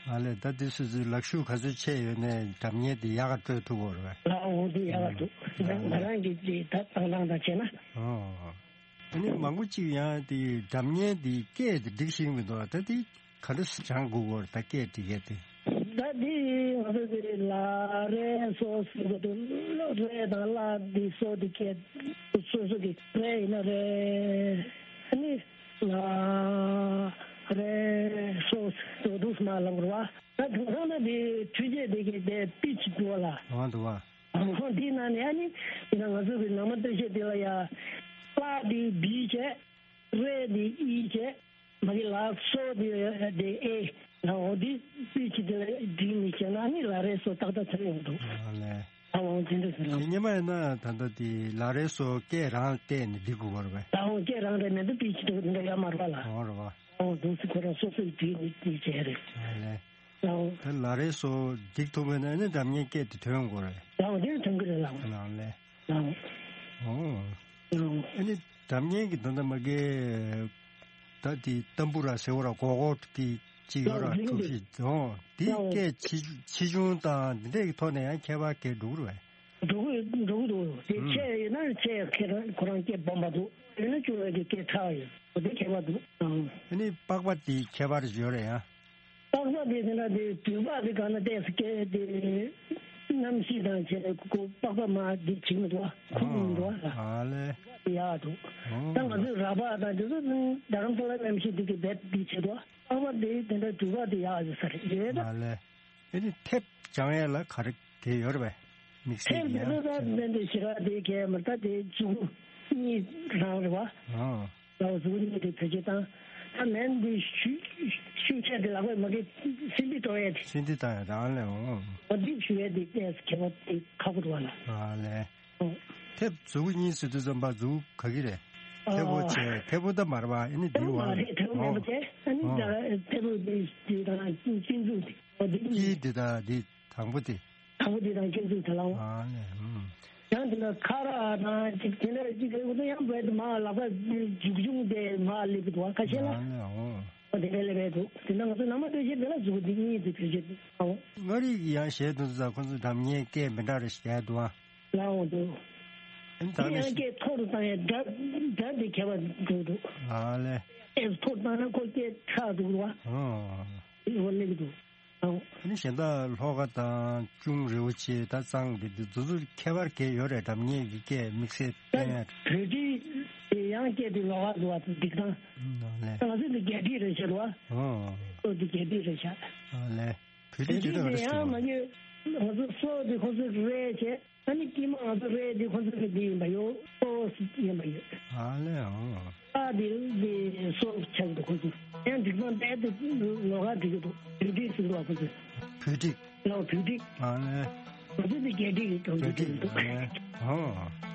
ཨ་ལས་ད་འདི་སོ་སོའི་ལག་ཤུབས་ག་ཚོད་ཆེ་ཡོད་ནས་སྒྲ་སྙན་འདི་ཡག་ག་སྤྲོད་ཐུབ་ཀྱི་རེད་པས། ལགས་འོ་འདི་ཡག་ག་འདུག་ང་རང་གི་འདི་ད་བཏང་སྟངས་དང་བྱས་ན། ཨོ། ཨ་ནི་མང་པོ་ཅིག་ཡང་དེ་སྒྲ་སྙན་དེ་སྐད་དེ་འགྲིག་ཤེས་མི་འདུག་ད་དེ་ག་འདྲ་སེ་སྦྱང་དགོས་ཀྱི་རེད་ད་སྐད་འགྲིག་ཡས་དེ། ད་དེ་ང་ཚོ་དེ་ལ་རེ་སོ་ཟེར་གྱི་འདུག་རེ་དང་ལ་དེ་སོ་དེ་སྐད་སོ་སོ་གི་རེ་ཡིན་ན་རེ་ཨ་ནི་ལ་རེ་སོ་ཟེར་འདུག་སེ་མ་ལབ་དགོས་རེད་པ། ད་དེང་སང་ན་དེ་འཕྲུལ་ཆས་དེ་གི་དེ་པི་ཆི་འདུག་པ་ལ། ཨ་འདུག་པ། ཧོ་འདི་ནང་ནས་ཨ་ནི་ཡིན་ན་ང་ཚོ་གི་ནང་མ་སྟོད་གཞས་འདི་ལ་ཡ། ལ་འདི་བི་བྱས། རེ་འདི་ཨི་བྱས། མ་གི་ལ་སོ་འདི་འདི་ཨེ། ལ་འོ་འདི་སུས་ཅི་འདི་ལ་འདི་མི་བྱས་ན་ཨ་ནི་ལ་རེ་སོ་ཏག་ཏག་ཚར་ཡོང་འདུག་ཨ་ལས། ཨ་འོ་དེ་འདྲ་ཟེར་ལ། དེ་སྔོན་མ་ཡིན་ན་ད་ལྟ་དེ་ལ་རེ་སོ་སྐད་རང་བལྟས་ནས་འགྲིག་དགོས་པ་རེད་པས། ད་འོ་སྐད་རང་རེད་མེད་འདུག་པི་ཆི་འདུག་འདི་འདྲ་ཡོད་མ་རེད་པ་ལ། འོ་རེད་པ། འོ་འདུག་སེ་ཁོ་རང་སོ་སོས་འདི་ནི་འདི་བྱས་རེད། ཨ་ལས། ལའོ། ད་ལ་རེ་སོ་འགྲིག་ཐུབ་མེད་ན་ཨ་ནི་སྒྲ་སྙན་སྐད་དེ་ཐོན་དགོས་རེད། ལའོ་དེ་ཐོན་གི་རེད་ལའོ། ལའོ་ལས། ལའོ། ཨོ། ལའོ། ཨ་ནི་སྒྲ་སྙན་གྱི་ད་ལྟ་མ་གི་ད་དེ་ཏམ་བུ་ར་ཟེར་བ་ར་གོ་གོ་གི་ཅིག་ཡོད་ར་ལའོ་གྲུ་བཞི་ཨོ་དེ་ལའོ་སྐད་ཆེ་ཆེ་ཆུང་དང་དེ་འདྲའི་ཐོག་ནས་ཡང་ཁྱད་པར་གས་འགྲོ་གི་རེད། འགྲོ་གི་འགྲོ་གི་འདུག་དེ་ཨུམ་ཆེ་ཡིན་ན་ཆེ་ཁྱེད་རང་ཁོ་རང་སྐད་སྦོམ་པ་འདུག་ཡིན་ན་ཆུང་བའི་གི་སྐད་ཕྲ་བ་ཡོད་འོ་དེ་ཁྱད་པར་འདུག་ཨང་། ཨ་ནི་པགས་པ་དེ་ཁྱད་པར་ཡོད་རེད་ཡ། པགས་པ་དེ་དེ་འདྲ་དེ་དུས་པགས་དེ་གང་ན་བལྟས་སུ་སྐད་དེ་གནམ་གཤིས་དང་བྱས་ནས་ཁོ་པགས་པ་མ་དེ་བྱེད་མི་འདུག་ཁུག་མི་འདུག་ཨ་ལས། ཡག་འདུག་ཨོ་ད་ང་ཚོའི་ར་པགས་དང་དེ་ཚོ་རྡ་རམ་ས་ལ་གནམ་གཤིས་དེ་གི་རྦད་དེ་བྱེད་འདུག་པགས་པ་དེ་དེ་འདྲ་དུས་པགས་དེ་ཡག་ཡོད་ས་རེད་ཡོད་ད། ཨ་ལས། ཨ་ནི་ཐེབས་སྦྱང་ཡས་ལ་ག་རེ་གལ་ཡོད་རེད་པས། དམིགས་བསལ་ཐེབས་གྱི་དེ་ཡང་ཚོ་ད་བསྟན་པའི་ཞི་རག་དེ་གལ་མ་ད་དེ་མཛུ་གུ་གཉིས་རང་རེད་པ། ཨོ། ད་མཛུ་གུ་གཉིས་དེ་བེད་སྤྱོད་བཏང་། ད་མེན་དེ་ཤུ་ཤུགས་ཆེ་དེ་ལག་པས་མ་གི་སིན་དི་གཏོང་ཡས་དེ། སིན་དི་བཏང་ཡས་རང་ལས་འོང་། ཨོ་འདི་ཞུ་ཡས་དེ་ཏེས་ཁྱད་པར་དེ་ཁག་པོ་འདུག་བ་ལ། ཨ་ལས། ཨོ། ཐེབས་མཛུ་གུ་གཉིས་ཟེར་དུས་ཙམ་པ་མཛུ་གུ་ག་གི་རེད། ཨ། ཐེ་བོ་བྱས་ཐེ་བོ་ད་མ་རེད་པ་ཨ་ནི་ཐེ་བོ་འདི་མ་བ་རེད་ཐེ་བོ་མེད་པ་ཨོ་བྱས་ཨ་ནི་ཨོ་ད་ཐེ་བོ་འདི་འདི་དང་ཅིན་ཅིན་ཛུ་འདི། ཨོ་འདི་གཉིས། ཀྱི་འདི་དང་འདི་དང་པོ་དེ། དང་པོ་འདི་དང་ཅིན་ཛུ་དེ་ལའོ། ཨ་ནི་ཧུམ། ཡང་དེ་ལ་ཁ་ར་དང་ཅིག་དེ་འདྲ་ཅིག་རེད་འོ་ད་ཡང་བས་དུ་མ་ལག་པ་འཇུག་འཇུག་དེ་མ་སླེབས་འདུག་ཁ་ཤས་ལ། ཨ་ནི་ཨོ། ཨོ་དེ་འདྲ་ལས་བས་འདུག་དེ་ན་ང་ཚོ་ནང་མ་སྟོད་གཞས་དེ་ལ་མཛུ་གུ་འདི་གཉིས་དེ་བེད་སྤྱོད་ཨོ། མངའ་རིས་ཀྱི་ཡང་གཞས་དེ་ཚོ་ཁོ་ཚོ་སྒྲ་སྙན་སྐད་མི་འདྲ་རེ་བཤད་འདུག་ཨ། ལའོ་འདུག་ཨ་ནི་ད་དེ་ནི་ཡང་སྐད་མཐོ་རུ་བཏང་ཡས་སྒྲ་སྒྲ་དེ་ཁྱད་པར་འགྲོ་འདུག་ཨ་ལས། སྐད་མཐོ་རུ་བཏང་ན་ཁོ་སྐད་ཕྲ་འདུག་ར། ཨོ། འོ་ལེགས་འདུག་ཨོ། ཨ་ནི་གཞན་དག་ལྷོ་ཁ་དང་ཅུང་རེ་བོ་ཆེ་ད་གཙང་དེ་དེ་དེ་ཚོ་ཁྱད་པར་གས་ཡོད་རེད་སྒྲ་སྙན་གྱི་སྐད་དམིགས་བསལ་ད་བསྟན་ཡ། བོད་ཀྱི་དེ་ཡང་སྐད་དེ་ལོགས་ཀ་འདུག་བ་འདུག་ད། ཨོ་ལས། ང་ཚོ་འདི་རྒྱ་བྲིས་རེད་ཤག་ར། ཨོ། ཨོ་འདི་རྒྱ་བྲིས་རེད་ཤག་ཨོ་ལས། བོད་བོད་ཀྱི་ཀྱི་དེ་ཡང་མ་ཉོས། ང་ཚོ་སོག་དེ་ཁོ་ཚོས་རེད་བྱས། ཨ་ནི་དཀྱིལ་མ་ང་ཚོ་རེད་དེ་ཁོ་ཚོ་གི་དེ་ཡིན་པ་ཡོད། སོ་སི་ཡིན་པ་ཡོད། ཨ་ལས་ཨོ། ཨ་དེ་དེ་སོ་ཆགས་འདུག་ཁོ་ཚོ། ཡང་འགྲིག་མ་བསྡད་དེ་ལོགས་ཀ་འགྲིག་གི་འདུག་བོད་བྲིས་ཟེར་འདུག་ཁོ་ཚོས། བོད་བྲིས། ལའོ་བོད་བྲིས། ཨ་ལས། ང་ཚོ་དེ་རྒྱ་བྲིས་ཀྱི་གྲོང་བོ་བོད་བྲིས་འདུག་ཨ་ལས་ཨོ།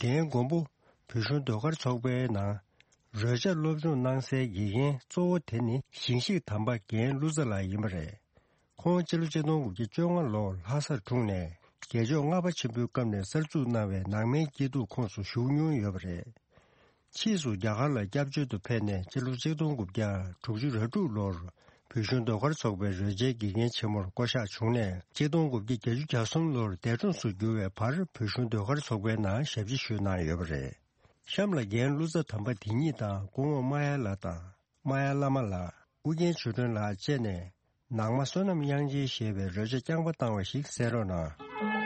དེའི་མགོན་པོ་བོད་གཞུང་ཟློས་གར་ཚོགས་པའི་ནང་རོལ་ཆ་སློབ་སྦྱོང་གནང་སའི་དགེ་རྒན་གཙོ་བོ་དེ་ནི་ཞིང་གཤེགས་དམ་པ་རྒན་ཀླུ་ཙཱ་ལགས་ཡིན་པ་རེད། ཁོང་སྤྱི་ལོ་ཆིག་སྟོང་དགུ་བརྒྱ་བཅོ་ལྔ་ལོར་ལྷ་སར་འཁྲུངས་ནས་རྒྱལ་མཆོག་ལྔ་པ་ཆེན་པོའི་སྐབས་ནས་གསར་འཛུགས་གནང་བའི་ནང་མའི་སྐྱིད་སྡུག་ཁོངས་སུ་ཞུགས་མྱོང་ཡོད་པ་རེད། ཕྱིས་སུ་རྒྱ་གར་ལ་སྐྱབས་བཅོལ་དུ་ཕེབས་ནས་སྤྱི་ལོ་ཆིག་སྟོང་དགུ་བརྒྱ་དྲུག་ཅུ་རེ་དྲུག་ལོར་བོད་གཞུང་ཟློས་གར་ཚོགས་པའི་རོལ་ཆའི་དགེ་རྒན་ཆེན་མོར་བསྐོ་གཞག་བྱུང་ནས་ཆིག་སྟོང་དགུ་བརྒྱ་བརྒྱད་ཅུ་གྱ་གསུམ་ལོར་འདས་གྲོངས་སུ་གྱུར་བའི་བར་བོད་གཞུང་ཟློས་གར་ཚོགས་པའི་ནང་ཞབས་ཕྱི་ཞུས་གནང་ཡོད་པ་རེད། གཤམ་ལ་རྒན་ཀླུ་ཙཱ་དམ་པ་དེ་ཉིད་དང་སྐུ་ངོ་མ་ཡ་ལགས་དང་། མ་ཡ་བླ་མ་ལགས། ཨུ་རྒྱན་ཆོས་སྒྲོན་ལགས་བཅས་ནས་ནང་མ་བསོད་ནམས་དབྱངས་ཅན་ཞེས་པའི་རོལ་ཆ་རྐྱང་པ་བཏང་བ་ཞིག་གསན་རོགས་གནང་།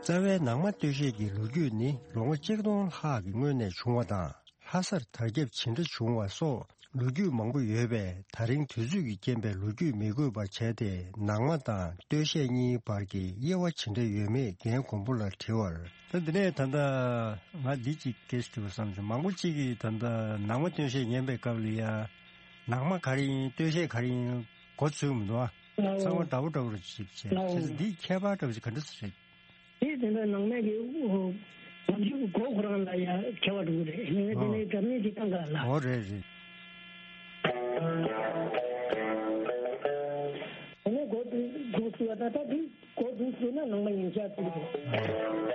རྩ་བའི་ནང་མ་སྟོད་གཞས་ཀྱི་ལོ་རྒྱུས་ནི་ལོ་ངོ་གཅིག་སྟོང་ལྷག་གི་སྔོན་ནས་བྱུང་བ་དང་། ལྷ་སར་དར་ཁྱབ་ཇི་འདྲ་བྱུང་བ་སོགས་ལོ་རྒྱུས་མང་པོ་ཡོད་པས། ད་རིང་དུས་ཚོད་ཀྱི་རྐྱེན་པས་ལོ་རྒྱུས་མི་དགོས་པར་བྱས་ཏེ། ནང་མ་དང་སྟོད་གཞས་གཉིས་བར་གྱི་དབྱེ་བ་ཇི་འདྲ་ཡོད་མེད་རྒན་མགོན་པོ་ལ་དྲི་བར། ད་འདི་ནས་ད་ལྟ་ང་འདི་གཅིག་སྐད་ཆ་དྲི་བ་བསམ་བྱུང་། མང་པོ་གཅིག་གིས་ད་ལྟ་ནང་མ་སྟོད་གཞས་ཉན་པའི་སྐབས་ལ་ཡ། ནང་མ་ག་རེ་ཡིན། སྟོད་གཞས་ག་རེ་ཡིན། མགོ་ཚོས་མི་འདུག་ཨ། ཚང་མ་འདྲ་བོ་འདྲ་བོ་རེ་ཞིག་བྱས། བྱས་ཙང་འདིའི་ཁྱད་པར་འདྲ་བོ་ཞིག་ག་འདྲ་ཞིག་རེད། དེ་དེ་འདྲ་ནང་མའི་གི་ཨོ། ང་ཚོའི་མགོ་ཁོ་རང་ལ་ཡ་ཁྱད་པར་འདུག་རེད། ངས་དེ་ནས་སྒྲ་སྙན་ཅིག་བཏང་ག་ལ། ཨོ་རེད་རེད། དེ་ནས་མགོ་འདུག་འདུག་སུ་བ་ད་ད་དེ་མགོ་འདུག་སུ་ན་ནང་མ་ཡིན་ཤག་ཚིག་རེད།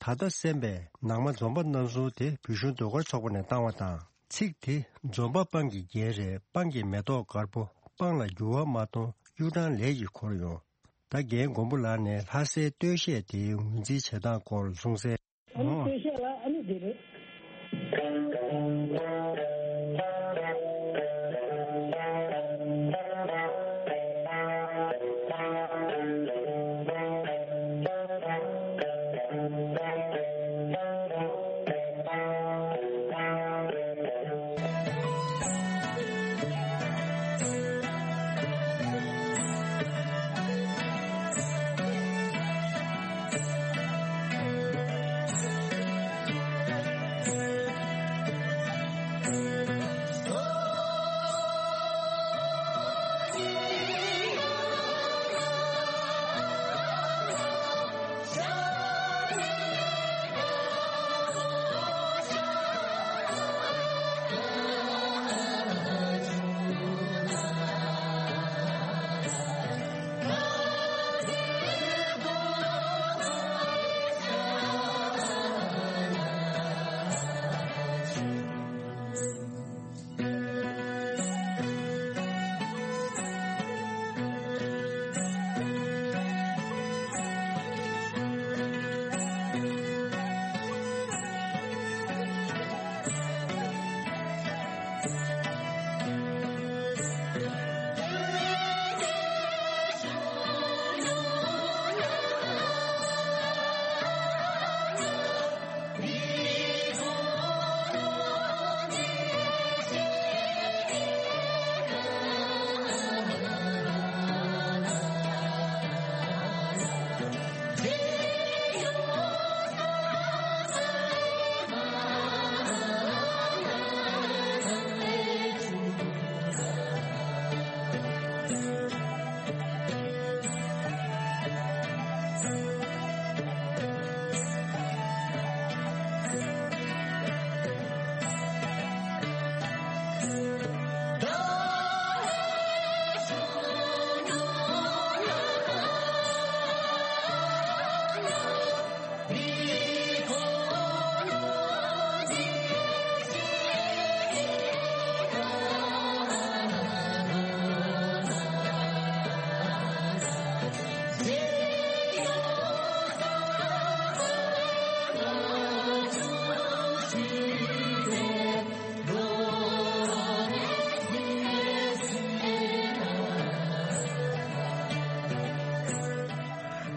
ད་ལྟ་གསན་པའི་ནང་མ་འཛོམས་པ་རྣམ་གསུམ་དེ་བོད་གཞུང་ཟློས་གར་ཚོགས་པ་ནས་བཏང་བ་དང་། ཚིག་དེ་འཛོམས་པ་སྤང་གི་རྒྱན་རེད། སྤང་གི་མེ་ཏོག་དཀར་པོ། སྤང་ལ་འགྱུར་བ་མ་གཏོང་། གཡུ་སྦྲང་ལས་ཀྱིས་འཁོར་ཡོང་། ད་རྒན་མགོན་པོ་ལགས་ནས་ལྷ་སའི་སྟོད་གཞས་དེའི་ངོས་འཛིན་བྱེད་སྟངས་སྐོར་གསུངས་གསལ། ཨ་ནི་ཨོ། སྟོད་གཞས་ལ་ཨ་ནི་འདི་རེད།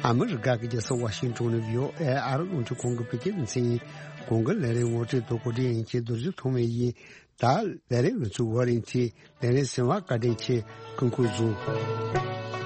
ཨ་མི་རི་ཀ་གི་རྒྱལ་ས་ཝ་ཤིང་ཏོན་ནས་བྷི་ཨོ་ཨེ་ཨ་རི་རླུང་འཕྲིན་ཁང་གི་བོད་སྐད་སྡེ་ཚན་ཡིན། གོང་གི་ལས་རིམ་ངོ་སྤྲོད་དང་གོ་སྒྲིག་ཡིན་གྱི་རྡོ་རྗེ་ཐོགས་མེད་ཡིན། ད་ལས་རིམ་ང་ཚོའི་ཝར་ལིང་ཚེ་ལས་རིམ་གསན་པར་བཀའ་དྲིན་ཆེ། སྐུ་ཁམས་བཟང་།